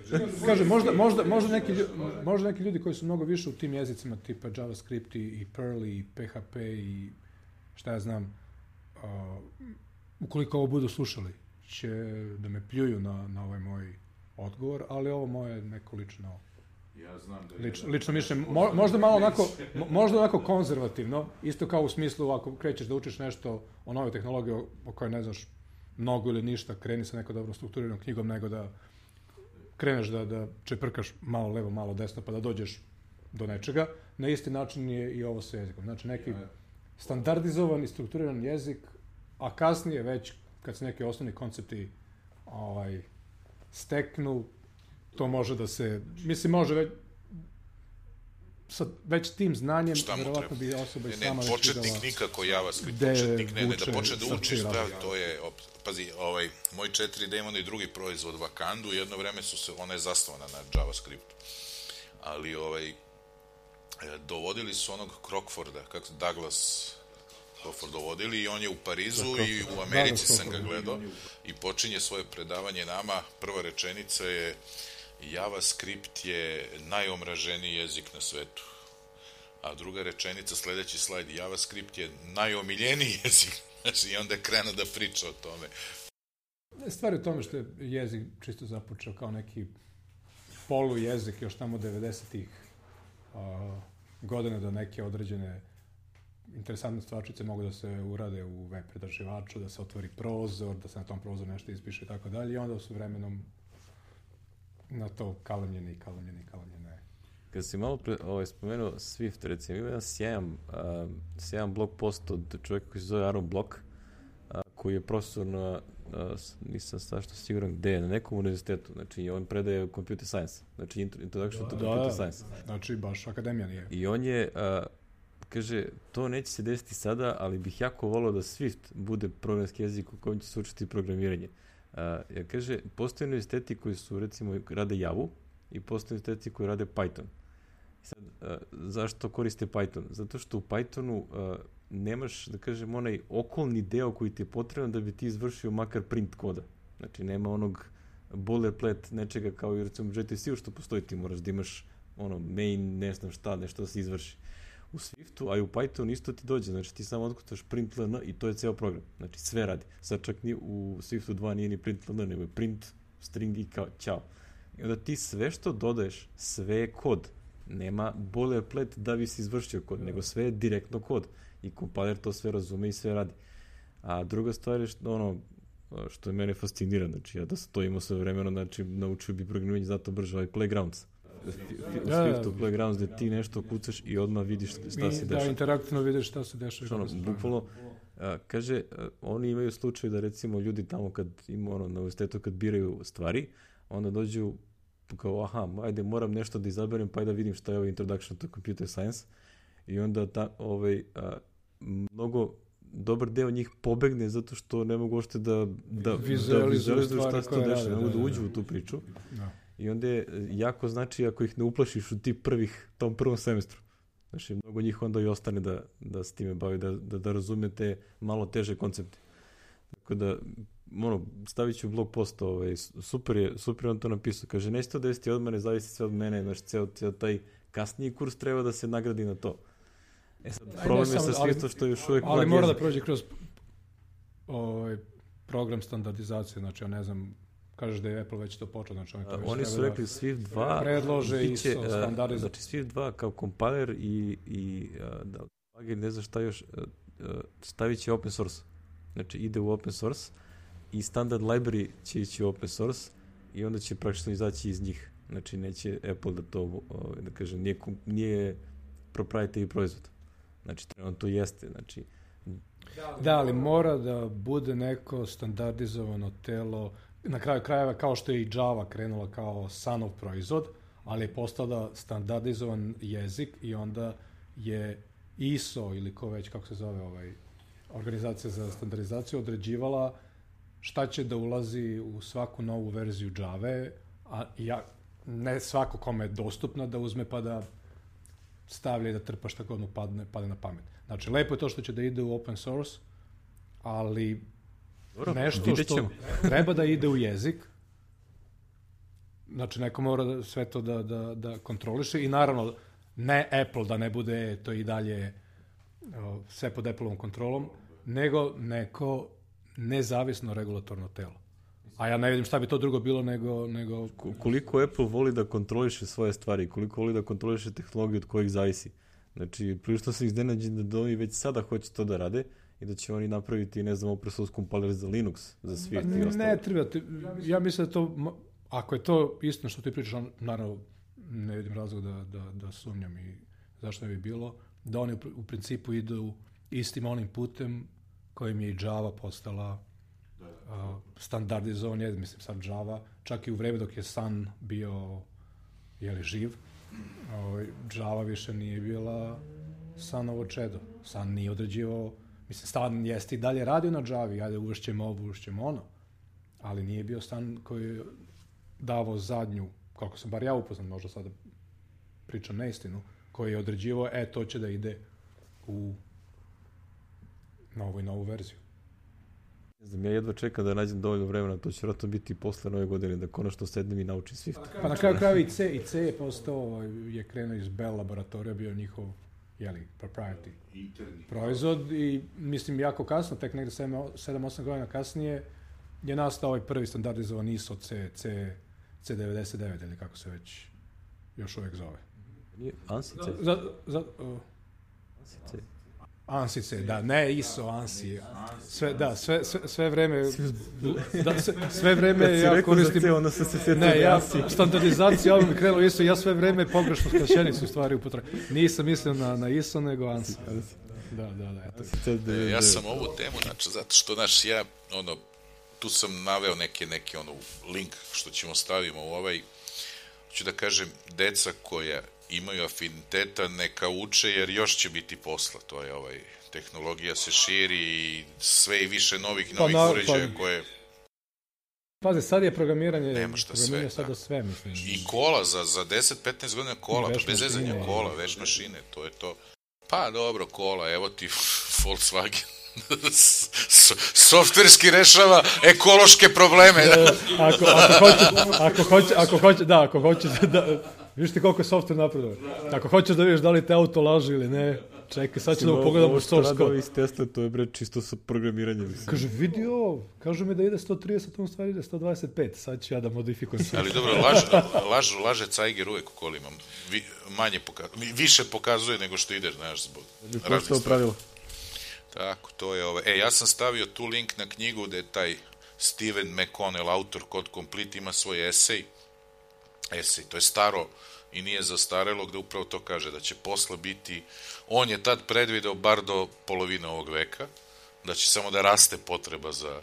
Kaže, možda, možda, možda, neki, možda neki ljudi koji su mnogo više u tim jezicima, tipa JavaScript i, i Perl i P H P i šta ja znam, uh, ukoliko ovo budu slušali, će da me pljuju na, na ovaj moj odgovor, ali ovo moje neko lično... Ja znam da je lično, lično mišljenje, mo, možda malo onako, možda onako konzervativno, isto kao u smislu ako krećeš da učiš nešto o novoj tehnologiji o, o kojoj ne znaš mnogo ili ništa, kreni sa nekom dobro strukturiranom knjigom, nego da kreneš da, da čeprkaš malo levo, malo desno, pa da dođeš do nečega. Na isti način je i ovo sa jezikom. Znači neki standardizovan i strukturiran jezik, a kasnije već, kad se neki osnovni koncepti ovaj, steknu, to može da se, mislim, može već, sa već tim znanjem, vjerovatno bi osoba i sama već videla... Početnik nikako JavaScript, početnik ne, ne, da počne da učiš, pravi, to je, op, pazi, ovaj, moj četiri D ima i drugi proizvod, Vakandu, jedno vreme su se, ona je zasnovana na JavaScriptu, ali ovaj, dovodili su onog Crockforda, kako se, Douglas Crockford dovodili i on je u Parizu i u Americi sam ga gledao i počinje svoje predavanje nama, prva rečenica je JavaScript je najomraženiji jezik na svetu. A druga rečenica, sledeći slajd, JavaScript je najomiljeniji jezik. Znači, i onda je krenuo da priča o tome. Stvar je u tome što je jezik čisto započeo kao neki polu jezik još tamo devedesetih uh, godina da neke određene interesantne stvarčice mogu da se urade u web pretraživaču, da se otvori prozor, da se na tom prozoru nešto ispiše i tako dalje. I onda su vremenom na to kalemljene i kalemljene i kalemljene. Kad si malo pre, ovaj, spomenuo Swift, recimo, ima jedan sjajan, uh, sjajan blog post od čovjeka koji se zove Aaron Block, uh, koji je profesor na, uh, nisam strašno siguran gde je, na nekom univerzitetu, znači on predaje computer science, znači introduction to da, computer da, science. Znači baš akademija nije. I on je, uh, kaže, to neće se desiti sada, ali bih jako volao da Swift bude programski jezik u kojem će se učiti programiranje. Uh, ja kaže, postoje univerziteti koji su, recimo, rade Javu i postoje univerziteti koji rade Python. Sad, uh, zašto koriste Python? Zato što u Pythonu uh, nemaš, da kažem, onaj okolni deo koji ti je potreban da bi ti izvršio makar print koda. Znači, nema onog boilerplate nečega kao i recimo u J T C-u što postoji, ti moraš da imaš ono, main, ne znam šta, nešto da se izvrši. U Swiftu, a i u Pythonu isto ti dođe, znači ti samo otkucaš print ln i to je ceo program, znači sve radi. Sad čak ni u Swiftu dva nije ni print ln, nego je print, string i kao, ćao. I onda ti sve što dodaješ, sve je kod. Nema boilerplate da bi se izvršio kod, nego sve je direktno kod. I kompiler to sve razume i sve radi. A druga stvar je što, ono, što je mene fascinira, znači ja da sam to imao sve vremeno, znači naučio bi programiranje zato brže, ovaj Playgrounds. Swiftu Playgrounds gde ti nešto kucaš i odmah vidiš šta se dešava. Da, interaktivno vidiš šta se dešava. Ono, bukvalno, a, kaže, a, oni imaju slučaj da recimo ljudi tamo kad ima ono, na univerzitetu kad biraju stvari, onda dođu kao, aha, ajde, moram nešto da izaberem, pa ajde da vidim šta je ovaj Introduction to Computer Science. I onda ta, ovaj, a, mnogo dobar deo njih pobegne zato što ne mogu uopšte da, da vizualizuju šta se to dešava, ne mogu da uđu u tu priču. Da. I onda je jako znači ako ih ne uplašiš u ti prvih, tom prvom semestru. Znači, mnogo njih onda i ostane da, da s time bavi, da, da, da razume te malo teže koncepte. Tako da, ono, stavit ću blog post, ovaj, super je, super je on to napisao. Kaže, neće to desiti od mene, zavisi sve od mene, znači, ceo, ceo taj kasniji kurs treba da se nagradi na to. E sad, problem je sa Swiftom što je još uvijek... Ali mora da prođe kroz ovaj, program standardizacije, znači, ja ne znam, kažeš da je Apple već to počeo, znači oni to već oni su rekli Swift dva predlože i standardizaciju. Znači Swift dva kao kompiler i, i da plugin, ne znam šta još, stavit će open source. Znači ide u open source i standard library će ići u open source i onda će praktično izaći iz njih. Znači neće Apple da to, da kažem, nije, nije proprietary proizvod. Znači trenutno to jeste, znači... Da, ali mora da bude neko standardizovano telo. Na kraju krajeva, kao što je i Java krenula kao Sunov proizvod, ali je postala standardizovan jezik i onda je I S O ili ko već, kako se zove, ovaj, organizacija za standardizaciju, određivala šta će da ulazi u svaku novu verziju Jave, a ja, ne svako kome je dostupno da uzme pa da stavlja i da trpa šta god mu padne, padne na pamet. Znači, lepo je to što će da ide u open source, ali dobro, nešto što treba da ide u jezik, znači neko mora da, sve to da, da, da kontroliše i naravno ne Apple da ne bude to i dalje o, sve pod Appleovom kontrolom, nego neko nezavisno regulatorno telo. A ja ne vidim šta bi to drugo bilo nego... nego... Koliko Apple voli da kontroliše svoje stvari, koliko voli da kontroliše tehnologiju od kojih zavisi. Znači, prilično sam iznenađen da oni već sada hoće to da rade i da će oni napraviti, ne znam, open source compiler za Linux, za Swift i ostalo. Ne, treba. Ja mislim da to, ako je to istina što ti pričaš, on, naravno, ne vidim razlog da, da, da sumnjam i zašto ne bi bilo, da oni u principu idu istim onim putem kojim je i Java postala uh, standardizovan, je, mislim sad Java, čak i u vreme dok je Sun bio, jeli, živ, uh, Java više nije bila Sunovo čedo. Sun nije određivao. Mislim, stan jeste i dalje radio na Javi, ajde uvršćemo ovo, uvršćemo ono, ali nije bio stan koji je davao zadnju, kako sam bar ja upoznan, možda sada pričam neistinu, koji je određivao, e, to će da ide u novu i novu verziju. Ne znam, ja jedva čekam da nađem dovoljno vremena, to će vjerojatno biti posle nove godine, da konačno sednem i naučim Swift. Pa na kraju kraju i C, i C je postao, je krenuo iz Bell laboratorija, bio njihov, jeli, proprietary proizvod i mislim jako kasno, tek negde sedam osam godina kasnije je nastao ovaj prvi standardizovan I S O C, C, C devedeset devet ili kako se već još uvijek zove. ANSI C? Za, za, uh, ANSI C. ANSI C, da, ne I S O, ANSI. Sve, da, sve, sve, sve vreme, da, sve, sve vreme ja koristim... C, onda se se sjetio ne, ja, standardizacija, ovo mi krenulo I S O, ja sve vreme pogrešnu skraćenicu u stvari upotrebim. Nisam mislio na, na I S O, nego ANSI. Da, da, da. Eto. E, ja sam ovu temu, znači, zato što, znaš, ja, ono, tu sam naveo neki, neki, ono, link što ćemo stavimo u ovaj, ću da kažem, deca koja imaju afiniteta, neka uče, jer još će biti posla, to je ovaj, tehnologija se širi i sve i više novih, novih pa, uređaja pa, koje... Pazi, sad je programiranje, nema šta programiranje sve, sada sve, mislim. I kola, za, za deset petnaest godina kola, pa bez zezanja kola, veš mašine, to je to. Pa dobro, kola, evo ti Volkswagen. Softverski rešava ekološke probleme. ako, ako hoće, ako hoće, ako hoće, da, ako hoće da, vidiš ti koliko je softver napreduje. Ako hoćeš da vidiš da li te auto laže ili ne, čekaj, sad ćemo pogledamo source code. Ovo iz Tesla, to je bre čisto sa programiranjem. Kaže, vidi ovo, kažu mi da ide sto trideset, on stvari ide sto dvadeset pet, sad ću ja da modifikujem sve. Ali dobro, laž, laž, laže Cajger uvek u kolima, Vi, manje pokazuje, više pokazuje nego što ideš, znaš, zbog različnih stvari. Tako, to je ovo. E, ja sam stavio tu link na knjigu gde je taj Steven McConnell, autor Code Complete, ima svoj esej. Esej, to je staro i nije zastarelo, gde upravo to kaže, da će posla biti, on je tad predvideo bar do polovine ovog veka, da će samo da raste potreba za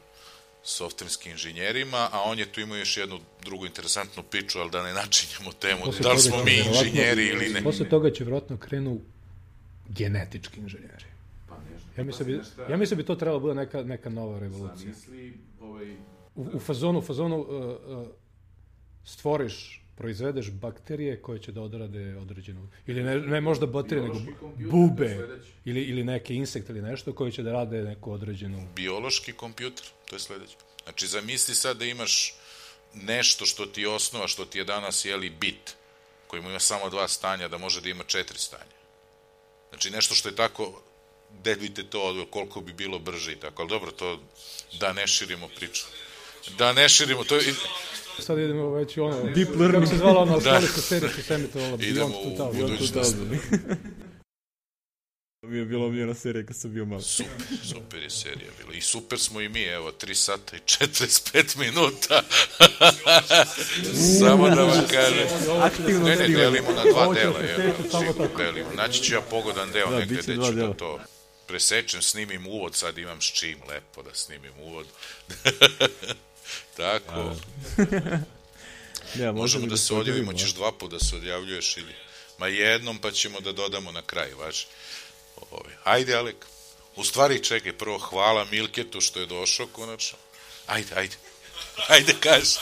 softverskim inženjerima, a on je tu imao još jednu drugu interesantnu priču, ali da ne načinjamo temu, posle da li smo mi inženjeri ili ne. Posle toga će vjerojatno krenu genetički inženjeri. Ja mislim, bi, ja mislim bi to trebalo bude neka, neka nova revolucija. U, u fazonu, u fazonu uh, uh, stvoriš, proizvedeš bakterije koje će da odrade određenu, ili ne, ne možda bakterije, nego bube, ili, ili neke insekte ili nešto koje će da rade neku određenu... Biološki kompjuter, to je sledeće. Znači, zamisli sad da imaš nešto što ti je osnova, što ti je danas, jeli, bit, koji ima samo dva stanja, da može da ima četiri stanja. Znači, nešto što je tako... gde vidite to, koliko bi bilo brže i tako, ali dobro, to da ne širimo priču. Da ne širimo, to je... Sad idemo već ono, Deep Learning, kako se zvala ona australijska serija što se emitovala, idemo u budućnost. To mi je bila omiljena serija kad sam bio malo. Super, super je serija bila. I super smo i mi, evo, tri sata i četrdeset pet minuta. Samo da vam kažem. Ne, ne, delimo na dva dela. Delimo. Naći ću ja pogodan deo negde gde ću da to presečem, snimim uvod, sad imam s čim lepo da snimim uvod. Tako. Ja, možemo da se odjavimo, ćeš dva puta da se odjavljuješ ili... Ma jednom pa ćemo da dodamo na kraj, važi. Ove. Ajde, Alek. U stvari, čekaj, prvo hvala Milketu što je došao konačno. Ajde, ajde. Ajde, kaži.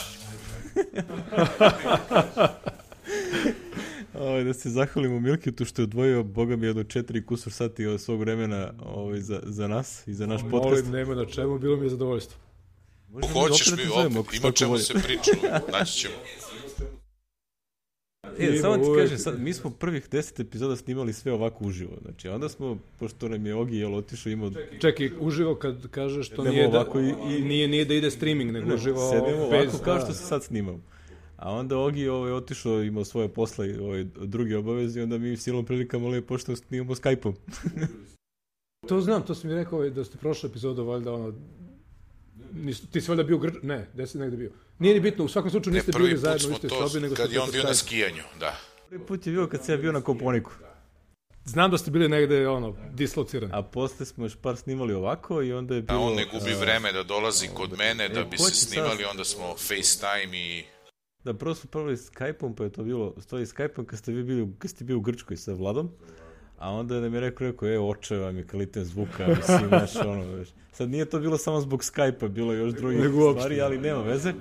Ovaj, da se zahvalimo Milketu što je odvojio, boga mi, jedno četiri kusur sati od svog vremena ovaj, za, za nas i za naš podcast. Molim, nema na čemu, bilo mi je zadovoljstvo. Hoćeš mi opet, ima čemu se priču, naći ćemo. E, samo ti kažem, sad, mi smo prvih deset epizoda snimali sve ovako uživo, znači onda smo, pošto nam je Ogi jel otišao imao... Čekaj, uživo kad kažeš to nije da, i, i, nije, nije da ide streaming, nego ne, uživo sedimo bez... ovako kao što se sad snimamo. A onda Ogi ovaj, otišao, imao svoje posla i ovaj, druge obaveze i onda mi silom prilikama lepo što snimamo Skype-om. To znam, to si mi rekao da ste prošle epizode, valjda ono... Nis, ti si valjda bio grč... Ne, gde si negde bio? Nije ni bitno, u svakom slučaju niste bili zajedno u istoj sobi, nego kad je on bio na skijanju, da. Prvi put je bio kad sam ja bio na Koponiku. Znam da ste bili negde, ono, dislocirani. A posle smo još par snimali ovako i onda je bilo... A on ne gubi vreme da dolazi kod mene, da bi se snimali, onda smo FaceTime i... Da, prvo smo probali Skype-om, pa je to bilo, stoji Skype-om kad ste vi bili, kad ste bili u Grčkoj sa Vladom. A onda nam je rekao, rekao, e, oče vam je kvalitet zvuka, mislim, znaš, ono, veš. Sad nije to bilo samo zbog Skype-a, bilo je još drugih stvari, ali nema veze.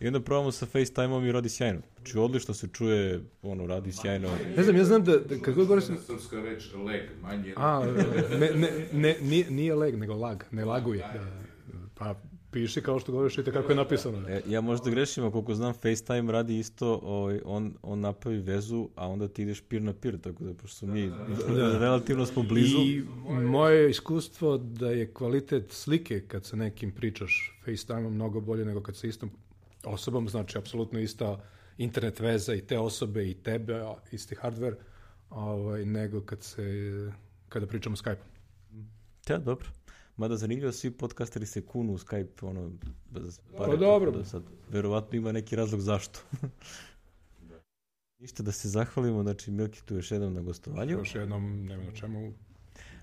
I onda probamo sa FaceTime-om i radi sjajno. Znači, odlično se čuje, ono, radi sjajno. Ne znam, ja znam da, da kad god govorim... Srpska reč, leg, manje... A, ne, ne, ne, nije, nije leg, nego lag, ne laguje. Pa, piši kao što govoriš, vidite kako je napisano. E, ja možda grešim, a koliko znam, FaceTime radi isto, ovaj, on, on napravi vezu, a onda ti ideš peer na peer, tako da, pošto mi da. relativno smo blizu. I moje iskustvo da je kvalitet slike kad sa nekim pričaš FaceTime-om mnogo bolje nego kad sa istom osobom, znači apsolutno ista internet veza i te osobe i tebe, isti hardware, ovaj, nego kad se, kada pričamo Skype-om. Da, dobro. Mada zanimljivo, svi podcasteri se kunu u Skype, ono, bez pare. Pa dobro. Da sad, verovatno ima neki razlog zašto. Ništa, da se zahvalimo, znači Milki tu još jednom na gostovanju. Još jednom, nema na čemu.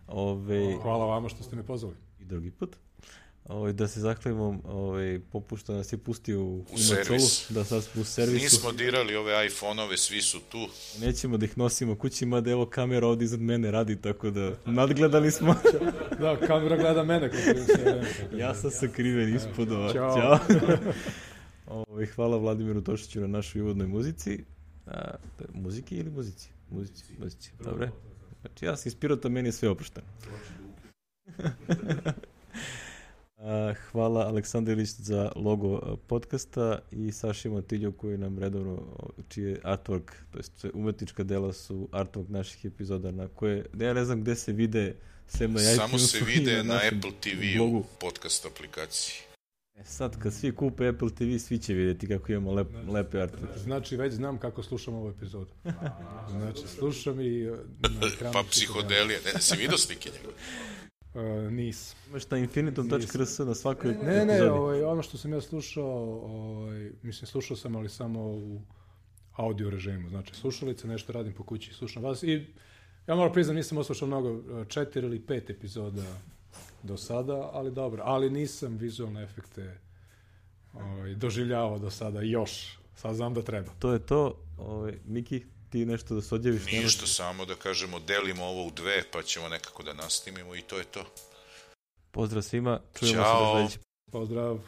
Ove... Hvala vama što ste me pozvali. I drugi put. Ove, da se zahvalimo, ove, popušto nas je pustio u, u servis. Da sad u servisu. Nismo dirali ove iPhone-ove, svi su tu. Nećemo da ih nosimo kući, mada evo kamera ovdje iznad mene radi, tako da nadgledali smo. Da, kamera gleda mene. Ja sam sakriven ispod ova. Ćao. Ćao. Ove, hvala Vladimiru Tošiću na našoj uvodnoj muzici. A, muziki ili muzici? Muzici, muzici. Dobre. Znači ja sam iz Pirota, meni je sve oprošteno. Hvala Aleksandar Ilić za logo podcasta i Saši Motilju koji nam redovno, čiji je artwork, to jest umetnička dela su artwork naših epizoda na koje, ja ne znam gde se vide sem na iTunesu. Samo se vide na, na Apple te ve blogu. Podcast aplikaciji. E sad, kad svi kupe Apple te ve, svi će vidjeti kako imamo lep, lepe artwork. Znači, već znam kako slušam ovu epizodu. Znači, slušam i... Pa psihodelija, ne, si vidio slike njega? Uh, nis. Imaš na infinitum tačka r s na svakoj epizodi. Ne, ne, ovaj, ono što sam ja slušao, ovaj, mislim, slušao sam, ali samo u audio režimu. Znači, slušalice, nešto radim po kući, slušam vas i ja moram priznam, nisam oslušao mnogo, četiri ili pet epizoda do sada, ali dobro. Ali nisam vizualne efekte ovaj, doživljavao do sada još. Sad znam da treba. To je to. Ovaj, Miki, ti nešto da se odjaviš? Ništa, nemaš... samo da kažemo, delimo ovo u dve, pa ćemo nekako da nastimimo i to je to. Pozdrav svima. Čujemo Ćao. se da sledeći. Pozdrav.